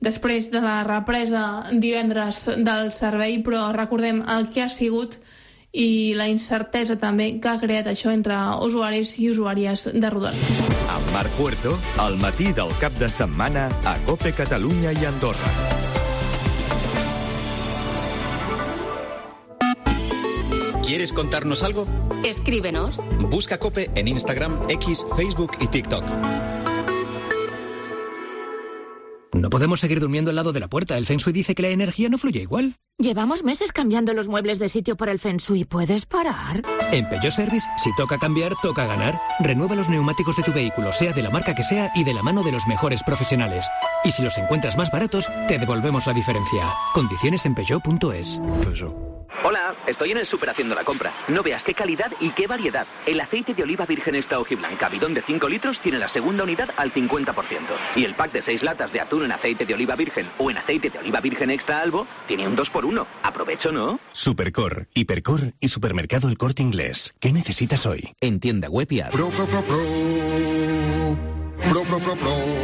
després de la represa divendres del servei, però recordem el que ha sigut i la incertesa també que ha creat això entre usuaris i usuàries de Rodalies. Amb Marc Puerto, al matí del cap de setmana a COPE Catalunya i Andorra. ¿Quieres contarnos algo? Escríbenos. Busca COPE en Instagram, X, Facebook y TikTok. No podemos seguir durmiendo al lado de la puerta. El Feng Shui dice que la energía no fluye igual. Llevamos meses cambiando los muebles de sitio por el Feng Shui. ¿Puedes parar? En Peugeot Service, si toca cambiar, toca ganar. Renueva los neumáticos de tu vehículo, sea de la marca que sea y de la mano de los mejores profesionales. Y si los encuentras más baratos, te devolvemos la diferencia. Condiciones en Peugeot.es. Hola, estoy en el súper haciendo la compra. No veas qué calidad y qué variedad. El aceite de oliva virgen extra hojiblanca, bidón de 5 litros, tiene la segunda unidad al 50%. Y el pack de 6 latas de atún en aceite de oliva virgen o en aceite de oliva virgen extra albo tiene un 2x1. Aprovecho, ¿no? Supercor, Hipercor y Supermercado El Corte Inglés. ¿Qué necesitas hoy? En tienda web y app. Pro.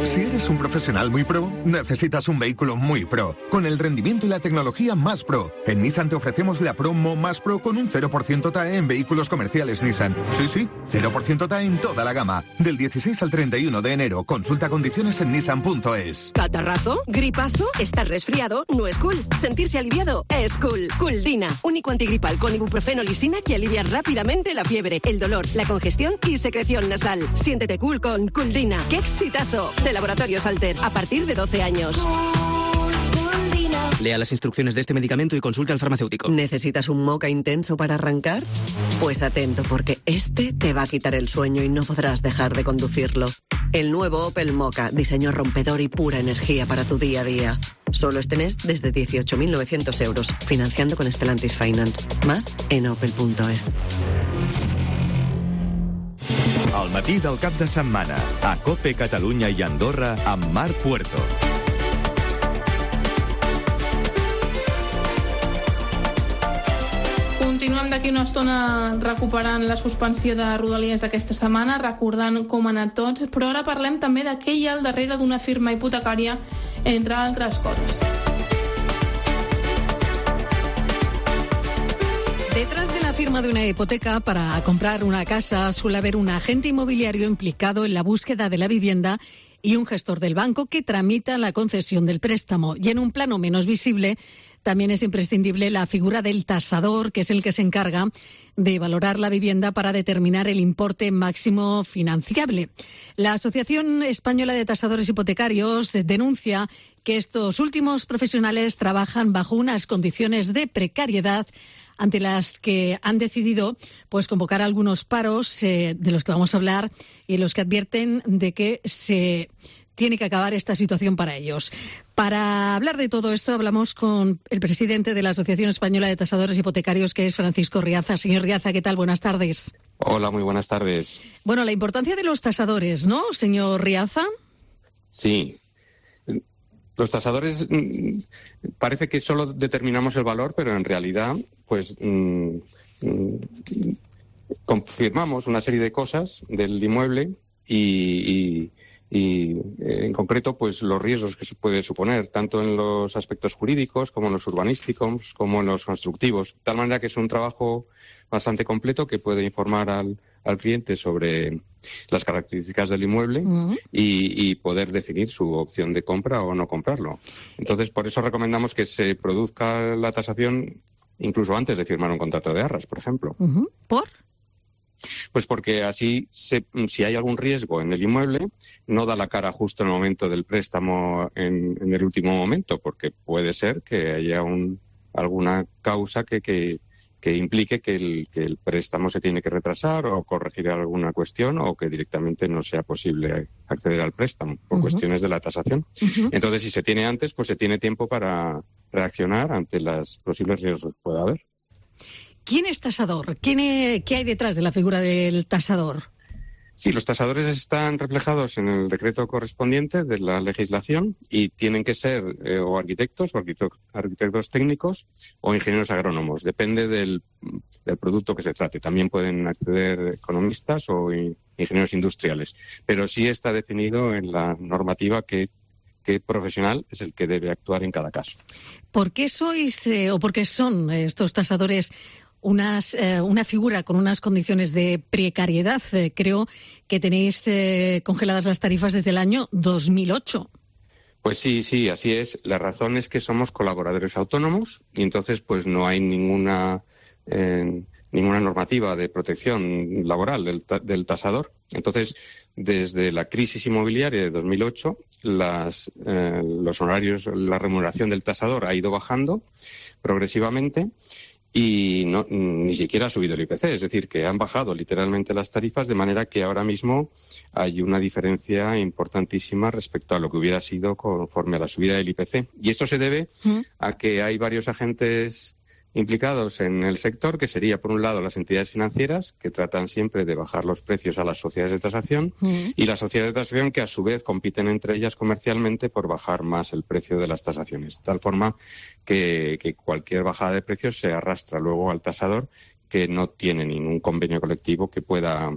Si eres un profesional muy pro, necesitas un vehículo muy pro, con el rendimiento y la tecnología más pro. En Nissan te ofrecemos la promo más pro con un 0% TAE en vehículos comerciales Nissan. Sí, 0% TAE en toda la gama. Del 16 al 31 de enero. Consulta condiciones en nissan.es. ¿Catarrazo? ¿Gripazo? ¿Estás resfriado? No es cool. Sentirse aliviado es cool. Culdina, único antigripal con ibuprofeno lisina que alivia rápidamente la fiebre, el dolor, la congestión y secreción nasal. Siéntete cool con Culdina. ¡Qué exitazo! De Laboratorios Alter, a partir de 12 años. Lea las instrucciones de este medicamento y consulte al farmacéutico. ¿Necesitas un moca intenso para arrancar? Pues atento, porque este te va a quitar el sueño y no podrás dejar de conducirlo. El nuevo Opel Moka, diseño rompedor y pura energía para tu día a día. Solo este mes desde 18.900 euros, financiando con Stellantis Finance. Más en opel.es. Al matí del cap de setmana, a COPE Catalunya i Andorra, amb Marc Puerto. Continuem d'aquí una estona recuperant la suspensió de Rodalies d'aquesta setmana, recordant com ha anat tot, però ara parlem també de què hi ha al darrere d'una firma hipotecària, entre altres coses. Detrás de la firma de una hipoteca para comprar una casa suele haber un agente inmobiliario implicado en la búsqueda de la vivienda y un gestor del banco que tramita la concesión del préstamo. Y en un plano menos visible también es imprescindible la figura del tasador, que es el que se encarga de valorar la vivienda para determinar el importe máximo financiable. La Asociación Española de Tasadores Hipotecarios denuncia que estos últimos profesionales trabajan bajo unas condiciones de precariedad ante las que han decidido pues convocar algunos paros de los que vamos a hablar y en los que advierten de que se tiene que acabar esta situación para ellos. Para hablar de todo esto hablamos con el presidente de la Asociación Española de Tasadores Hipotecarios, que es Francisco Riaza. Señor Riaza, ¿qué tal? Buenas tardes. Hola, muy buenas tardes. Bueno, la importancia de los tasadores, ¿no, señor Riaza? Sí. Los tasadores parece que solo determinamos el valor, pero en realidad pues confirmamos una serie de cosas del inmueble y en concreto pues los riesgos que se puede suponer, tanto en los aspectos jurídicos como en los urbanísticos, como en los constructivos. De tal manera que es un trabajo bastante completo que puede informar al cliente sobre las características del inmueble y poder definir su opción de compra o no comprarlo. Entonces, por eso recomendamos que se produzca la tasación incluso antes de firmar un contrato de arras, por ejemplo. ¿Por? Pues porque así, si hay algún riesgo en el inmueble, no da la cara justo en el momento del préstamo en el último momento, porque puede ser que haya alguna causa que implique que el préstamo se tiene que retrasar o corregir alguna cuestión o que directamente no sea posible acceder al préstamo por cuestiones de la tasación. Entonces, si se tiene antes, pues se tiene tiempo para reaccionar ante los posibles riesgos que pueda haber. ¿Quién es tasador? ¿Qué hay detrás de la figura del tasador? Sí, los tasadores están reflejados en el decreto correspondiente de la legislación y tienen que ser o arquitectos técnicos o ingenieros agrónomos. Depende del producto que se trate. También pueden acceder economistas o ingenieros industriales. Pero sí está definido en la normativa qué profesional es el que debe actuar en cada caso. ¿Por qué sois o por qué son estos tasadores una figura con unas condiciones de precariedad? Creo que tenéis congeladas las tarifas desde el año 2008. Pues sí, así es. La razón es que somos colaboradores autónomos y entonces pues no hay ninguna normativa de protección laboral del tasador. Entonces, desde la crisis inmobiliaria de 2008, los honorarios, la remuneración del tasador ha ido bajando progresivamente y ni siquiera ha subido el IPC, es decir, que han bajado literalmente las tarifas, de manera que ahora mismo hay una diferencia importantísima respecto a lo que hubiera sido conforme a la subida del IPC. Y esto se debe a que hay varios agentes implicados en el sector, que sería, por un lado, las entidades financieras, que tratan siempre de bajar los precios a las sociedades de tasación, y las sociedades de tasación que, a su vez, compiten entre ellas comercialmente por bajar más el precio de las tasaciones, de tal forma que cualquier bajada de precios se arrastra luego al tasador, que no tiene ningún convenio colectivo que pueda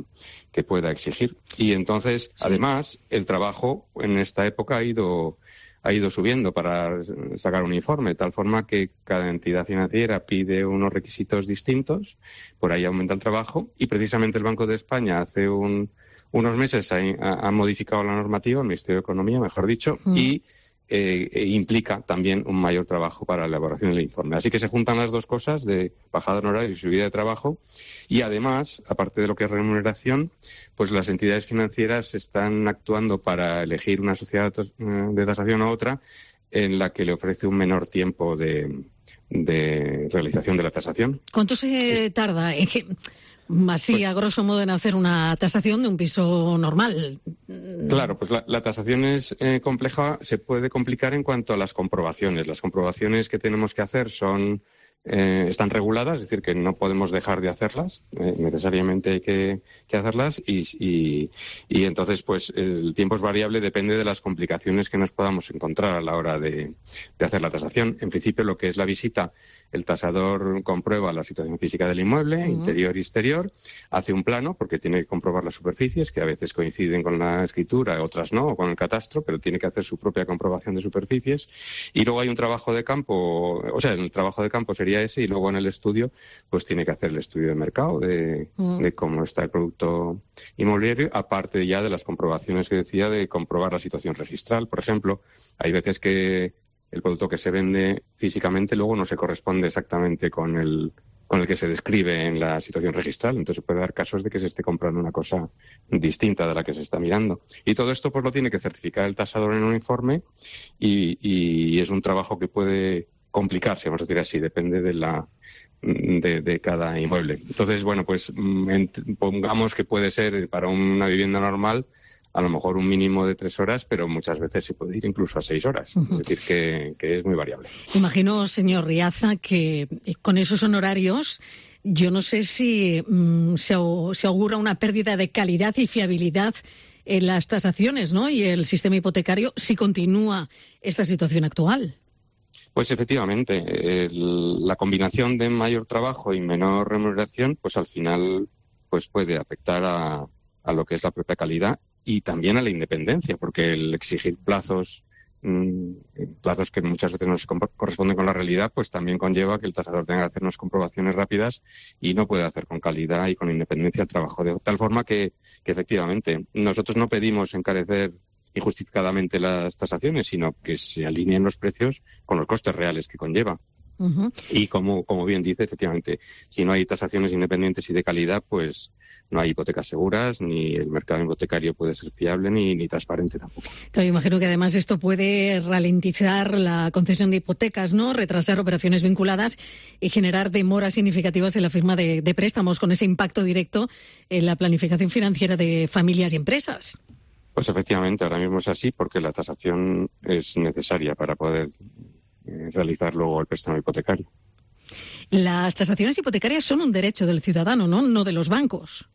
exigir. Y entonces, además, el trabajo en esta época ha ido subiendo para sacar un informe, de tal forma que cada entidad financiera pide unos requisitos distintos, por ahí aumenta el trabajo, y precisamente el Banco de España hace unos meses ha modificado la normativa, el Ministerio de Economía, mejor dicho, y implica también un mayor trabajo para la elaboración del informe. Así que se juntan las dos cosas de bajada de horario y subida de trabajo, y además, aparte de lo que es remuneración, pues las entidades financieras están actuando para elegir una sociedad de tasación u otra en la que le ofrece un menor tiempo de realización de la tasación. ¿Cuánto se tarda? Así, a grosso modo, en hacer una tasación de un piso normal. Claro, pues la tasación es compleja, se puede complicar en cuanto a las comprobaciones. Las comprobaciones que tenemos que hacer están reguladas, es decir, que no podemos dejar de hacerlas, necesariamente hay que hacerlas y entonces pues el tiempo es variable, depende de las complicaciones que nos podamos encontrar a la hora de hacer la tasación. En principio, lo que es la visita, el tasador comprueba la situación física del inmueble, interior y exterior, hace un plano porque tiene que comprobar las superficies, que a veces coinciden con la escritura, otras no, o con el catastro, pero tiene que hacer su propia comprobación de superficies, y luego hay un trabajo de campo, o sea, el trabajo de campo sería ese, y luego en el estudio pues tiene que hacer el estudio de mercado de cómo está el producto inmobiliario, aparte ya de las comprobaciones que decía de comprobar la situación registral. Por ejemplo, hay veces que el producto que se vende físicamente luego no se corresponde exactamente con el que se describe en la situación registral, entonces puede dar casos de que se esté comprando una cosa distinta de la que se está mirando. Y todo esto pues lo tiene que certificar el tasador en un informe y es un trabajo que puede complicarse, vamos a decir así, depende de cada inmueble. Entonces, bueno, pues pongamos que puede ser para una vivienda normal a lo mejor un mínimo de 3 horas, pero muchas veces se puede ir incluso a 6 horas. Es decir, que es muy variable. Imagino, señor Riaza, que con esos honorarios yo no sé si se augura una pérdida de calidad y fiabilidad en las tasaciones, ¿no?, y el sistema hipotecario si continúa esta situación actual. Pues efectivamente, la combinación de mayor trabajo y menor remuneración, pues al final pues puede afectar a lo que es la propia calidad y también a la independencia, porque el exigir plazos que muchas veces no se corresponden con la realidad, pues también conlleva que el tasador tenga que hacer unas comprobaciones rápidas y no puede hacer con calidad y con independencia el trabajo. De tal forma que efectivamente nosotros no pedimos encarecer injustificadamente las tasaciones, sino que se alineen los precios con los costes reales que conlleva. Uh-huh. Y como bien dice, efectivamente, si no hay tasaciones independientes y de calidad, pues no hay hipotecas seguras, ni el mercado hipotecario puede ser fiable, ni transparente tampoco. Claro, imagino que además esto puede ralentizar la concesión de hipotecas, ¿no?, retrasar operaciones vinculadas y generar demoras significativas en la firma de préstamos, con ese impacto directo en la planificación financiera de familias y empresas. Pues efectivamente, ahora mismo es así, porque la tasación es necesaria para poder realizar luego el préstamo hipotecario. Las tasaciones hipotecarias son un derecho del ciudadano, no de los bancos.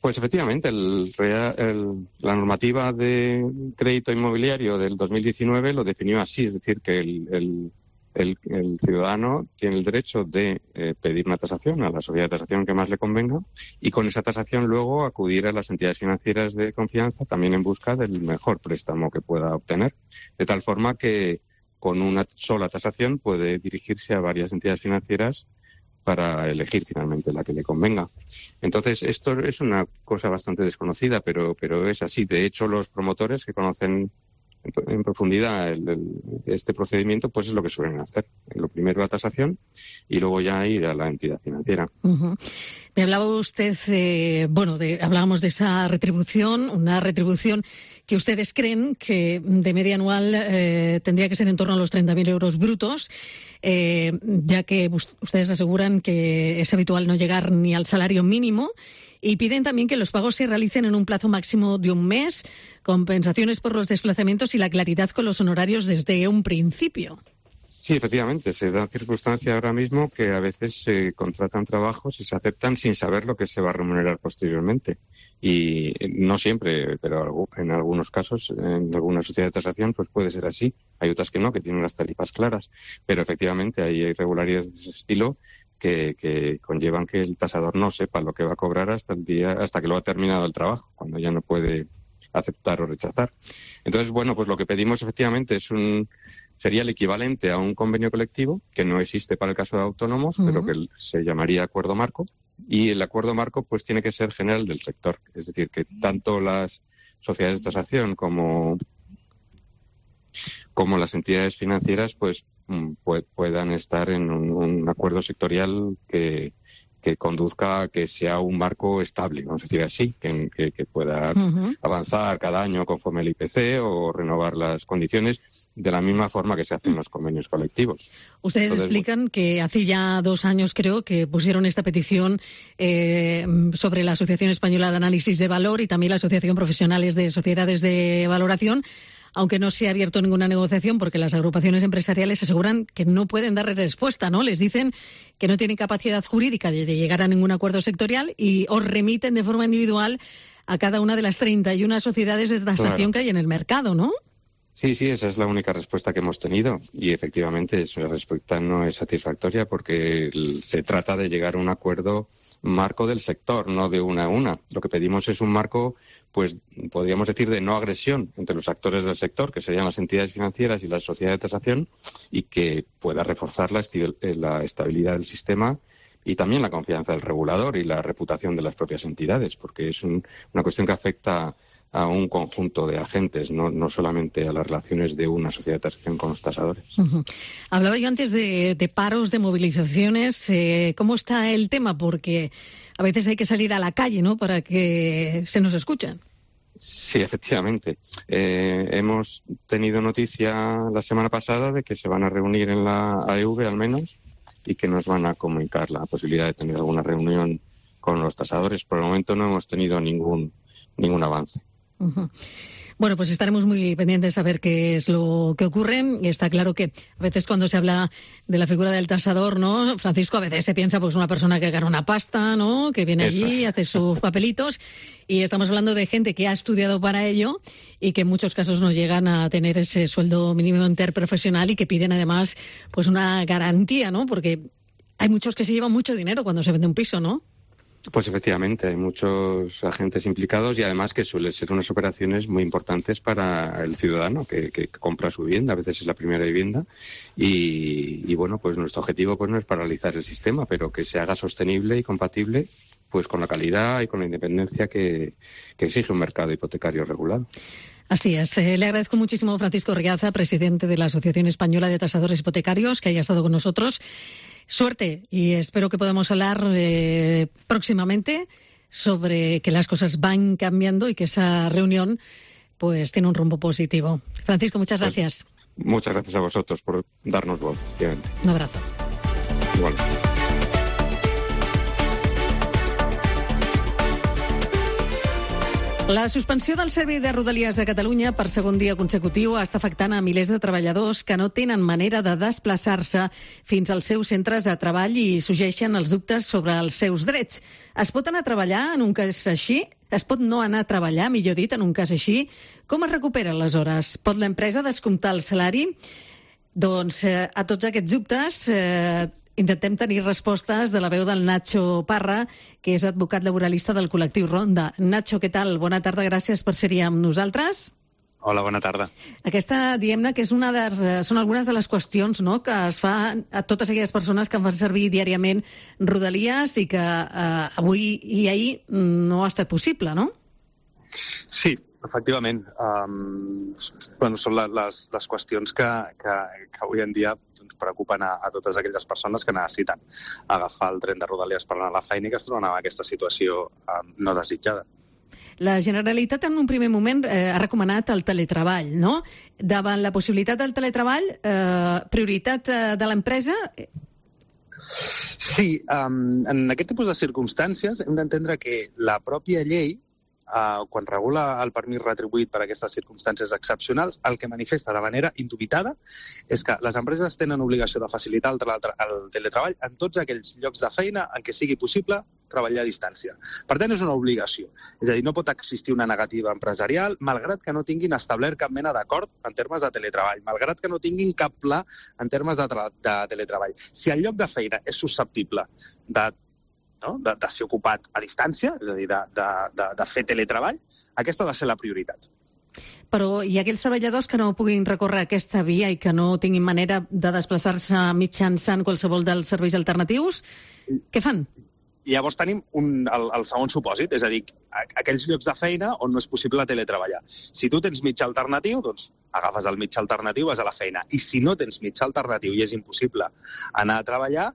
Pues efectivamente, la normativa de crédito inmobiliario del 2019 lo definió así, es decir, que el ciudadano tiene el derecho de pedir una tasación a la sociedad de tasación que más le convenga y con esa tasación luego acudir a las entidades financieras de confianza también en busca del mejor préstamo que pueda obtener, de tal forma que con una sola tasación puede dirigirse a varias entidades financieras para elegir finalmente la que le convenga. Entonces, esto es una cosa bastante desconocida, pero es así. De hecho, los promotores que conocen en profundidad este procedimiento, pues es lo que suelen hacer. Lo primero la tasación y luego ya ir a la entidad financiera. Uh-huh. Me hablaba usted, hablábamos de esa retribución, una retribución que ustedes creen que de media anual tendría que ser en torno a los 30.000 euros brutos, ya que ustedes aseguran que es habitual no llegar ni al salario mínimo. Y piden también que los pagos se realicen en un plazo máximo de un mes, compensaciones por los desplazamientos y la claridad con los honorarios desde un principio. Sí, efectivamente, se da circunstancia ahora mismo que a veces se contratan trabajos y se aceptan sin saber lo que se va a remunerar posteriormente. Y no siempre, pero en algunos casos, en alguna sociedad de tasación, pues puede ser así. Hay otras que no, que tienen las tarifas claras. Pero efectivamente hay irregularidades de ese estilo que conllevan que el tasador no sepa lo que va a cobrar hasta que lo ha terminado el trabajo, cuando ya no puede aceptar o rechazar. Entonces, pues lo que pedimos efectivamente sería el equivalente a un convenio colectivo, que no existe para el caso de autónomos, pero que se llamaría acuerdo marco, y el acuerdo marco pues tiene que ser general del sector, es decir, que tanto las sociedades de tasación como las entidades financieras pues puedan estar en un acuerdo sectorial que conduzca a que sea un marco estable, vamos a decir así, que pueda avanzar cada año conforme el IPC o renovar las condiciones de la misma forma que se hacen los convenios colectivos. Ustedes explican que hace ya 2 años, creo, que pusieron esta petición sobre la Asociación Española de Análisis de Valor y también la Asociación Profesionales de Sociedades de Valoración, aunque no se ha abierto ninguna negociación porque las agrupaciones empresariales aseguran que no pueden dar respuesta, ¿no? Les dicen que no tienen capacidad jurídica de llegar a ningún acuerdo sectorial y os remiten de forma individual a cada una de las 31 sociedades de tasación que hay en el mercado, ¿no? Sí, esa es la única respuesta que hemos tenido y efectivamente esa respuesta no es satisfactoria porque se trata de llegar a un acuerdo marco del sector, no de una a una. Lo que pedimos es un marco, pues podríamos decir, de no agresión entre los actores del sector, que serían las entidades financieras y las sociedades de tasación, y que pueda reforzar la estabilidad del sistema y también la confianza del regulador y la reputación de las propias entidades, porque es una cuestión que afecta a un conjunto de agentes, no solamente a las relaciones de una sociedad de tasación con los tasadores. Uh-huh. Hablaba yo antes de paros, de movilizaciones. ¿Cómo está el tema? Porque a veces hay que salir a la calle, ¿no?, para que se nos escuchen. Sí, efectivamente. Hemos tenido noticia la semana pasada de que se van a reunir en la AEV, al menos, y que nos van a comunicar la posibilidad de tener alguna reunión con los tasadores. Por el momento no hemos tenido ningún avance. Bueno, pues estaremos muy pendientes a ver qué es lo que ocurre. Y está claro que a veces cuando se habla de la figura del tasador, ¿no, Francisco? A veces se piensa pues una persona que gana una pasta, ¿no? Que viene allí, hace sus papelitos. Y estamos hablando de gente que ha estudiado para ello y que en muchos casos no llegan a tener ese sueldo mínimo interprofesional y que piden además pues una garantía, ¿no? Porque hay muchos que se llevan mucho dinero cuando se vende un piso, ¿no? Pues efectivamente, hay muchos agentes implicados y además que suelen ser unas operaciones muy importantes para el ciudadano que compra su vivienda, a veces es la primera vivienda y bueno, pues nuestro objetivo pues no es paralizar el sistema, pero que se haga sostenible y compatible pues con la calidad y con la independencia que exige un mercado hipotecario regulado. Así es. Le agradezco muchísimo a Francisco Riaza, presidente de la Asociación Española de Tasadores Hipotecarios, que haya estado con nosotros. Suerte y espero que podamos hablar próximamente sobre que las cosas van cambiando y que esa reunión pues tiene un rumbo positivo. Francisco, muchas gracias. Muchas gracias a vosotros por darnos voz, efectivamente. Un abrazo. Igual. La suspensió del servei de Rodalies de Catalunya per segon dia consecutiu està afectant a milers de treballadors que no tenen manera de desplaçar-se fins als seus centres de treball i sorgeixen els dubtes sobre els seus drets. Es pot anar a treballar en un cas així? Es pot no anar a treballar, millor dit, en un cas així? Com es recuperen les hores? Pot l'empresa descomptar el salari? Doncs a tots aquests dubtes intentem tenir respostes de la veu del Nacho Parra, que és advocat laboralista del col·lectiu Ronda. Nacho, què tal? Bona tarda, gràcies per ser-hi amb nosaltres. Hola, bona tarda. Aquesta, diguem-ne, que són algunes de les qüestions, no?, que es fa a totes aquelles persones que fan servir diàriament Rodalies i que avui i ahir no ha estat possible, no? Sí, efectivament. Són les qüestions que avui en dia preocupen a totes aquelles persones que necessiten agafar el tren de Rodalies per anar a la feina i que es troben en aquesta situació no desitjada. La Generalitat en un primer moment ha recomanat el teletreball, no? Davant la possibilitat del teletreball, prioritat de l'empresa? Sí, en aquest tipus de circumstàncies hem d'entendre que la pròpia llei, quan regula el permís retribuït per a aquestes circumstàncies excepcionals, el que manifesta de manera indubitada és que les empreses tenen obligació de facilitar el teletreball en tots aquells llocs de feina en què sigui possible treballar a distància. Per tant, és una obligació. És a dir, no pot existir una negativa empresarial, malgrat que no tinguin establert cap mena d'acord en termes de teletreball, malgrat que no tinguin cap pla en termes de teletreball. Si el lloc de feina és susceptible de ser ocupat a distància, és a dir, de fer teletreball, aquesta ha de ser la prioritat. Però hi ha aquells treballadors que no puguin recórrer aquesta via i que no tinguin manera de desplaçar-se mitjançant qualsevol dels serveis alternatius, què fan? Llavors tenim el segon supòsit, és a dir, aquells llocs de feina on no és possible teletreballar. Si tu tens mitjà alternatiu, doncs agafes el mitjà alternatiu i vas a la feina. I si no tens mitjà alternatiu i és impossible anar a treballar,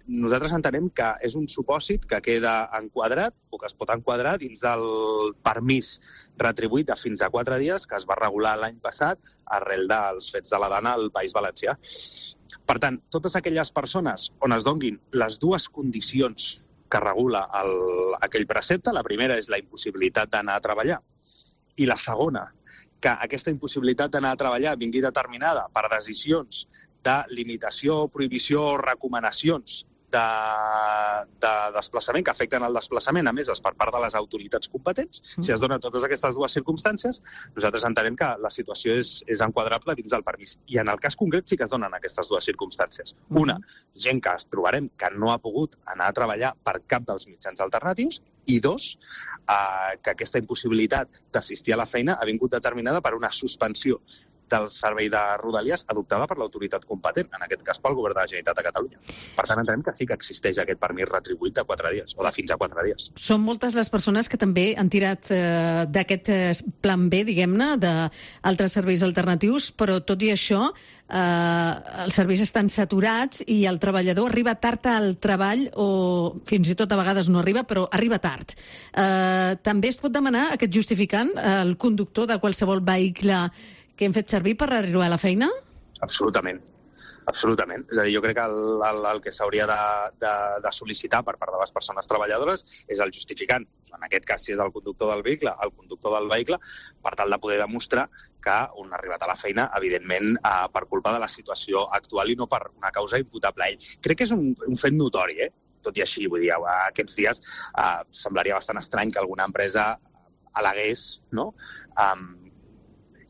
nosaltres entenem que és un supòsit que queda enquadrat o que es pot enquadrar dins del permís retribuït de fins a 4 dies que es va regular l'any passat arrel dels fets de la Dana al País Valencià. Per tant, totes aquelles persones on es donguin les dues condicions que regula aquell precepte, la primera és la impossibilitat d'anar a treballar i la segona, que aquesta impossibilitat d'anar a treballar vingui determinada per decisions de limitació, prohibició o recomanacions de desplaçament que afecten el desplaçament emeses per part de les autoritats competents. Si es donen totes aquestes dues circumstàncies, nosaltres entenem que la situació és enquadrable dins del permís. I en el cas concret sí que es donen aquestes dues circumstàncies. Una, gent que es trobarem que no ha pogut anar a treballar per cap dels mitjans alternatius, i dos, que aquesta impossibilitat d'assistir a la feina ha vingut determinada per una suspensió del servei de Rodalies adoptada per l'autoritat competent, en aquest cas pel Govern de la Generalitat de Catalunya. Per tant, entenem que sí que existeix aquest permís retribuït de 4 dies, o de fins a 4 dies. Són moltes les persones que també han tirat d'aquest plan B, diguem-ne, d'altres serveis alternatius, però tot i això, els serveis estan saturats i el treballador arriba tard al treball, o fins i tot a vegades no arriba, però arriba tard. També es pot demanar aquest justificant al conductor de qualsevol vehicle que hem fet servir per arribar a la feina? Absolutament. Absolutament. És a dir, jo crec que el que s'hauria de sol·licitar per part de les persones treballadores és el justificant. En aquest cas, si és el conductor del vehicle, per tal de poder demostrar que un ha arribat a la feina, evidentment, per culpa de la situació actual i no per una causa imputable a ell. Crec que és un fet notori, tot i així, vull dir, aquests dies semblaria bastant estrany que alguna empresa al·legués, no?,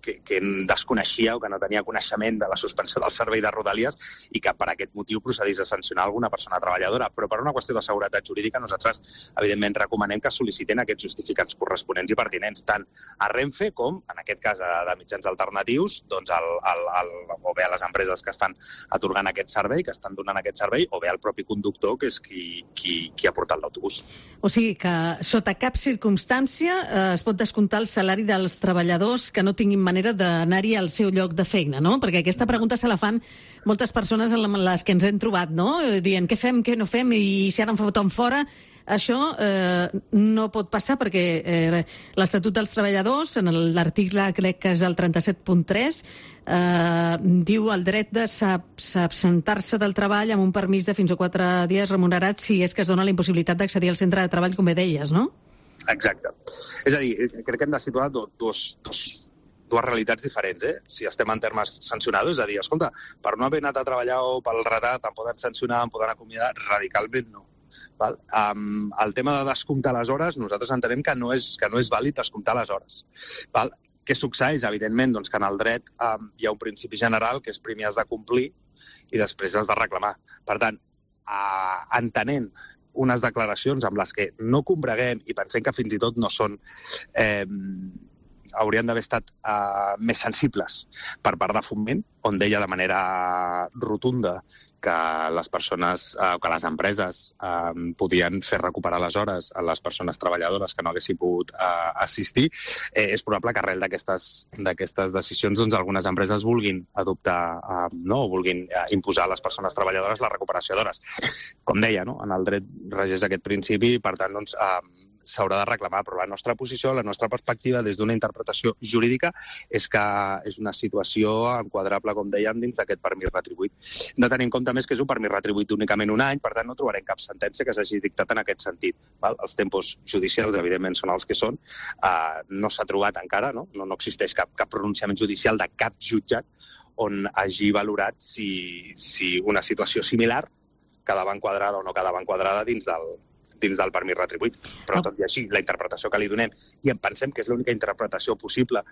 que desconeixia o que no tenia coneixement de la suspensió del servei de Rodalies i que per aquest motiu procedís a sancionar alguna persona treballadora. Però per una qüestió de seguretat jurídica nosaltres, evidentment, recomanem que sol·licitin aquests justificants corresponents i pertinents, tant a Renfe com, en aquest cas, de mitjans alternatius, doncs o bé a les empreses que estan atorgant aquest servei, que estan donant aquest servei, o bé al propi conductor, que és qui ha portat l'autobús. O sigui que, sota cap circumstància, es pot descomptar el salari dels treballadors que no tinguin manera d'anar-hi al seu lloc de feina, no? Perquè aquesta pregunta se la fan moltes persones amb les que ens hem trobat, no? Dient què fem, què no fem, i si ara em foten fora. Això no pot passar perquè l'Estatut dels Treballadors, en l'article, crec que és el 37.3, diu el dret de s'absentar-se del treball amb un permís de fins a 4 dies remunerats si és que es dona la impossibilitat d'accedir al centre de treball, com bé deies, no? Exacte. És a dir, crec que hem de situar dues realitats diferents, Si estem en termes sancionadors, és a dir, escolta, per no haver anat a treballar o pel retard em poden sancionar, em poden acomiadar, radicalment no. Val? El tema de descomptar les hores, nosaltres entenem que no és vàlid descomptar les hores. Val? Què succeeix? Evidentment, doncs, que en el dret hi ha un principi general que és primer has de complir i després has de reclamar. Per tant, entenent unes declaracions amb les que no combreguem i pensem que fins i tot no són haurien d'haver estat més sensibles per part de Foment, on deia de manera rotunda que les persones, que les empreses podien fer recuperar les hores a les persones treballadores que no haguessin pogut assistir, és probable que arrel d'aquestes decisions doncs, algunes empreses vulguin adoptar o vulguin imposar a les persones treballadores la recuperació d'hores. Com deia, no? En el dret regeix aquest principi i, per tant, doncs, s'haurà de reclamar, però la nostra posició, la nostra perspectiva des d'una interpretació jurídica és que és una situació enquadrable, com dèiem, dins d'aquest permís retribuït. No tenir en compte més que és un permís retribuït únicament un any, per tant no trobarem cap sentència que s'hagi dictat en aquest sentit. Val? Els tempos judicials, evidentment, són els que són. No s'ha trobat encara, no existeix cap pronunciament judicial de cap jutjat on hagi valorat si una situació similar quedava enquadrada o no quedava enquadrada dins del permís retribuït. Però tot i així, la interpretació que li donem, i en pensem que és l'única interpretació possible,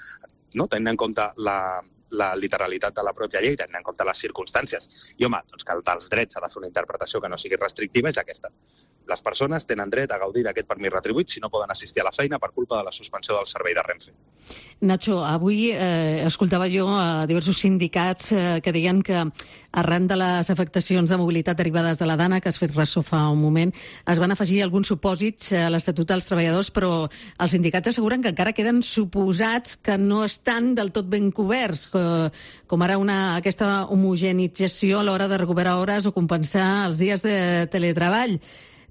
no? Tenint en compte la literalitat de la pròpia llei, tenint en compte les circumstàncies. I, home, doncs que dels drets s'ha de fer una interpretació que no sigui restrictiva, és aquesta. Les persones tenen dret a gaudir d'aquest permís retribuït si no poden assistir a la feina per culpa de la suspensió del servei de Renfe. Nacho, avui escoltava jo a diversos sindicats que deien que arran de les afectacions de mobilitat derivades de la Dana, que has fet ressò fa un moment, es van afegir alguns supòsits a l'Estatut dels Treballadors, però els sindicats asseguren que encara queden suposats que no estan del tot ben coberts, com ara aquesta homogenització a l'hora de recuperar hores o compensar els dies de teletreball.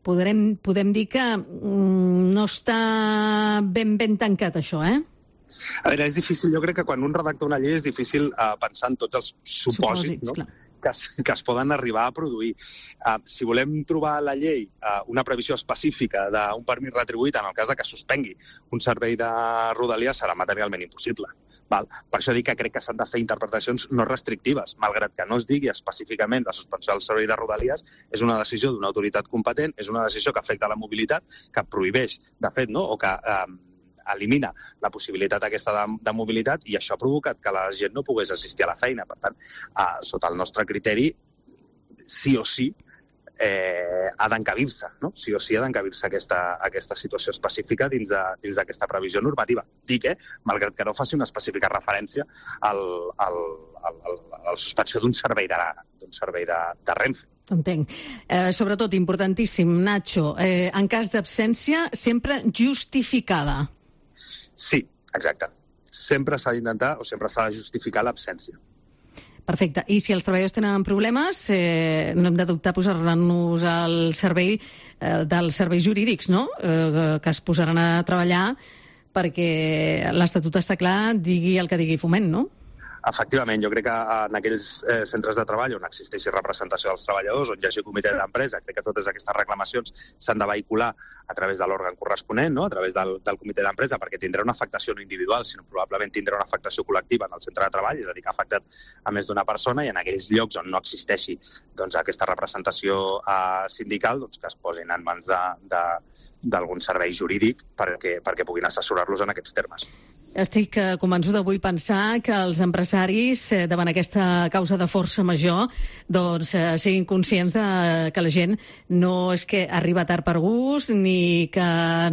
Podem dir que no està ben tancat, això, A veure, és difícil. Jo crec que quan un redacta una llei és difícil pensar en tots els supòsits, no? que es poden arribar a produir. Si volem trobar a la llei una previsió específica d'un permís retribuït en el cas de que suspengui un servei de Rodalies serà materialment impossible. Val? Per això dic que crec que s'han de fer interpretacions no restrictives, malgrat que no es digui específicament la suspensió del servei de Rodalies, és una decisió d'una autoritat competent, és una decisió que afecta la mobilitat, que prohibeix, de fet, no? O que elimina la possibilitat aquesta de mobilitat, i això ha provocat que la gent no pogués assistir a la feina. Per tant, sota el nostre criteri, sí o sí ha d'encabir-se, no? Sí o sí ha d'encabir-se aquesta situació específica dins d'aquesta previsió normativa. Dic, malgrat que no faci una específica referència a la suspensió d'un servei de Renfe. Entenc. Sobretot, importantíssim, Nacho, en cas d'absència, sempre justificada. Sí, exacte. Sempre s'ha d'intentar o sempre s'ha de justificar l'absència. Perfecte. I si els treballadors tenen problemes, no hem de dubtar a posar-nos al servei dels serveis jurídics, no? Que es posaran a treballar perquè l'Estatut està clar, digui el que digui Foment, no? Efectivament, jo crec que en aquells centres de treball on existeixi representació dels treballadors, on hi hagi comitè d'empresa, crec que totes aquestes reclamacions s'han de vehicular a través de l'òrgan corresponent, no? A través del comitè d'empresa, perquè tindrà una afectació no individual, sinó probablement tindrà una afectació col·lectiva en el centre de treball, és a dir, que ha afectat a més d'una persona, i en aquells llocs on no existeixi aquesta representació sindical, que es posin en mans d'algun servei jurídic perquè puguin assessorar-los en aquests termes. Estic convençuda, vull pensar que els empresaris, davant aquesta causa de força major, siguin conscients que la gent no és que arriba tard per gust ni que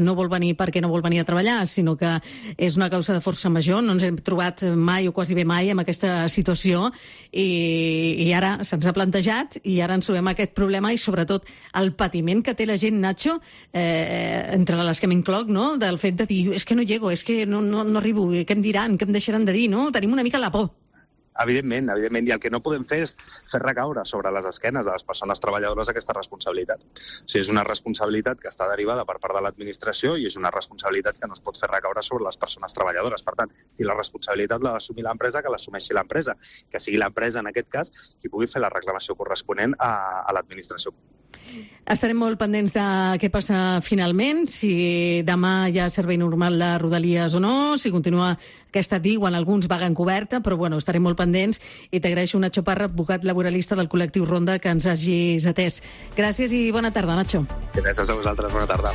no vol venir perquè no vol venir a treballar, sinó que és una causa de força major. No ens hem trobat mai o quasi bé mai en aquesta situació i ara se'ns ha plantejat i ara ens trobem aquest problema i sobretot el patiment que té la gent, Nacho, entre les que m'incloc, no? Del fet de dir, és que no llego, és que no arribo, què em diran, què em deixaran de dir, no? Tenim una mica la por. Evidentment, i el que no podem fer és fer recaure sobre les esquenes de les persones treballadores aquesta responsabilitat. O sigui, és una responsabilitat que està derivada per part de l'administració i és una responsabilitat que no es pot fer recaure sobre les persones treballadores. Per tant, si la responsabilitat l'ha d'assumir l'empresa, que l'assumeixi l'empresa, que sigui l'empresa, en aquest cas, qui pugui fer la reclamació corresponent a l'administració. Estarem molt pendents de què passa finalment, si demà hi ha servei normal de Rodalies o no, si continua aquesta diuen alguns vaga encoberta, però bueno, estarem molt pendents i t'agraeixo, Nacho Parra, advocat laboralista del col·lectiu Ronda, que ens hagis atès. Gràcies i bona tarda, Nacho. Gràcies a vosaltres, bona tarda.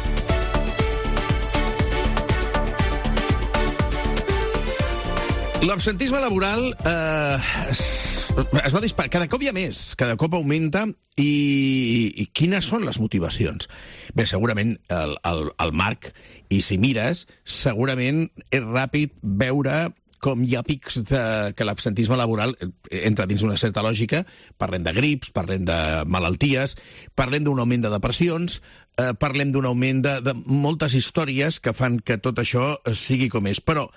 L'absentisme laboral es va disparar. Cada cop hi ha més, cada cop augmenta. I quines són les motivacions? Bé, segurament el Marc, i si mires, segurament és ràpid veure com hi ha pics que l'absentisme laboral entra dins una certa lògica. Parlem de grips, parlem de malalties, parlem d'un augment de depressions, parlem d'un augment de moltes històries que fan que tot això sigui com és. Però,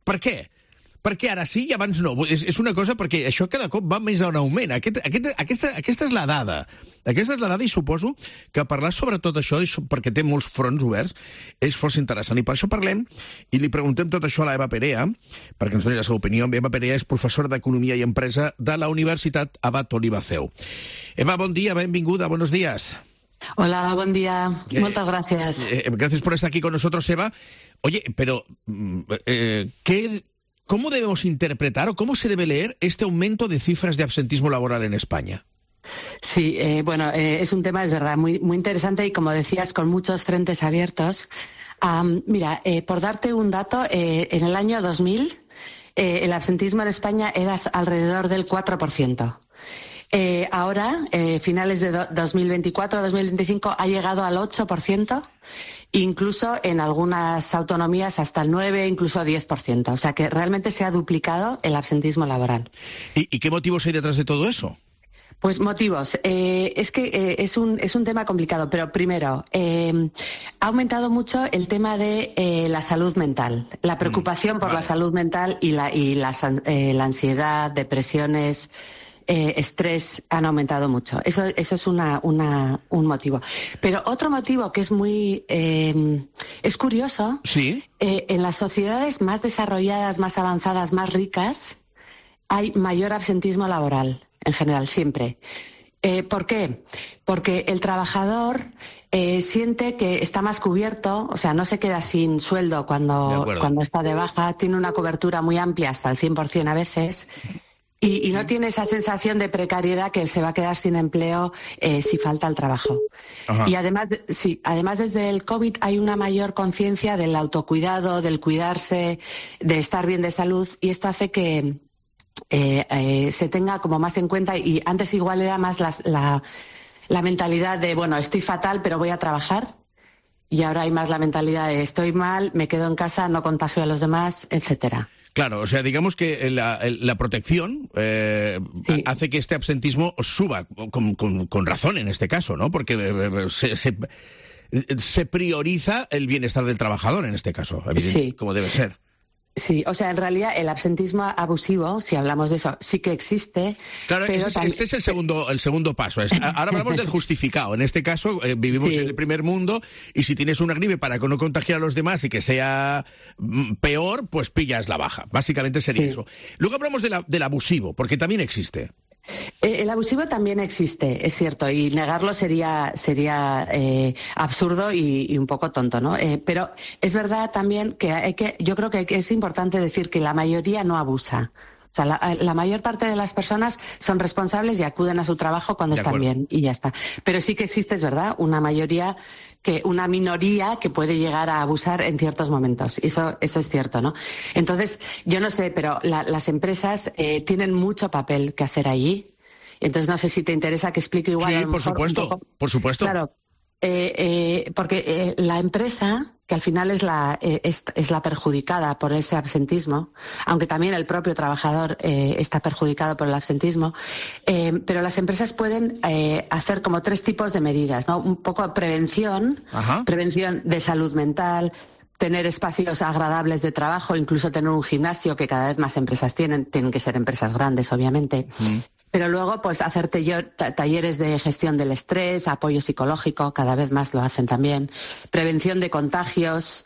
per què? Perquè ara sí i abans no. És una cosa perquè això cada cop va més en augment. Aquesta és la dada. Aquesta és la dada i suposo que parlar sobre tot això, perquè té molts fronts oberts, és força interessant. I per això parlem i li preguntem tot això a l'Eva Perea, perquè ens doni la seva opinió. Eva Perea és professora d'Economia i Empresa de la Universitat Abat Oliba CEU. Eva, bon dia, benvinguda, buenos días. Hola, buen día. Muchas gracias. Gracias por estar aquí con nosotros, Eva. Oye, pero ¿cómo debemos interpretar o cómo se debe leer este aumento de cifras de absentismo laboral en España? Sí, es un tema, es verdad, muy, muy interesante y, como decías, con muchos frentes abiertos. Mira, por darte un dato, en el año 2000 el absentismo en España era alrededor del 4%. Ahora, finales de 2024-2025, ha llegado al 8%. Incluso en algunas autonomías hasta el 9%, incluso 10%. O sea que realmente se ha duplicado el absentismo laboral. ¿Y qué motivos hay detrás de todo eso? Pues motivos. Es que es un tema complicado, pero primero, ha aumentado mucho el tema de la salud mental, la preocupación por la salud mental y la ansiedad, depresiones, estrés han aumentado mucho. Eso es un motivo. Pero otro motivo que es muy es curioso. Sí. En las sociedades más desarrolladas, más avanzadas, más ricas, hay mayor absentismo laboral, en general, siempre. ¿Por qué? Porque el trabajador siente que está más cubierto, o sea, no se queda sin sueldo cuando está de baja, tiene una cobertura muy amplia, hasta el 100% a veces. Y no tiene esa sensación de precariedad que se va a quedar sin empleo si falta el trabajo. Ajá. Y además desde el COVID hay una mayor conciencia del autocuidado, del cuidarse, de estar bien de salud, y esto hace que se tenga como más en cuenta, y antes igual era más la mentalidad de, bueno, estoy fatal pero voy a trabajar, y ahora hay más la mentalidad de estoy mal, me quedo en casa, no contagio a los demás, etcétera. Claro, o sea, digamos que la protección hace que este absentismo suba, con razón en este caso, ¿no? Porque se prioriza el bienestar del trabajador en este caso, evidente, como debe ser. Sí, o sea, en realidad el absentismo abusivo, si hablamos de eso, sí que existe. Claro, este es el segundo paso. Ahora hablamos del justificado. En este caso, vivimos en el primer mundo y si tienes una gripe para que no contagiar a los demás y que sea peor, pues pillas la baja. Básicamente sería eso. Luego hablamos del abusivo, porque también existe. El abusivo también existe, es cierto, y negarlo sería absurdo y un poco tonto, ¿no? Pero es verdad también que yo creo que es importante decir que la mayoría no abusa. O sea, la mayor parte de las personas son responsables y acuden a su trabajo cuando están bien y ya está. Pero sí que existe, es verdad, una minoría que puede llegar a abusar en ciertos momentos. Eso es cierto, ¿no? Entonces, yo no sé, pero las empresas tienen mucho papel que hacer allí. Entonces, no sé si te interesa que explique igual. Sí, por supuesto. Claro, porque la empresa, que al final es la perjudicada por ese absentismo, aunque también el propio trabajador está perjudicado por el absentismo, pero las empresas pueden hacer como 3 tipos de medidas, ¿no? Un poco prevención de salud mental, tener espacios agradables de trabajo, incluso tener un gimnasio, que cada vez más empresas tienen que ser empresas grandes, obviamente. Pero luego, pues, hacer talleres de gestión del estrés, apoyo psicológico, cada vez más lo hacen también. Prevención de contagios,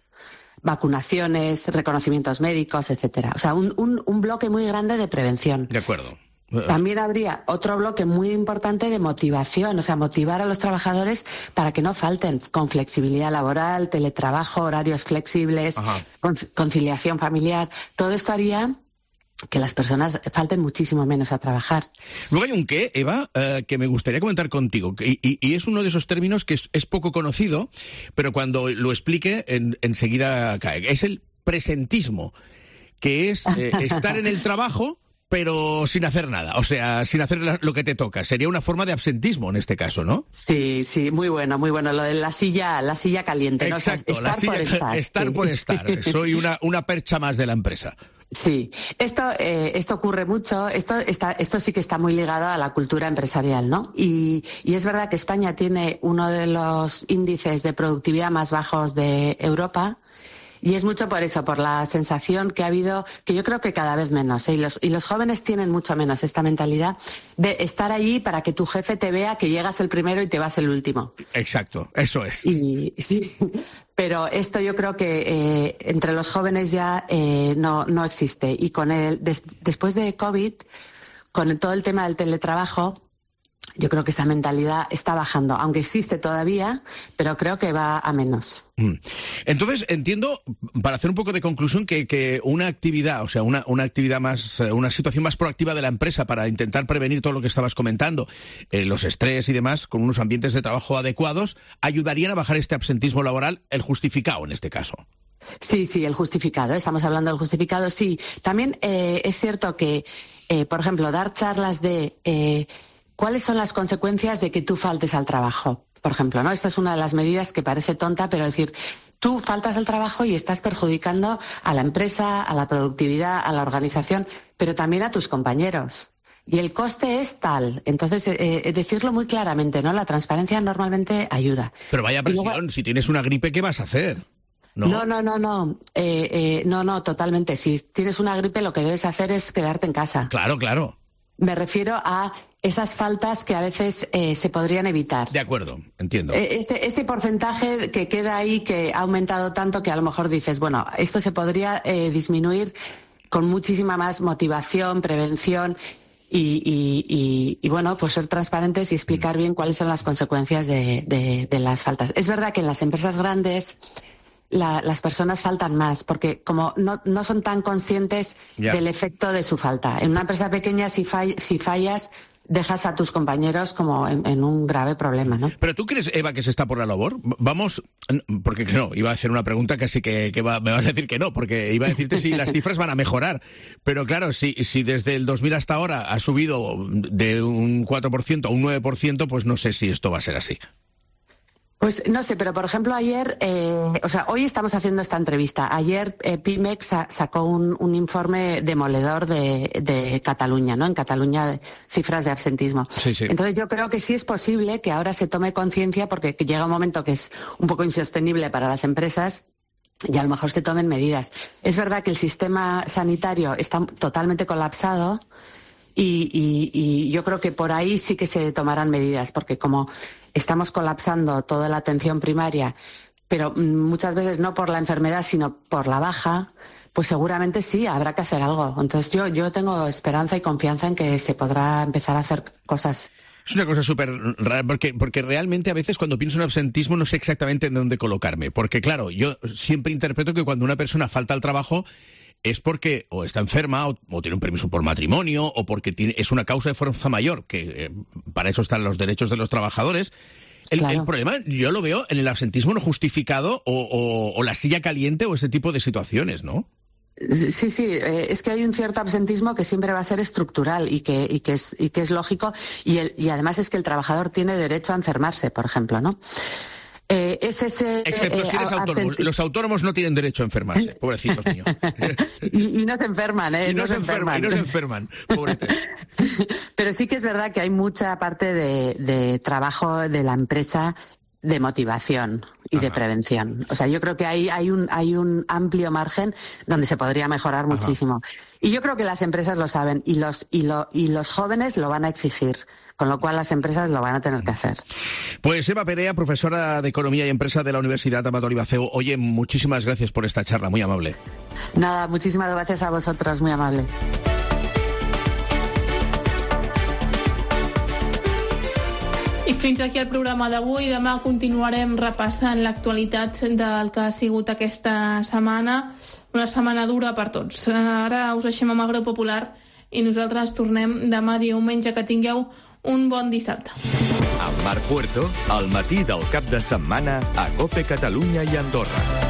vacunaciones, reconocimientos médicos, etcétera. O sea, un bloque muy grande de prevención. De acuerdo. También habría otro bloque muy importante de motivación, o sea, motivar a los trabajadores para que no falten, con flexibilidad laboral, teletrabajo, horarios flexibles, conciliación familiar. Todo esto haría que las personas falten muchísimo menos a trabajar. Luego hay un qué, Eva, que me gustaría comentar contigo, y es uno de esos términos que es poco conocido, pero cuando lo explique enseguida cae. Es el presentismo, que es estar en el trabajo pero sin hacer nada, o sea, sin hacer lo que te toca. Sería una forma de absentismo en este caso, ¿no? Sí, muy bueno. Lo de la silla caliente, ¿no? Exacto, o sea, estar por estar. Soy una percha más de la empresa. Sí, esto ocurre mucho, esto sí que está muy ligado a la cultura empresarial, ¿no? Y es verdad que España tiene uno de los índices de productividad más bajos de Europa. Y es mucho por eso, por la sensación que ha habido, que yo creo que cada vez menos, ¿eh? Y los jóvenes tienen mucho menos esta mentalidad de estar allí para que tu jefe te vea que llegas el primero y te vas el último. Exacto, eso es. Sí, pero esto yo creo que entre los jóvenes ya no existe. Y después de COVID, con todo el tema del teletrabajo, yo creo que esa mentalidad está bajando, aunque existe todavía, pero creo que va a menos. Entonces, entiendo, para hacer un poco de conclusión, que una actividad, o sea, una actividad más, una situación más proactiva de la empresa para intentar prevenir todo lo que estabas comentando, los estrés y demás, con unos ambientes de trabajo adecuados, ayudarían a bajar este absentismo laboral, el justificado en este caso. Sí, el justificado. Estamos hablando del justificado, sí. También es cierto que, por ejemplo, dar charlas de ¿cuáles son las consecuencias de que tú faltes al trabajo? Por ejemplo, ¿no? Esta es una de las medidas que parece tonta, pero decir, tú faltas al trabajo y estás perjudicando a la empresa, a la productividad, a la organización, pero también a tus compañeros. Y el coste es tal. Entonces, decirlo muy claramente, ¿no? La transparencia normalmente ayuda. Pero vaya presión, si tienes una gripe, ¿qué vas a hacer? No, totalmente. Si tienes una gripe, lo que debes hacer es quedarte en casa. Claro. Me refiero a esas faltas que a veces se podrían evitar. De acuerdo, entiendo. Ese porcentaje que queda ahí, que ha aumentado tanto que a lo mejor dices, bueno, esto se podría disminuir con muchísima más motivación, prevención y bueno, pues ser transparentes y explicar bien cuáles son las consecuencias de las faltas. Es verdad que en las empresas grandes las personas faltan más, porque como no son tan conscientes del efecto de su falta. En una empresa pequeña, si fallas, dejas a tus compañeros como en un grave problema, ¿no? ¿Pero tú crees, Eva, que se está por la labor? Vamos, porque no, iba a hacer una pregunta casi que me vas a decir que no, porque iba a decirte si las cifras van a mejorar. Pero claro, si desde el 2000 hasta ahora ha subido de un 4% a un 9%, pues no sé si esto va a ser así. Pues no sé, pero por ejemplo ayer, hoy estamos haciendo esta entrevista. Ayer Pimex sacó un informe demoledor de Cataluña, ¿no? En Cataluña, de cifras de absentismo. Sí. Entonces yo creo que sí es posible que ahora se tome conciencia, porque llega un momento que es un poco insostenible para las empresas, y a lo mejor se tomen medidas. Es verdad que el sistema sanitario está totalmente colapsado y yo creo que por ahí sí que se tomarán medidas, porque como estamos colapsando toda la atención primaria, pero muchas veces no por la enfermedad, sino por la baja, pues seguramente sí, habrá que hacer algo. Entonces yo tengo esperanza y confianza en que se podrá empezar a hacer cosas. Es una cosa súper rara, porque realmente a veces cuando pienso en absentismo no sé exactamente en dónde colocarme. Porque claro, yo siempre interpreto que cuando una persona falta al trabajo es porque o está enferma o tiene un permiso por matrimonio o porque es una causa de fuerza mayor, que para eso están los derechos de los trabajadores. El problema yo lo veo en el absentismo no justificado o la silla caliente o ese tipo de situaciones, ¿no? Sí, es que hay un cierto absentismo que siempre va a ser estructural y que es lógico y además es que el trabajador tiene derecho a enfermarse, por ejemplo, ¿no? Excepto si eres autónomo. Los autónomos no tienen derecho a enfermarse, pobrecitos míos. y no se enferman, ¿eh? Y no se enferman, pobretes. Pero sí que es verdad que hay mucha parte de trabajo de la empresa de motivación y de prevención. O sea, yo creo que hay un amplio margen donde se podría mejorar muchísimo. Y yo creo que las empresas lo saben y los jóvenes lo van a exigir, con lo cual las empresas lo van a tener que hacer. Pues Eva Perea, profesora de Economía y Empresa de la Universidad Amador y Baceu. Oye, muchísimas gracias por esta charla, muy amable. Nada, muchísimas gracias a vosotros, muy amable. I fins aquí el programa d'avui. Demà continuarem repassant l'actualitat del que ha sigut aquesta setmana. Una setmana dura per tots. Ara us deixem amb el Greu Popular i nosaltres tornem demà diumenge. Que tingueu un bon dissabte. Amb Marc Puerto, al matí del cap de setmana a COPE Catalunya i Andorra.